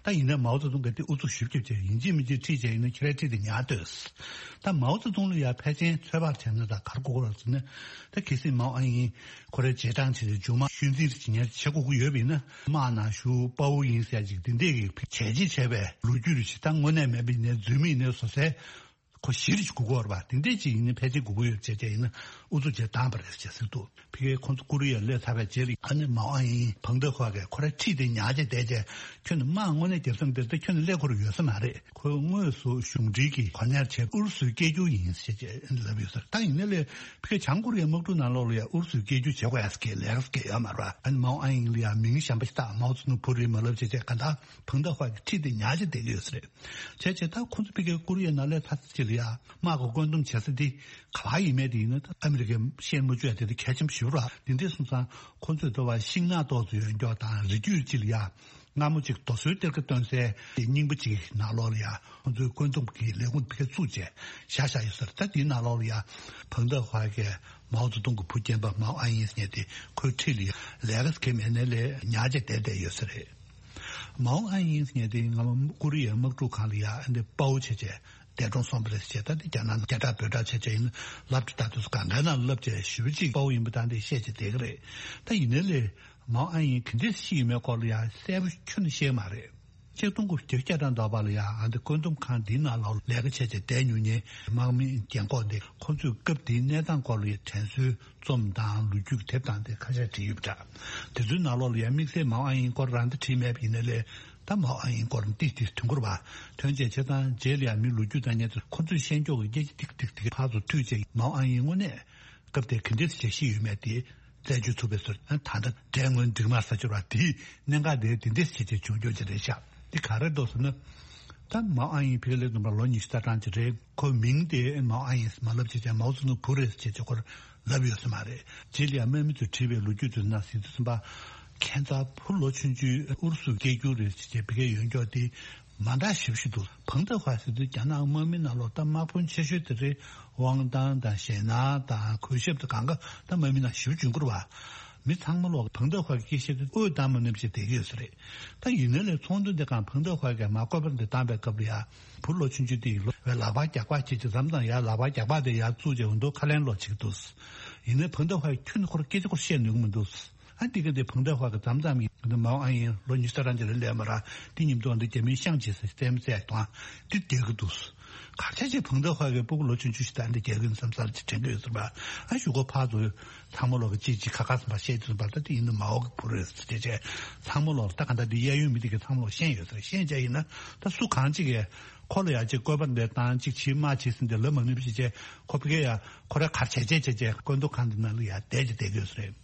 ད་ཡིན་ནའི་མའོ་ཙེ་ཏུང་གིས་དེ་ཨུ་ཚུགས་ཞེ་པོ་བརྒྱབ་བྱས་ཡིན་གཅིག་མིན་གཅིག་ཁྲིད་བྱས་ཡིན་ན་ཁྱེད་རང་ཁྲིད་དེ་ཉར་སྡོད། ད་མའོ་ཙེ་ཏུང་ལ་ཡང་ཕལ་ཆེར་ཚོད་དཔག་བྱས་ན་ད་ག་རེ་གོ་གི་རེད་ཟེར་ན། ད་གལ་སྲིད་མའོ་ཨན་ཡིན་ཁོ་རའི་རྗེས་འབྲང་བྱས་ཏེ་མཇུག་མ་ཤུལ་འཛིན་རེ་བྱེད་མཁན་བྱེད་དགོས་ཀྱི་ཡོད་པ་ཡིན་ན། དམག་ནང་ཞུགས། དཔའ་བོ་ཡིན་ཟེར་ཡ་ཅིག་དེ་འདྲས་ཀྱི་བྱས་རྗེས་བྱས་པའི་ལོ་རྒྱུས་རེ་ཞིག་ད་དངོས་གནས་མེད་པ་ཡིན་ནའི་རྫུན་མ་ཡིན་ནའི་བཟོ་སའི་ཁོ་གཞི་རེ་ཞིག་དགོས་ཀྱི་ཡོད་རེད་པ། དེ་འདྲས་ཅིག་ཡིན་ན་ཕལ་ཆེར་དགོས་ཀྱི་ཡོད་བྱས་བྱས་ཡིན་ན་ཨུ་ཚུགས་བྱས་བཏང་པ་རེད་ཅེས་ཟེར་འདུག་ཕ་གིར་ཁོང་ཚོ་ཀོ་རི་ཡར་སླེབས་ཚར་བའི་རྗེས་ལ་ཨ་ནི་མའོ་ཨན་ཡིན་ཕང་ཏེ་ཧྭ་གིས་ཁོ་རང་ཁྲིད་དེ་ཉར་བྱས་བསྡད་བྱས། ཁྱོད་ནི་དམག་དངོས་གནས་རྒྱབ་ས་འདིར་ད་ཁྱོད་ནི་སླེབས་ཁོ་རང་ཡོད་ས་མ་རེད། ཁོས་དངོས་སུ་གཞུང་འབྲེལ་གྱི་གོ་གནས་བྱས་ཨུ་རུ་སུའི་སྐད་སྒྱུར་ཡིན་ཞེས་ལབ་ཡོད་ས་རེད། ད་ཡིན་ནའི་ལས་ཕ་གིར་བྱང་ཀོ་རི་ཡའི་དམག་འཁྲུག་ནང་ལོགས་ལ་ཡང་ཨུ་རུ་སུའི་སྐད་སྒྱུར་བྱེད་དགོས་ཡ་ཟེར་མཁན་ལས་ཀ་ཟེར་མཁན་ཡོད་མ་རེད་པ། ཨ་ནི་མའོ་ཨན་ཡིན་ལ་ཡང་མིང་གཞན་པ་ཞིག་བཏགས། མའོ་ཙེ་ཏུང་བུ་རེད་མ་ལབ་བྱས་བྱས་གང་ལྟར་ཕང་ཏེ་ཧྭ་གིས་ཁྲིད་དེ་ཉར་བྱས་བསྡད་ཀྱི་ཡོད་ས་རེད། བྱས་བྱས་ད་ཁོང་ཚོ་ཕ་གིར་ཀོ་རི་ཡའི་ནང་སླེབས་ཚར་ཚེ་ལ་ཡ་དམག་གི་བཀོད་འདོམས་བྱེད་ས་དེ་ག་པར་ཡིན་མིན་དེ་ཡིན་ན་ད་ཨ་མི་རི་ཀས་ཤེས་མ་བཅུག་ཡ་དེ་དེ་གལ་ཆེན་པོ་ཞེ་པོ་རེད། དེ་འདྲས་སོང་ཙང་ཁོང་ཚོས་ད་བར་ཤིང་ནགས་ཏོག་ཙམ་ཡོད་མཁན་དང་རི་རྒྱུད་ཅིག་ལ་ཡ་སྔ་མོ་ཅིག་རྡོ་སོལ་གཏེར་ཁ་བཏོན་སའི་རྙིང་པ་ཅིག་ནང་ལོགས་ལ་ཡ་ཁོང་ཚོས་བཀོད་འདོམས་ཀྱི་ལས་ཁུངས་ཕ་གིར་བཙུགས་བྱས་བཞག་བཞག་ཡོད་ས་རེད། ད་དེའི་ནང་ལོགས་ལ་ཡ་ཕང་ཏེ་ཧྭ་གིས་མའོ་ཙེ་ཏུང་གི་བུ་རྒན་པ་མའོ་ཨན་ཡིན་ཟེར་མཁན་དེ་ཁོའི་འཁྲིས་ལ་ཡ་ལས་ཀ་ཟེར་མཁན་མེད་ནའི་ལས་ཉར་བྱས་བསྡད་བསྡད་ཡོད་ས་རེད། མའོ་ཨན་ཡིན་ཟེར་མཁན་དེ་སྔ་མ་ཀོ་རི་ཡའི་དམག་འཁྲུག་སྒང་ལ་ཡ་ཨ་འདི་དཔའ་བོ་བྱས་བྱས་འདས་གྲོངས་སོང་བ་རེད་ཟེར་བྱས། ད་འདི་རྒྱ་ནག་ནང་རྒྱ་གྲགས་འབོད་གྲགས་བྱས་བྱས་ཡིན་ན་ལབ་དེ་ད་དུང་གང་གའི་ནང་ལབ་བྱས་ཞེ་པོ་ཅིག་དཔའ་བོ་ཡིན་པ་ད་འདི་བཤད་བྱས་བསྡད་ཀྱི་རེད། ད་ཡིན་ནའི་ལས་མའོ་ཨན་ཡིན་ག་འདྲས་ཤི་ཡོད་མེད་སྐོར་ལ་ཡ་གསལ་པོ་ཁྱོན་ནས་ཤེས་མ་རེད། ཆིག་སྟོང་དགུ་བརྒྱ་བརྒྱ་དང་འདོགས་པ་ལ་ཡ་ཨ་འདི་བཀོད་འདོམས་ཁང་འདིའི་ནང་ལ་ལས་ཀ་བྱས་བྱས་བསྡད་མྱོང་མཁན་དམག་མི་རྒན་གོག་འདི་ཁོང་ཚོས་སྐབས་དེའི་གནས་སྟངས་སྐོར་ལ་ཡ་དྲན་གསོའི་རྩོམ་དང་ལོ་རྒྱུས་ཀྱི་དེབ་དང་དེ་ཁ་ཤས་བྲིས་ཡོད་པ་འདྲ། དེ་ཚོའི་ནང་ལོགས་ལ་ཡང་དམིགས་བསལ་མའོ་ཨན་ཡིན་སྐོར་རང་ད་བྲིས་མེད་པ་ཡིན་ནའི་ལས། ད་མའོ་ཨན་ཡིན་སྐོར་ཏིག་ཏིག་དོན་གོ་བ་ཐོན་བྱས་བྱས་ཙང་རྗེས་ལ་ཡང་མི་ལོ་རྒྱུས་ལྟ་མཁན་ཚོས་ཁོ་ཚོས་ཤེས་འཇོག་གི་སྐད་ཆ་ཏིག་ཏིག་ཏིག་ཕར་ཚུར་མཐུད་བྱས་མའོ་ཨན་ཡིན་དངོས་གནས་སྐབས་དེར་ག་འདྲས་བྱས་ཤི་ཡོད་མེད་དེ་རྩད་གཅོད་ཐུབ་པའི་ཚོད། ད་ལྟ་འདྲ་དངོས་འགྲིག་མ་ས་ཆོད་པ་དེའི་གནད་འགག་དེ་དེ་འདྲས་བྱས་བྱས་བྱུང་རྒྱུ་ཅི་རེད་ཤག་འདི་ག་རེ་འདུག་ཟེར་ན། ད་མའོ་ཨན་ཡིན་ཕ་གིར་སླེབས་དུས་ལོ་ཉི་ཤུ་རྩ་གྲངས་ཅིག་རེད། ཁོའི་མིང་དེ་མའོ་ཨན་ཡིན་མ་ལབ་བྱས་བྱས་མའོ་ཙེ་ཏུང་བུ་རེད་ཟེར་བྱས་བྱས་ཁོར་ལབ་ཡོད་ས་མ་རེད། རྗེས་ལ་ཡང་དམག་མི་ཚོས་བྲིས་པའི་ལོ་རྒྱུས་དེ་ནང་གཟིགས་དུས་ཙམ་པ། ཁྱད་མཚར་བུ་ལོ་ཆུང་ཆུང་ཨུ་རུ་སུའི་སྐད་སྒྱུར་རེད་ཟེར་བྱས་ཕ་གིར་ཡོང་མགྱོགས་དེ་མ་འདྲ་ཞེ་པོ་ཞིག་འདུག་ཕང་ཏེ་ཧྭ་ཟེར་དུས་རྒྱ་ནག་དམག་མི་ནང་ལོགས་ད་དམག་དཔོན་ཆེ་ཤོས་དེ་རེད། དབང་ཐང་དང་ཞེད་སྣང་དང་གུས་ཞབས་དང་གང་ག་ད་དམག་མི་ནང་ཞེ་པོ་བྱུང་གི་རེད་པ། མི་ཚང་མ་ལོག་ཕང་ཏེ་ཧྭ་གི་སྐད་བཤད་དུས་ཨོའི་གཏམ་མ་ནེམ་ཞིག་བསྡད་ཀྱི་ཡོད་ས་རེད། ད་ཡིན་ནའི་ལས་ཚོགས་འདུ་འདི་སྒང་ཕང་ཏེ་ཧྭ་གིས་མར་བཀོད་པ་འདི་བཏང་པའི་སྐབས་ལ་ཡ། བུ་ལོ་ཆུང་ཆུང་དེ་ཡིས་ལོ་བའི་ལག་པ་རྒྱག་པ་བྱེད་ཀྱི་མཚམས་དང་ཡ་ལག་པ་རྒྱག་པ་དེ་ཡར་བཙུགས་བྱས་འོ་འདུག་ཁ་ལན་སློག་བྱེད་ཀྱི་འདུག་ཡིན་ནའི་ཕང་ཏེ་ཧྭ་གིས་ཁྱོན་ནས་ཁོར་སྐད་ཆ་ཁོར་བཤད་ནུས་ཀྱི་མི་འདུག་ཨ་འདི་ག་འདི་ཕང་ཏེ་ཧྭ་གིས་མཚམས་མཚམས་ཡིན་འདི་མའོ་ཨན་ཡིན་ལོ་ཉི་ཤུ་རྩ་གྲངས་ཅིག་རེད་ལས་མ་ར་འདི་མཉམ་དུ་འདི་རྒྱ་མིའི་ཤང་བྱེད་ཟེར་བཙན་བཙན་དང་འདི་རྒྱག་གི་འདུག་གར་ཆ་ཆེ་ཕང་ཏེ་ཧྭ་གིས་སྤུ་གུ་ལོ་ཆུང་ཆུང་ཞིག་དང་འདི་རྒྱག་གི་ཡིན་བསམ་ས་ཅིག་དྲན་གི་ཡོད་ཟེར་བ། ཨ་གཞུག་གུ་ཕར་ཚུར་ཚང་མ་ལོག་གི་ཅིག་ཅིག་ཁ་ཁ་ཟེར་བ་བཤད་དུས་ཟེར་བ་ད་འདི་ཡིན་ན་མའོ་གི་བུ་རེད་ཟེར་བྱས་བྱས་ཚང་མ་ལོག་ད་ག་འདྲ་འདི་གཡས་གཡོན་མི་འདི་གི་ཚང་མ་ལོག་ཤེས་ཡོད་ཟེར་ཤེས་བྱས་ཡིན་ན་ད་སུ་གང་ཅིག་གིས་ཁོ་ལ་ཡ་ཅིག་བཀོད་པ་འདི་བཏང་ཅིག་བྱེད་མ་བྱེད་ཟེར་འདི་ལབ་མ་ནུས་པ་ཞིག་བྱས་ཁོ་ཕ་གི་ཡ་ཁོ་ར་གར་བྱས་བྱས་བྱས་བྱས་བཀོད་འདོམས་ཁང་འདི་ནང་ལ་ཡ་བསྡད་ཀྱི་བསྡད་གི་ཡོད་ཟེར།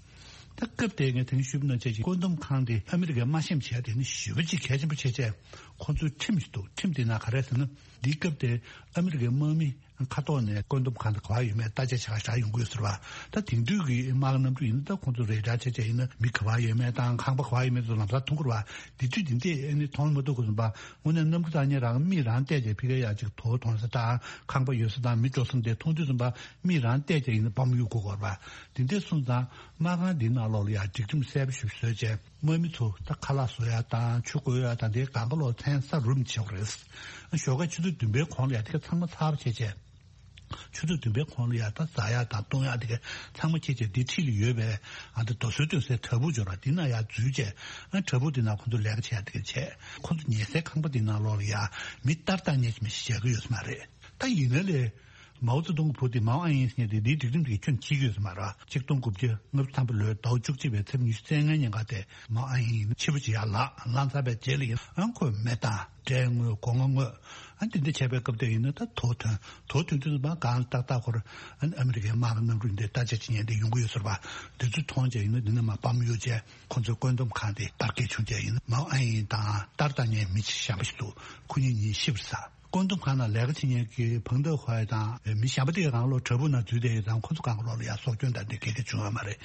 ད་སྐབས་དེ་ངས་དེང་ཞུས་པ་ནང་བྱས་ཀྱི་བཀོད་འདོམས་ཁང་དེ་ཨ་མི་རི་ཀས་དམའ་ཞེན་བྱས་དེ་ནི་ཞེ་པོ་ཅིག་གལ་ཆེན་པོ་བྱས་བྱས་ཁོང་ཚོའི་ཁྲིམས་ཤིག་འདུག་ཁྲིམས་དེ་ནང་ག་རེ་ཟེར་ན་འདིའི་སྐབས་དེ་ཨ་མི་རི་ཀའི་དམག་མི་མཁའ་ཐོག་ནས་བཀོད་འདོམས་ཁང་དེ་ག་པར་ཡོད་མེད་བརྟག་དཔྱད་བྱེད་ག་བཞག་ཡོང་གི་ཡོད་ཟེར་བ། ད་དེང་དུས་ཀྱི་དམག་གནམ་གྲུ་ཡིན་ན་ད་ཁོང་ཚོ་རེ་ཌར་བྱས་བྱས་ཡིན་ན་མི་ག་པར་ཡོད་མེད་དང་ཁང་པ་ག་པར་ཡོད་མེད་ཚོ་ལམ་སང་མཐོང་གི་རེད་བ། དེ་དུས་དེ་འདྲས་ཨ་ནི་མཐོང་མ་ཐུབ་དགོས་ཟིན་པ་དངོས་གནས་གནམ་གྲུ་བཏང་མཁན་རང་མིག་རང་བལྟས་བྱས་ཕ་གི་ཡ་ཅིག་དོ་མཐོང་ས་དང་ཁང་པ་ཡོད་ས་དང་མི་འགྲོ་ས་དེ་མཐོང་དུས་ཙམ་པ་མིག་རང་བལྟས་བྱས་ཡིན་ན་བམ་གཡུག་དགོས་དགོས་རེད་བ། དེ་འདྲས་སོང་ཙང་། དམག་ཁང་འདིའི་ནང་ལོགས་ལ་ཡང་སྒྲིག་ཁྲིམས་གསལ་པོ་ཞིག་བཟོས་བྱས་དམག་མི་ཚོ་ད་ཁ་ལག་བཟོ་ཡ་དང་ཆུ་བསྐོལ་ཡ་དང་དེའི་སྒང་ག་ལོག་ཚན་ས་རུབ་བྱེད་དགོས་རེད། ཞོགས་ཀ་ཆུ་ཚོད་བདུན་པའི་གོང་ལ་ཡ་དེ་ག་ཚང་མ་ཚར་བ་བྱས་བྱས། ཆུ་ཚོད་བདུན་པའི་གོང་ལ་ཡ་ད་ཟ་ཡག་དང་བཏུང་ཡག་དེ་ག་ཚང་མ་ཁྱེད་ཀྱིས་འདི་འཁྲིས་ལ་ཡོད་པའི་ཨ་འདི་རྡོ་སོལ་བཏོན་སའི་བྲག་ཕུག་འབྱོར་བ་འདི་ན་ཡ་འཛུལ་བྱས། ཨ་བྲག་ཕུག་འདི་ན་ཁོ་ཚོ་ལས་ཀ་བྱེད་ཡག་དེ་ག་བྱས། ཁོ་ཚོ་ཉལ་སའི་ཁང་པ་འདི་ནང་ལོགས་ལ་ཡ་མི་ལྟར་ལྟར་ཉལ་གྱི་མི་ཞིག་བཞག་གི་ཡོད་ས་མ་རེད། ད་ཡིན་ན་ལས། མའོ་ཙེ་ཏུང་གི་བུ་དེ་མའོ་ཨན་ཡིན་ཟེར་མཁན་དེ་འདིའི་སྒྲིག་ཁྲིམས་དེ་ཁྱོན་ནས་འཆུག་གི་ཡོད་ས་མ་རེད། ཆིག་སྟོང་དགུ་བརྒྱ་ལྔ་བཅུ་ཐམ་པ་ལོའི་ཟླ་བ་བཅུ་གཅིག་པའི་ཚེས་ཉི་ཤུ་རྩ་ལྔའི་ཉིན་ཀ་དེ་མའོ་ཨན་ཡིན་ཕྱི་པོ་ཅིག་ཡར་ལངས་ལངས་ཚར་བའི་རྗེས་ལ་ཡིན་ཨང་ཁོས་མེ་བཏང་འབྲས་བརྔོས་སྒོ་ང་བརྔོས། ཨ་འདི་འདྲ་བྱས་པའི་སྐབས་དེ་ཡིན་ན་ད་དོ་ཐོན་དོ་ཐོན་དུས་ཙམ་པ་གང་ཏག་ཏག་ཁོར་ཨ་ནི་ཨ་མི་རི་ཀའི་དམག་གི་གནམ་གྲུ་འདི་རྟ་ལྕག་ཅིག་ཉན་དེ་ཡོང་གི་ཡོད་ཟེར་བ་འདི་ཚོ་མཐོང་བྱས་ཡིན་ན་འདི་ནས་མར་བམ་གཡུག་བྱས་ཁོ་ཚོའི་བཀོད་འདོམས་ཁང་དེ་བར་བརྒལ་བྱུང་བྱས་ཡིན་ན་མའོ་ཨན་ཡིན་དང་ཏར་ཏར་ཉན་མི་གཞན་པ་ཞིག་འདུག་ཁོ་གཉིས་གཉིས་ཤི་བར་ཟ། བཀོད་འདོམས་ཁང་ནང་ལས་ཀ་བྱེད་མཁན་གྱི་ཕང་ཏོ་ཧོའི་དང་མི་གཞན་པ་དེ་གའི་སྒང་ལོགས་བྲག་ཕུག་ནང་འཛུལ་བསྡད་ཡོད་ཙང་ཁོ་ཚོ་སྒང་ག་ལོགས་ལ་ཡང་སྲོག་སྐྱོན་དང་དེ་ག་གེ་བྱུང་ཡོད་མ་རེད།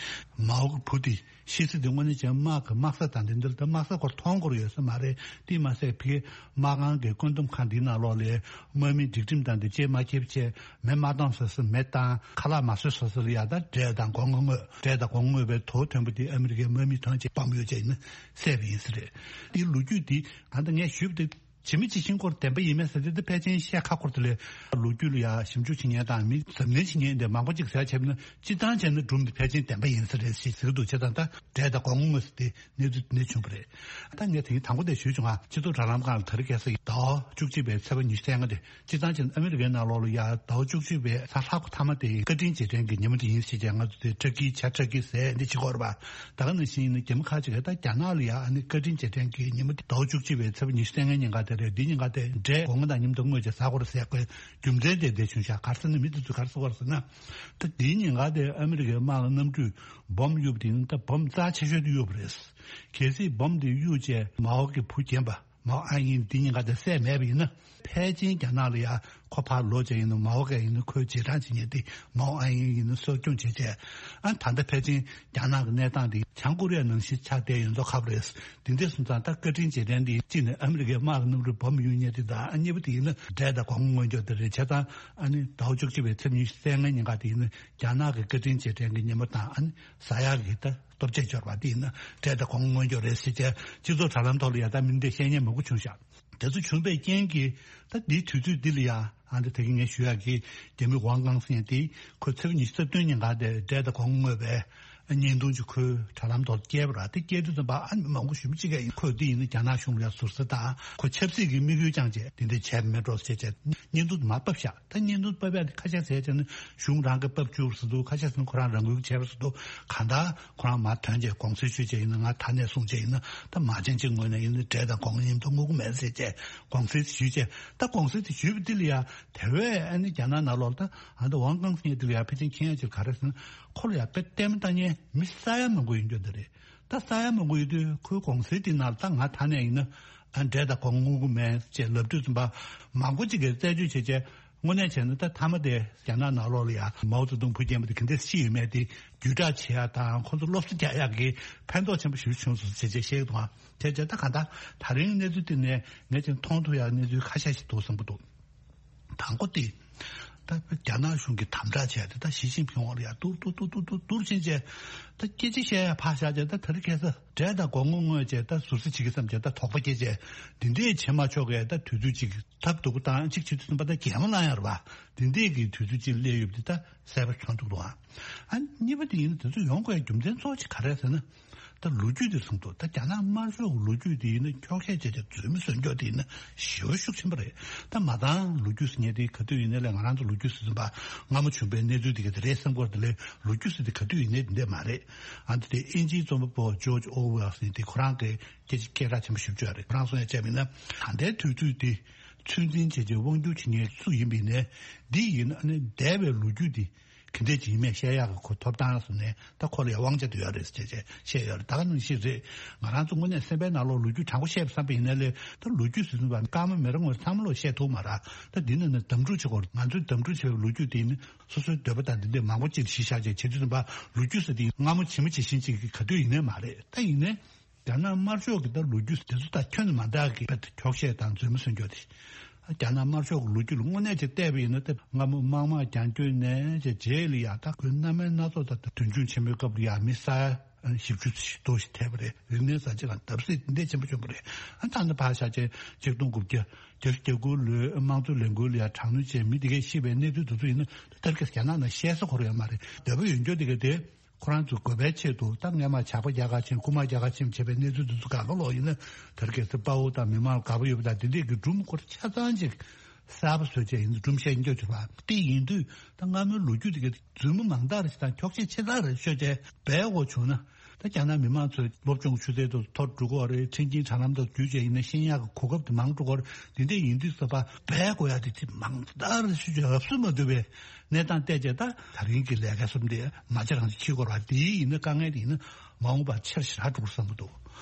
མའོ་གི་བུ་དེ་ཤི་ས་དེ་དངོས་གནས་བྱས་ན་དམག་གི་དམག་ས་དང་དེ་འདྲ་ལ་ད་དམག་ས་སྐོར་མཐོང་སྐོར་ཡོད་ས་མ་རེད། དེ་མ་ཟད་ཕ་གིའི་དམག་ཁང་གི་བཀོད་འདོམས་ཁང་འདིའི་ནང་ལོགས་ལ་དམག་མིའི་སྒྲིག་ཁྲིམས་དང་དེ་བཅས་མ་འཁྱེར་བྱས་མེ་མ་བཏང་ས་སུ་མེ་བཏང་ཁ་ལག་མ་བཟོས་ས་སུ་ལ་ཡ་ད་འབྲས་དང་སྒོ་ང་བརྔོས། འབྲས་དང་སྒོ་ང་བརྔོས་པའི་དོ་ཐོན་པོ་དེ་ཨ་མི་རི་ཀའི་དམག་མིས་ཐོན་བྱས་བམ་གཡུག་བྱས་ཡིན་ན་བསད་པ་ཡིན་ས་རེད། དེའི་ལོ་རྒྱུས་དེ་གང་ལྟར་ངས་ཞུས་པ་དེ། ཇི་མི་ཇི་བཞིན་སྐོར་བདེན་པ་ཡིན་མིན་ཟེར་དེ་ད་ཕལ་ཆེར་བཤད་ཁག་པོ་རེད་དེ་ལས་ལོ་རྒྱུས་ལ་ཡ་ཞིབ་འཇུག་བྱེད་མཁན་དང་མི་གཟབ་ནན་བྱེད་མཁན་དེ་མང་པོ་ཅིག་ཟེར་བྱས་ན་སྤྱིར་བཏང་བྱས་ན་སྒྲུང་དེ་ཕལ་ཆེར་བདེན་པ་ཡིན་ས་རེད་ཞེས་ཟེར་གྱི་འདུག་བྱས་ཙང་ད་འབྲས་དང་སྒོ་ང་བརྔོས་ཟེར་དེ་གནས་ཚུལ་དེ་འདྲ་བྱུང་བ་རེད། ད་ངས་དེ་རིང་དང་པོ་དེ་ཞུས་བྱུང་ང་སྤྱི་ཚོགས་དྲ་ལམ་སྒང་ལ་དེ་རིང་ཁ་སང་གི་ཟླ་བ་བཅུ་གཅིག་པའི་ཚེས་པ་ཉི་ཤུ་རྩ་ལྔ་དེ་སྤྱིར་བཏང་བྱས་ན་ཨ་མི་རི་ཀའི་ནང་ལོགས་ལ་ཡ་ཟླ་བ་བཅུ་གཅིག་པའི་གཟའ་ལྷག་པ་མཐའ་མ་དེ་བཀའ་དྲིན་རྗེས་དྲན་གྱི་ཉིན་མོ་དེ་ཡིན་ཟེར་བྱས་ང་ཚོ་དེ་ཊར་ཀི་བྱ་ཊར་ཀི་ཟས་འདི་བྱེད་ཀྱི་ཡོད་རེད་པ། ད་ག་ནང་བཞིན་ཡིན་ན་རྒྱ་མི་ཁག་ཅིག་གིས་ད་རྒྱ་ནག་ལ་ཡ་ཨ་ནི་བཀའ་དྲིན་རྗེས་དྲན་གྱི་ཉིན་མོ་དེ་ཟླ་བ་བཅུ་གཅིག་པའི་ཚེས་པ་ཉི་ཤུ་རྩ་ལྔའི་ཉིན་ཀ་དེ་རེད། འདིའི་ཉིན་ཀ་དེ་འབྲས་སྒོ་ང་དང་མཉམ་དུ་བརྔོས་བྱས་ཟ་དགོས་རེད་ཟེར་དགོས་རྒྱུ་མཚན་དེ་འདི་བྱུང་ཤག་ག་རེ་ཟེར་ན་མི་དེ་ཚོས་ག་རེ་ཟེར་གྱི་ཡོད་རེད་ཟེར་ན། ད་འདིའི་ཉིན་ཀ་དེ་ཨ་མི་རི་ཀའི་དམག་གི་གནམ་གྲུས་བོམ་གཡུགས་པ་དེ་ཡིན་ན་ད་བོམ་རྩ་ཆེ་ཤོས་དེ་གཡུགས་པ་རེད། གལ་སྲིད་བོམ་དེ་གཡུགས་བྱས་མའོ་གི་བུ་རྒན་པ། མའོ་ཨན་ཡིན་འདི་ཉིན་ཀ་དེ་བསད་མེད་པ་ཡིན་ན། ཕལ་ཆེར་རྒྱ་ནག་ལ་ཡ་ཁོ་ཕར་ལོག་བྱས་ཡིན་ན་མའོ་ག་ཡིན་ན་ཁོའི་རྗེས་འབྲང་བྱེད་མཁན་དེ་མའོ་ཨན་ཡིན་ཡིན་ན་གསོ་སྐྱོང་བྱེད་བྱས། ཨ་ད་ལྟ་ཕལ་ཆེར་རྒྱ་ནག་གི་གནས་སྟངས་དེ་བྱང་ཀོ་རི་ཡ་ནང་བཞིན་ཆགས་བསྡད་ཡོད་མདོག་ཁ་པོ་རེད། དེ་འདྲ་སོང་ཙང་ད་བཀའ་དྲིན་རྗེས་དྲན་འདི་གཅིག་ནས་ཨ་མི་རི་ཀའི་དམག་གི་གནམ་གྲུས་བོམ་གཡུག་མཁན་དེ་དང་ཨ་གཉིས་པ་དེ་ཡིན་ན་འབྲས་དང་སྒོ་ང་བརྔོས་འཇོག་དེ་རེད། བྱས་ཙང་ཨ་ནི་ཟླ་བ་བཅུ་གཅིག་པའི་ཚེས་ཉི་ཤུ་རྩ་ལྔའི་ཉིན་ཀ་དེ་ཡིན་ན་རྒྱ་ནག་གི་བཀའ་དྲིན་རྗེས་དྲན་གྱི་ཉིན་མོ་དང་ཨ་ནི་ཟ་ཡག་གི་ད། ལྟོ་ཆས་འབྱོར་བ་དེ་ཡིན་ན་འབྲས་དང་སྒོ་ང་བརྔོས་འཇོག་རེད་ཟེར་བྱས་སྤྱི་ཚོགས་དྲ་ལམ་ཐོག་ལ་ཡ་ད་མི་འདི་བཤད་མཁན་མང་པོ་བྱུང་ཤག་དེ་ཚོ་བྱུང་བའི་རྐྱེན་གྱིས་ད་འདིའི་དུས་ཚོད་འདི་ལ་ཡ་ཨ་འདི་ད་གིན་ངས་ཞུ་ཡག་གི་རྒྱ་མི་ཝང་ཀང་ཟེར་མཁན་དེ་ཁོས་ཚེས་པ་ཉི་ཤུ་རྩ་བདུན་ཉིན་ཀ་དེ་འབྲས་དང་སྒོ་ང་བརྔོས་པའི་བརྙན་ཐུང་ཅིག་ཁོའི་དྲ་ལམ་ཐོག་བསྐྱལ་བ་ར། དེ་བསྐྱལ་དུས་ཙམ་པ་ཨ་ནི་མི་མང་པོ་ཞེ་པོ་ཅིག་གིས་ཁོས་འདི་ཡིན་ན་རྒྱ་ནག་གཞུང་ལ་ཡ་ཟུར་ཟ་དང་ཁོ་ཆབ་སྲིད་ཀྱི་དམིགས་ཡུལ་བཅངས་བྱས་དེ་འདྲ་བྱས་པ་མེད་འགྲོ་ཟེར་བྱས་བརྙན་ཐུང་དེ་མར་ཕབ་ཤག་ད་བརྙན་ཐུང་ཕབ་ཡག་དེ་ཁ་ཤས་ཟེར་བྱས་ན་གཞུང་རང་གིས་ཕབ་བཅུག་ཟེར་འདུག་ཁ་ཤས་ཟེར་ན་ཁོ་རང་རང་འགུལ་བྱས་པ་ཟེར་འདུག་གང་ལྟར་ཁོ་རང་མར་ཐོན་བྱས་དགོངས་སེལ་ཞུས་བྱས་ཡིན་ན་ང་ད་ནས་བཟུང་བྱས་ཡིན་ན་ད་མ་བྱན་གཅིག་ངོས་ནས་ཡིན་ན་འབྲས་དང་སྒོ་ང་མཉམ་དུ་བརྔོ་གི་མེད་ཟེར་བྱས་དགོངས་སེལ་ཞུས་བྱས། ད་དགོངས་སེལ་དེ་ཞུས་པ་འདི་ལ་ཡ་དེ་བས་ཨ་ནི་རྒྱ་ནག་ནང་ལོགས་ལ་ད་ཨ་ད་ཝང་ཀང་ཟེར་མཁན་འདི་ལ་ཡ་ཕལ་ཆེར་མཁྱེན་ཡག་ཅིག་ག་རེ་ཟེར་ན་ཁོ་ལ་ཡ་དཔེ་ལྟད་མོ་ལྟ་མཁན་མི་ས་ཡ་མང་པོ་ཡོད་རྒྱུ་འདི་རེད། ད་ས་ཡ་མང་པོ་ཡོད་དུས་ཁོའི་དགོངས་སེལ་དེ་ནང་ད་ང་ད་ནས་ཡིན་ན་ཨ་འབྲས་དང་སྒོ་ང་བརྔོ་གི་མེད་ཅེས་ལབ་དུས་ཙམ་པ་མང་པོ་ཅིག་གིས་རྩད་གཅོད་བྱས་བྱས། དངོས་གནས་བྱས་ན་ད་མཐའ་མ་དེ་རྒྱ་ནག་ནང་ལོགས་ལ་ཡང་མའོ་ཙེ་ཏུང་བུ་རྒྱན་པ་དེ་ག་འདྲས་ཤི་ཡོད་མེད་དེ་བརྒྱུད་བསྒྲགས་བྱེད་ཡ་དང་ཁོ་ཚོ་སློབ་གསོ་རྒྱག་ཡག་གི་ཕན་ཐོགས་ཆེན་པོ་ཞིག་བྱུང་སོང་ཟེར་བྱས་བཤད་ཀྱི་འདུག་ཨང་། བྱས་བྱས་ད་གང་ལྟར་ད་རིང་གནས་ཚུལ་དེ་ནས་ངས་ཀྱང་མཐོང་ཐུབ་ཡག་གནས་ཚུལ་ཁ་ཤས་ཤིག་འདུག་བསམ་གྱི་འདུག་དང་པོ་དེ། ད་རྒྱ་ནག་གཞུང་གིས་དམ་དྲག་བྱས་ཏེ་ད་ཞི་ཅིན་ཕིང་འོག་ལ་ཡར་ཏུར་ཏུར་ཏུར་ཏུར་ཏུར་ཏུར་ཕྱིན་བྱས། ད་སྐད་ཆ་བཤད་ཡ་ཕར་བཞག་བྱས་ད་དེ་རིང་ཁ་སང་འབྲས་དང་སྒོ་ང་བརྔོས་བྱས་ད་ཟུར་ཟ་བྱེད་ཀྱི་བསམ་བྱས་ད་དོགས་པ་སྐྱེས་བྱས། འདི་འདྲས་བྱེད་མ་ཆོག་གས་ད་དུས་ཚོད་ཅིག་ཐབས་སྡུག་པོ་བཏང་ཅིག་བྱེད་དུས་ཙམ་པ་ད་གད་མོ་ལངས་ཡ་རེད་པ། འདི་འདྲས་ཀྱི་དུས་ཚོད་ཅིག་སླེབས་ཡོད་པ་འདི་ད་གསལ་པོ་མཐོང་ཐུབ་འདུག་ཨང་། ཨ་གཉིས་པ་དེ་ཡིན་ན་དེ་ཚོ་ཡོང་དགོས་ཡ་རྒྱུ་མཚན་གཙོ་བོ་ཅིག་ག་རེ་རེད་ཟེར་ན། ད་ལོ་རྒྱུས་དེ་གསུངས་འདུག་ད་རྒྱ་ནག་དམར་ཤོག་གི་ལོ་རྒྱུས་དེ་ཡིན་ན་འཁྱོག་བཤད་བྱས་བྱས་རྫུན་མ་བཟོས་འཇོག་དེ་ཡིན་ན་ཞེ་པོ་ཤུགས་ཆེན་པོ་རེད། ད་མ་ཚང་ལོ་རྒྱུས་ཟེར་མཁན་དེ་ག་དུས་ཡིན་ནའི་ལས་ང་རང་ཚོ་ལོ་རྒྱུས་ཟེར་ཙམ་པ་སྔ་མོ་བྱུང་བའི་གནས་ཚུལ་དེ་ག་དེ་རེད་བསམ་སྐོར་དེ་ལས་ལོ་རྒྱུས་ཟེར་དེ་ག་དུས་ཡིན་ནའི་དེ་འདྲས་མ་རེད། ཨ་འདི་དེ་དབྱིན་ཇིའི་རྩོམ་པ་པོ་ཇོརྗ་ཨོ་ཝེལ་ཟེར་དེ་ཁོ་རང་གི་སྐད་ཆ་སྐད་གྲགས་ཆེན་པོ་ཞེ་པོ་ཅིག་རེད། ཁོ་རང་གསུང་ཡ་བྱས་པ་ཡིན་ན་ད་ལྟའི་དུས་ཚོད་དེ་ཚོད་འཛིན་བྱས་བྱས་དབང་སྒྱུར་བྱེད་མཁན་སུ་ཡིན་པ་ཡིན་ནའི་འདི་ཡིན་ན་ཨ་ནི་འདས་པའི་ལོ་རྒྱུས་དེ། ག་འདྲས་ཅིག་ཡིན་མིན་བཤད་ཡག་གི་གོ་ཐོབ་ཐང་སོགས་ནས་ད་ཁོ་ལ་ཡང་དབང་ཆ་དེ་ཡོད་རེད་ཟེར་བྱས་བཤད་ཡོད་རེད། ད་ག་ནང་བཞིན་རེད། ང་རང་ཚོ་དངོས་གནས་སེམས་པའི་ནང་ལོགས་ལོ་རྒྱུས་དྲང་པོ་བཤད་པ་བསམ་པ་ཡིན་ན་ལས་ད་ལོ་རྒྱུས་ཟེར་དུས་ཙམ་པ་སྐར་མ་མི་རེ་ངོ་རེ་ཚང་མ་ལོག་བཤད་ཐུབ་མ་རེད། ད་འདི་ནང་ནས་གདམ་འཁྲུག་བྱེད་སྐོར་ང་ཚོས་གདམ་འཁྲུག་བྱས་པའི་ལོ་རྒྱུས་དེ་ཡིན་ན་སོ་སོའི་འདོད་པ་དང་འདི་འདྲས་མང་པོ་ཅིག་གཞི་བཞག་བྱས་བྱེད་དུས་ཙམ་པ་ལོ་རྒྱུས་ཟེར་དེ་སྔ་མོ་ཇི་མ་ཇི་བཞིན་ཅིག་གི་ག་དུས་ཡིན་ནའི་མ་རེད། ད་ཡིན་ནའི། རྒྱ་ནག་དམར་ཤོག་གི་ད་ལོ་རྒྱུས་དེ་ཚོ་ད་ཁྱོན་ནས་མ་འདང་གི་དཔེ་འཁྱོག་བཤད་དང་རྫུན་མ་སུན་སྐྱོ་དེ། རྒྱ་ནག་དམར་ཤོག་གི་ལོ་རྒྱུས་ལ་དངོས་གནས་ཅིག་བལྟས་པ་ཡིན་ན་ད་སྔ་མོ་དམག་དམག་རྒྱང་སྐྱོད་ནས་ཅེས་རྗེས་ལ་ཡ་ད་ཁོའི་རྣམ་སྨིན་སྣ་ཚོགས་ད་ད་དུས་འཁྱོངས་ཆེན་མོའི་སྐབས་ལ་ཡ་མི་ས་ བཞི་བཅུ་ཞིག་ཐོ་ཞིག་ཐེབས་པ་རེད། རིག་གནས་གསར་བརྗེ་ལ་བརྡབ་གསིག་འདི་འདྲ་ཆེན་པོ་བྱུང་བ་རེད། ཨ་ད་ནི་ཕར་བཞག་བྱས་ཆིག་སྟོང་དགུ་བརྒྱ་བརྒྱད་ཅུ་གྱ་དགུ་ལོའི་དམངས་གཙོའི་ལས་འགུལ་ལ་ཡང་དྲག་གནོན་བྱས་མི་དེ་གས་ཤི་བའི་གནས་ཚུལ་དེ་ཚོ་ཡིན་ན་ད་ལྟ་རྒྱ་ནག་ནང་བཤད་ས་ཁོ་རང་ཡང་མ་རེད། འདོད་པ་ཡོད་འགྱོ་དེ་གས་དེ། ཁོ་རང་ཚོའི་དགོས་པའི་ཆེད་དུ་ད་སྔས་མ་ཇག་པ་རྒྱག་ག་ཕྱིན། རྐུ་མ་རྒྱག་ག་ཕྱིན་བྱས་པའི་གནས་ཚུལ་དེ་ཚོ་ག་ག་ལོག་ཡིན་ན། དེར་གལ་སྲིད་དཔའ་བོ་དང་མི་མང་དགའ་པོ་ཡོད་པ་དང་དེ་འདྲས་ཀྱི་སྒྲུང་སྐོར་ཆ་ཚང་ཅིག་གསར་པ་བཟོས་བྱས་ཡིན་སྒྲུང་བཤད་ཀྱི་འཇོག་བྱེད་པ་དེ་ཡིན་དུས། ད་སྔ་མོའི་ལོ་རྒྱུས་དེ་གའི་རྫུན་མ་མང་དག་རེ་ཞིག་དང་འཁྱོག་བཤད་ཆེ་དག་རེ་ཤོད་བྱས་སྦས་དགོས་བྱུང་ན། ད་རྒྱ་ནག་མི་མང་ཚོའི་སློབ་སྦྱོང་ཆུ་ཚད་དུ་མཐོ་རུ་འགྲོ་གི་རེད། ཁྲིམས་ཀྱི་དྲ་ལམ་དུ་བརྒྱུད་བྱས་ཡིན་ན་ཤེས་ཡག་གི་གོ་སྐབས་དེ་མང་རུ་འགྲོ་གི་རེད། དེ་འདྲས་ཡིན་དུས་ཙམ་པ་སྦས་དགོས་ཡག་དེ་ཅིག་མང་དག་རེ་ཤོད་བྱས་རབ་གསོས་མ་ཐུབ་པའི་གནས་སྟངས་བལྟས་བྱས། ད་ད་རིང་གི་ལས་ཀ་གསུམ་དེ་མ་བྱས་རང་བྱས་འཁྱེར་དགོས་རེད་པ། དེ་ཡིན་ན་དཀའ་ངལ་དེ་ཡིན་ན་མ་འོངས་པར་ཆེ་རུ་ཞེ་དྲག་འགྲོ་གི་བསམ་གྱི་འདུག་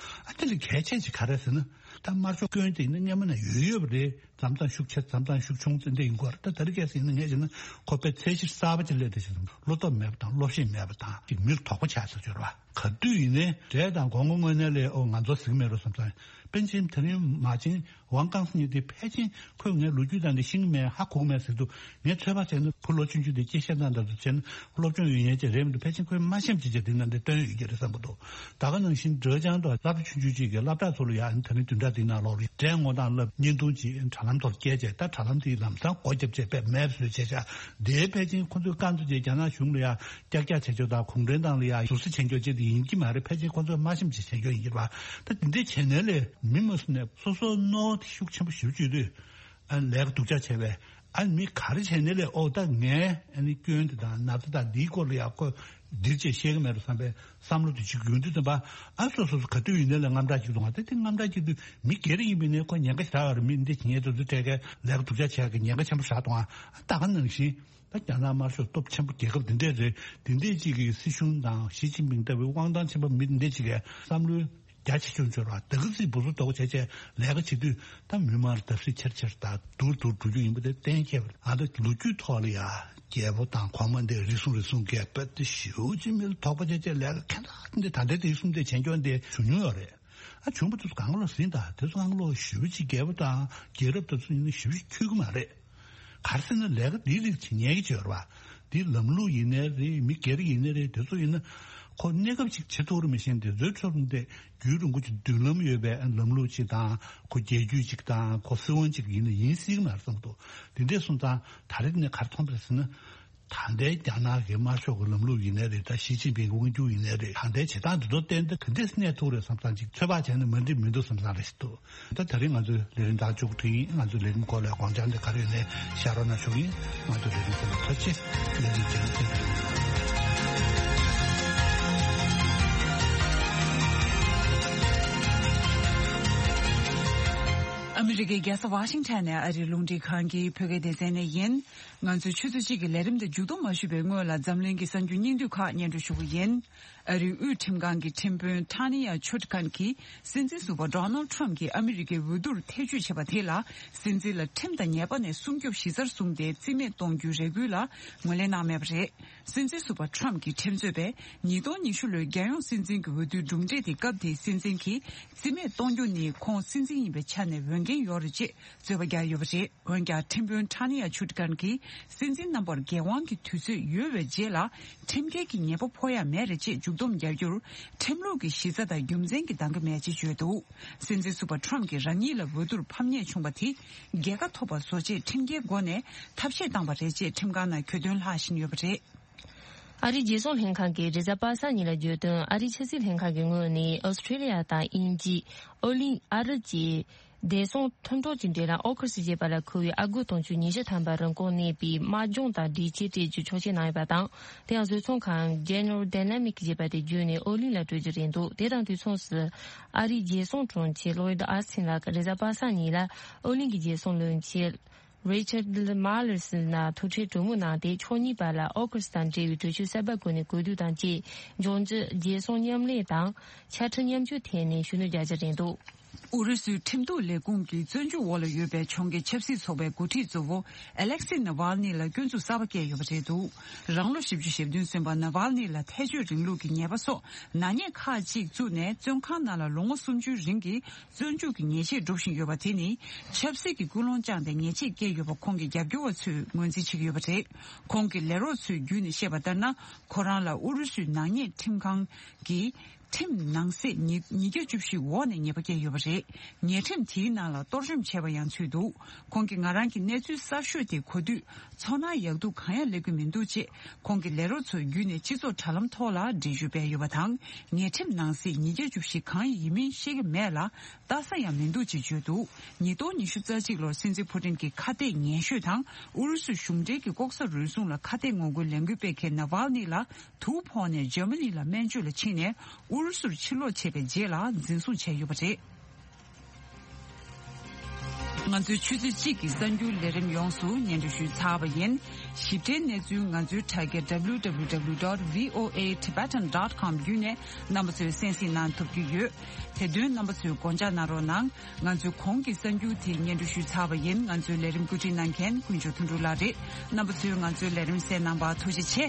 ཨ་དེ་ལས་གལ་ཆེ་ཅིག་ག་རེ་ཟེར་ན། ད་དམར་ཤོག་སྐྱོན་དེ་ཡིན་ན་སྔོན་མ་ནས་ཡོད་ཡོད་པ་རེད། མཚམས་མཚམས་ཤུགས་ཆེ་མཚམས་མཚམས་ཤུགས་ཆུང་ཙམ་དེ་ཡིན་དགོས་རེད། ད་ད་རེས་གལ་སྲིད་ཡིན་ན་ངས་བྱས་ན་ཁོ་དཔེ་ཚད་གཞི་གསར་པ་ཅིག་སླེབས་བསྡད་ཤག་བསམ། བློ་སྟོབས་མེད་པ་དང་བློ་ཤེད་མེད་པ་དང་ཅིག་མི་ལ་དོགས་པ་ཆགས་ཚར་ཡོད་རེད་པ། ག་དུས་ཡིན་ནའི་འདྲེ་དང་སྒོ་ང་དངོས་གནས་ལས་ཨོ་ང་ཚོ་ཟིག་མེད་རོ་བསམ་ཙང་། པཎ་ཆེན་དེ་རིང་མ་བྱན་ཝང་ཀང་སི་གཉིས་དེ་ཕལ་ཆེར་ཁོས་ངའི་ལོ་རྒྱུས་དང་དེ་ཤེས་ཀྱི་མེད། ཧ་གོ་གི་མེད་ཟེར་དུས། ངས་ཚོད་དཔག་བྱས་ན་ཁོ་ལོ་ཆུང་ཆུང་དེ་སྐད་བཤད་སྟངས་དང་དུ་བྱས་ན་སློབ་སྦྱོང་ཡོད་མཁན་ཅིག་རེད་མི་འདུག་ཕལ་ཆེར་ཁོས་མ་ཤེས་ཅིག་ཅིག་དེ་ནང་དེ་བཏོན་ཡོད་ཀྱི་རེད་བསམ་གྱི་འདུག་ད་ག་ནང་བཞིན་ཌེ་ཅང་དང་སློབ་གྲྭ་ཆུང་ཆུང་ཅིག་གི་སློབ་གྲྭ་ཚོ་ལ་ཡང་དེ་རིང་བདུན་ཕྲག་འདིའི་ནང་ལོགས་ལ་འདྲེ་ངོ་རྟགས་སློབ་བརྙན་ཐུང་ཅིག་དྲ་ལམ་ཐོག་སྐྱེལ་བྱས། ད་དྲ་ལམ་དེའི་ལམ་སང་སྒོ་བརྒྱབ་བྱས་པས་མེབ་བཟོས་བྱས་བཞག་དེའི་ཕལ་ཆེར་ཁོ་ཚོས་རྐང་བཙུགས་བྱས་རྒྱ་ནག་གཞུང་ལ་ཡང་ཀྱག་ཀྱག་བྱེད་ཆོག་དང་གུང་ཁྲན་ཏང་ལ་ཡང་ཟུར་ཟ་བྱེད་ཆོག་ཅེས་དེ་ཡིན་གྱི་མ་རེད། ཕལ་ཆེར་ཁོ་ཚོས་མ་ཤེས་པ་ཅིག་བྱེད་ཆོག་ཡིན་གྱི་རེད་པ། ད་དེ་འདྲའི་བྱས་ནས་ལས་མི་མ་སུ་ནས་སོ་སོ་རྣོ་དེ་ཤུགས་ཆེན་པོ་ཞེ་པོ་ཅིག་ཡོད་དུས། ཨ་ལས་ཀ་སྡུག་ཅག་བྱས་པས། ཨ་མི་ག་རེ་བྱས་ནས་ལས་ཨོ་ད་ངས་ཨ་ནི་སྐྱོན་དེ་དང་ན་ཚ་དང་འདིའི་སྐོར་ལ་ཡང་ཁོ་འདིར་བྱས་བཤད་ཀྱི་མེད་རུ་བསམ་པའི་བསམ་བློ་དེ་ཅིག་ཡོང་དུས་ཙམ་པ། ཨ་སོ་སོ་སོ་ག་དུས་ཡིན་ནའི་ལས་དངངས་སྐྲག་ཅིག་འདུག་ཨ་ད་དེ་དངངས་སྐྲག་ཅིག་དུས་མི་སྒེར་ཡིན་པའི་ནས་ཁོ་ཉེན་ཁ་ཞེ་དྲག་ཡོད་རེད། མི་འདི་ཉེན་དུ་འཛུལ་འཕྲད་མཁན་ལས་ཀ་སྡུག་ཅག་བྱས་ཀྱི་ཉེན་ཁ་ཆེན་པོ་ཞེ་དྲག་འདུག་ཨ་ད་ག་ནང་བཞིན། ད་རྒྱ་ནག་དམར་ཤོག་སྟོབས་ཆེན་པོ་རྒྱལ་ཁབ་འདི་འདྲས་རེད། འདི་འདྲས་ཅིག་གི་སྲིད་གཞུང་དང་ཞི་ཅིན་ཕིང་ལྟ་བུའི་དབང་ཐང་ཆེན་པོ་མི་འདི་འདྲས་ཅིག་གི་བསམ་བློའི་རྒྱ་ཆེ་ཆུང་ཆེ་ར་དེ་ག་ཚིག་བུ་སུ་དོག་བྱས་བྱས་ལས་ཀ་བྱེད་དུས། ད་མི་མང་ལ་བརྡབ་གསིག་ཆེར་ཆེར་དང་སྡུག་སྡུག་འགྲོ་རྒྱུ་ཡིན་པ་དེ་གཏན་འཁེལ་བ་རེད། ཨ་ད་ལོ་རྒྱུས་ཐོག་ལ་ཡ་རྒྱལ་པོ་དང་གོང་མ་འདི་རེ་ཟུང་རེ་ཟུང་གིས་དཔེ་དེ་ཞེ་པོ་ཅིག་མི་ལ་དོགས་པ་བྱས་བྱས་ལས་ཀ་ཁེ་ད་འདི་ད་ལྟའི་དེ་གསུམ་དེ་བྱེད་སྐྱོན་དེ་བྱུང་མྱོང་ཡོད་རེད། ཨ་བྱུང་པ་དེ་ཚོ་གང་ག་ལོག་ཟིན་དང་དེ་ཚོ་གང་ག་ལོག་ཞེ་པོ་ཅིག་རྒྱལ་པོ་དང་རྒྱལ་རབས་དེ་ཚོ་ཡིན་ན་ཞེ་པོ་ཅིག་འཁྱོལ་གི་མ་རེད། ག་རེ་ཟེར་ན་ལས་ཀ་འདིའི་རིགས་བྱེད་ཉན་གྱི་ཡོད་རེད་པ། འདི་ལམ་ལུགས་ཡིན་ནའི་རེད། མི་སྒེར་ཡིན་ནའི་རེད། དེ་ཚོ་ཡིན་ན་ཁོ་གནས་སྐབས་ཅིག་བྱེད་ཐུབ་རེད་མི་ཤེས། འདི་ཚོའི་ཁྲོད་ནས་རྒྱུན་རིང་པོ་ཅིག་མདུན་ལམ་ཡོད་པའི་ལམ་ལུགས་ཅིག་དང་ཁོ་རྒྱལ་རྒྱུད་ཅིག་དང་ཁོ་སྲིད་དབང་ཅིག་ཡིན་ན་ཡིན་སྲིད་ཀྱི་མ་རེད་བསམ་གྱི་འདུག་འདི་འདྲས་སོང་ཙང་ད་རེས་ནས་ག་རེ་མཐོང་པ་རེད་ཟེར་ན། ད་ལྟའི་རྒྱ་ནག་གི་དམར་ཤོག་གི་ལམ་ལུགས་ཡིན་ནའི་རེད། ད་ཞི་ཅིན་ཕིང་གི་དབང་སྒྱུར་ཡིན་ནའི་རེད། ད་ལྟའི་བྱེད་སྟངས་འདི་ཚོ་བསྟན་ཏེ་ག་འདྲས་གནས་ཐུབ་རེད་བསམ་ཙང་ཅིག་ཚོད་དཔག་བྱས་ན་མ་འགྲིག་མི་འདུག་བསམ་ཙང་རེ་ཞིག་འདུག་ད་དེ་རིང་ང་ཚོའི་ལས་རིམ་ད་མཇུག་བསྒྲིལ་ཡིན། ང་ཚོའི་ལས་རིམ་སྐོར་ལ་དགོངས་འཆར་འདི་ག་རེ་ཡོད་ནའི་བཤད་རོགས་གནང་ཞུ་གི་ཡིན། ང་ཚོའི་ལས་རིམ་ཚོ་ལ་ཐུགས་རྗེ་ཆེ། ལས་རིམ་རྗེས་མ་མཇལ། ཨ་མི་རི་ཀའི་རྒྱལ་ས་ཝ་ཤིང་ཊོན་ནས་ཨ་རིའི་རླུང་འཕྲིན་ཁང་གི་བོད་སྐད་སྡེ་ཚན་ནས་ཡིན། ང་ཚོས་ཆུ་ཚོད་གཅིག་གི་ལས་རིམ་དེ་མཇུག་བསྡོམས་མ་ཞུས་པའི་སྔོན་ལ་འཛམ་གླིང་གི་གསར་འགྱུར་སྙིང་བསྡུས་ཁག་སྙན་སྒྲོན་ཞུ་གི་ཡིན། ཨ་རིའི་དབུས་ཁྲིམས་ཁང་གི་ཁྲིམས་དཔོན་ཊ་ནི་ཡ་ཆུ་ཊི་ཁན་གྱིས་སྲིད་འཛིན་ཟུར་པ་ཌོ་ནལ་ཌི་ཊརམ་ཕི་གྱིས་ཨ་མི་རི་ཀའི་འོས་བསྡུར་ཐེ་བྱུས་བྱས་པ་དེ་ལ་སྲིད་འཛིན་ལ་ཁྲིམས་དང་ཉེས་པ་ནས་སྲུང་སྐྱོབ་གཞི་རྩར་བཟུང་སྟེ་རྩིས་མེད་གཏོང་རྒྱུའི་རེ་སྐུལ་ལ་ངོས་ལེན་གནང་མེད་པ་རེད། སྲིད་འཛིན་ཟུར་པ་ཊརམ་ཕི་གྱི་ཁྲིམས་རྩོད་པས་ཉིས་སྟོང་ཉི་ཤུ་ལོའི་རྒྱལ་ཡོངས་སྲིད་འཛིན་གྱི་འོས་བསྡུའི་གྲུབ་འབྲས་དེ་སྐབས་དེའི་སྲིད་འཛིན་གྱིས་རྩིས་མེད་གཏོང་རྒྱུ་ནི་ཁོང་སྲིད་འཛིན་ཡིན་པའི་ཆ་ནས་འོས་འགན་ཡོད་རེད་ཅེས་རྩོད་པ་བརྒྱབ་ཡོད་པ་རེད། འོན་ཀྱང་ཁྲིམས་དཔོན་ཊ་ནི་ཡ་ཆུ་ཊི་ཁན་གྱིས་སྲིད་འཛིན་རྣམ་པར་འགན་དབང་གི་དུས་ཚོད་ཡོལ་བའི་རྗེས་ལ་ཁྲིམས་འགལ་གྱི་ཉེས་པ་ཕོག་ཡ་མེད་རེད་ཅེས་མཇུག་བསྡོམས་རྒྱག་རྒྱུར་ཁྲིམས་ལུགས་ཀྱི་གཞི་རྩ་དང་རྒྱུ་མཚན་གྱིས་འདང་གི་མེད་ཅེས་བརྗོད་འདུག་སྲིད་འཛིན་ཟུར་པ་ཊརམ་ཕི་གྱིས་རང་ཉིད་ལ་འོས་བསྡུར་ཕམ་ཉེས་བྱུང་བ་དེ་རྒྱལ་ཁ་ཐོབ་པ་བཟོ་ཆེད་ཁྲིམས་འགལ་སྒོ་ནས་ཐབས་ཤེས་བཏང་བ་རེད་ཅེས་ཁྲིམས་ཁང་ནང་གྱོད་དོན་ལྷག་བཞིན་ཡོད་པ་རེད། ཨ་རིའི་རྒྱལ་སྲུང་ལྷན་ཁང་གིས་རེས་གཟའ་པ་སངས་ཉིན་ལ་བརྗོད་དོན། ཨ་རིའི་ཕྱི་སྲིད་ལྷན་ཁང་གི་ངོས་ནས་ཨོ་སི་ཁྲེ་ལི་ཡ་དང་དབྱིན་ཇི། ཨོ་གླིང་། ཨ་རི་བཅས་བདེ་སྲུང་མཐུན་གྲོགས་ཀྱི་འབྲེལ་ལམ་ཨོ་ཁུ་སི་ཞེས་པ་ལ་མཁོ་བའི་ཨ་སྒོར་དུང་ཕྱུར་ཉི་ཤུ་ཐམ་པ་རིན་གོང་གནས་པའི་དམག་སྦྱོང་དང་སྒྲིག་ཆས་སྤྲད་རྒྱུ་ཆོག་མཆན་གནང་ཡོད་པ་དང་། དེ་ཡང་བཟོ་ཚོང་ཁང་General Dynamic ཞེས་པ་དེ་བརྒྱུད་ནས་ཨོ་གླིང་ལ་སྤྲོད་རྒྱུ་རེད་འདུག་དེ་དང་དུས་མཚུངས་སུ་ཨ་རིའི་རྒྱལ་སྲུང་དྲུང་ཆེ་ལོའིད་ཨ་སི་ཐིན་ལགས་རེས་གཟའ་པ་སངས་ཉིན་ལ་ཨོ་གླིང་གི་རྒྱལ་སྲུང་བློན་ཆེན་Richard Marles ལ་ཐུག་འཕྲད་གྲོས་མོལ་གནང་སྟེ། ཕྱོགས་གཉིས་བར་ལ་ཨོ་ཁུ་སི་དང་འབྲེལ་བའི་གྲོས་ཆོད་གསར་པ་སྒོ་ནས་གོ་བསྡུར་དང་བཅས་འབྱུང་འགྱུར་རྒྱལ་སྲུང་མཉམ་ལས་དང་ཆ་འཕྲིན་མཉམ་སྤྱོད་ཐད་ནས་ཤུགས་སྣོན་རྒྱག་རྒྱུ་རེད་འདུག་ཨུ་རུ་སུའི་ཁྲིམས་གཏུག་ལས་ཁུངས་ཀྱི་བཙོན་འཇུག་འོག་ལ་ཡོད་པའི་གྱོང་གུན་ཆབ་སྲིད་ཚོགས་པའི་འགོ་ཁྲིད་གཙོ་བོ་ཨེ་ལེག་སི་ནཱ་ཝལ་ནི་ལ་སྐྱོན་འཛུགས་གསར་པ་བཀལ་ཡོད་པ་རེད་འདུག་རང་ལོ་བཞི་བཅུ་ཞེ་བདུན་སོན་པ་ནཱ་ཝལ་ནི་ལ་ཐལ་སྤྱོད་རིང་ལུགས་ཀྱི་ཉེས་པ་སོགས་ནག་ཉེས་ཁག་ཅིག་བཙུགས་ནས་བཙོན་ཁང་ནང་ལ་ལོ་ངོ་སུམ་ཅུའི་རིང་གི་བཙོན་འཇུག་གི་ཉེས་ཆད་སྒྲུབ་བཞིན་ཡོད་པ་དེ་ནི་ཆབ་སྲིད་ཀྱི་ཀུན་སློང་བཅངས་ཏེ་ཉེས་ཆད་བཀལ་ཡོད་པ་ཁོང་གི་རྒྱབ་སྐྱོར་བ་ཚོས་ངོས་འཛིན་བྱེད་ཀྱི་ཡོད་པ་རེད། ཁོང་གི་ལས་རོགས་ཚོའི་བརྒྱུད་ནས་བཤད་པ་ལྟར་ན། ཁོ་རང་ལ་ཨུ་རུ་སུའི་ནག་ཉེས་ཁྲིམས་ཁང་གིས་ཁྲིམས་ནང་གསེས་ཉིས་ཉིས་བརྒྱ་བཅུ་བཞི་འོག་ནས་ཉེས་པ་བཀལ་ཡོད་པ་རེད། ཉེས་ཁྲིམས་དེའི་ནང་ལ་གཏོར་བཅོམ་བྱས་པ་ཡང་ཚུད་འདུག་ཁོང་གིས་ང་རང་གི་གནས་ཚུལ་གསར་ཤོས་དེ་གོ་དུས་ཚོར་སྣང་ཡག་སྡུག་གང་ཡང་སླེབས་ཀྱི་མི་འདུག་ཅེས་ཁོང་གི་ལས་རོགས་ཚོའི་བརྒྱུད་ནས་སྤྱི་ཚོགས་དྲ་ལམ་ཐོག་ལ་འགྲེལ་བརྗོད་སྤེལ་ཡོད་པ་དང་། ཉེས་ཁྲིམས་ནང་གསེས་ཉིས་བརྒྱ་བཅུ་བཞི་གང་ཡིན་མིན་ཤེས་ཀྱི་མེད་ལ། ལྟ་ས་ཡང་མི་འདུག་ཅེས་བརྗོད་འདུག་ཉིས་སྟོང་ཉི་ཤུ་རྩ་གཅིག་ལོར་སྲིད་འཛིན་ཕུ་ཏིན་གྱི་ཁ་གཏད་ངན་ཤོས་དང་ཨུ་རུ་སུ་གཞུང་འབྲེལ་གྱི་ལྐོག་ཟ་རུལ་སུངས་ལ་ཁ་གཏད་ངོ་རྒོལ་ལས་འགུལ་སྤེལ་མཁན་ནཱ་ཝལ་ནི་ལ་དུག་ཕོག་ནས་འཇར་མ་ནི་ལ་སྨན་བཅོས་ལ་ཕྱིན་ནས་ཨུ་རུ་སུར་ཕྱིར་ལོག་བྱས་པའི་རྗེས་ལ་འཛིན་བཟུང་བྱས་ཡོད་པ་རེད། ང་ཚོའི་ཆུ་ཚོད་གཅིག་གི་གསར་འགྱུར་ལས་རིམ་ཡོངས་སུ་སྙན་སྒྲོན་ཞུས་ཚར་བ་ཡིན། ཞིབ་ཕྲའི་གནས་ཚུལ་ང་ཚོའི་དྲ་རྒྱ་W W W dot V O A Tibetan dot com བརྒྱུད་ནས་རྣམ་པ་ཚོས་གསན་གཟིགས་གནང་ཐུབ་ཀྱི་ཡོད། དེ་དོན་རྣམ་པ་ཚོས་དགོངས་འཇགས་གནང་རོགས་གནང་། ང་ཚོའི་གོང་གི་གསར་འགྱུར་དེ་སྙན་སྒྲོན་ཞུས་ཚར་བ་ཡིན། ང་ཚོའི་ལས་རིམ་བཀོད་སྒྲིག་གནང་མཁན་དཀོན་མཆོག་དོན་གྲུབ་ལགས་རེད། རྣམ་པ་ཚོས་ང་ཚོའི་ལས་རིམ་གསན་གནང་བར་ཐུགས་རྗེ་ཆེ།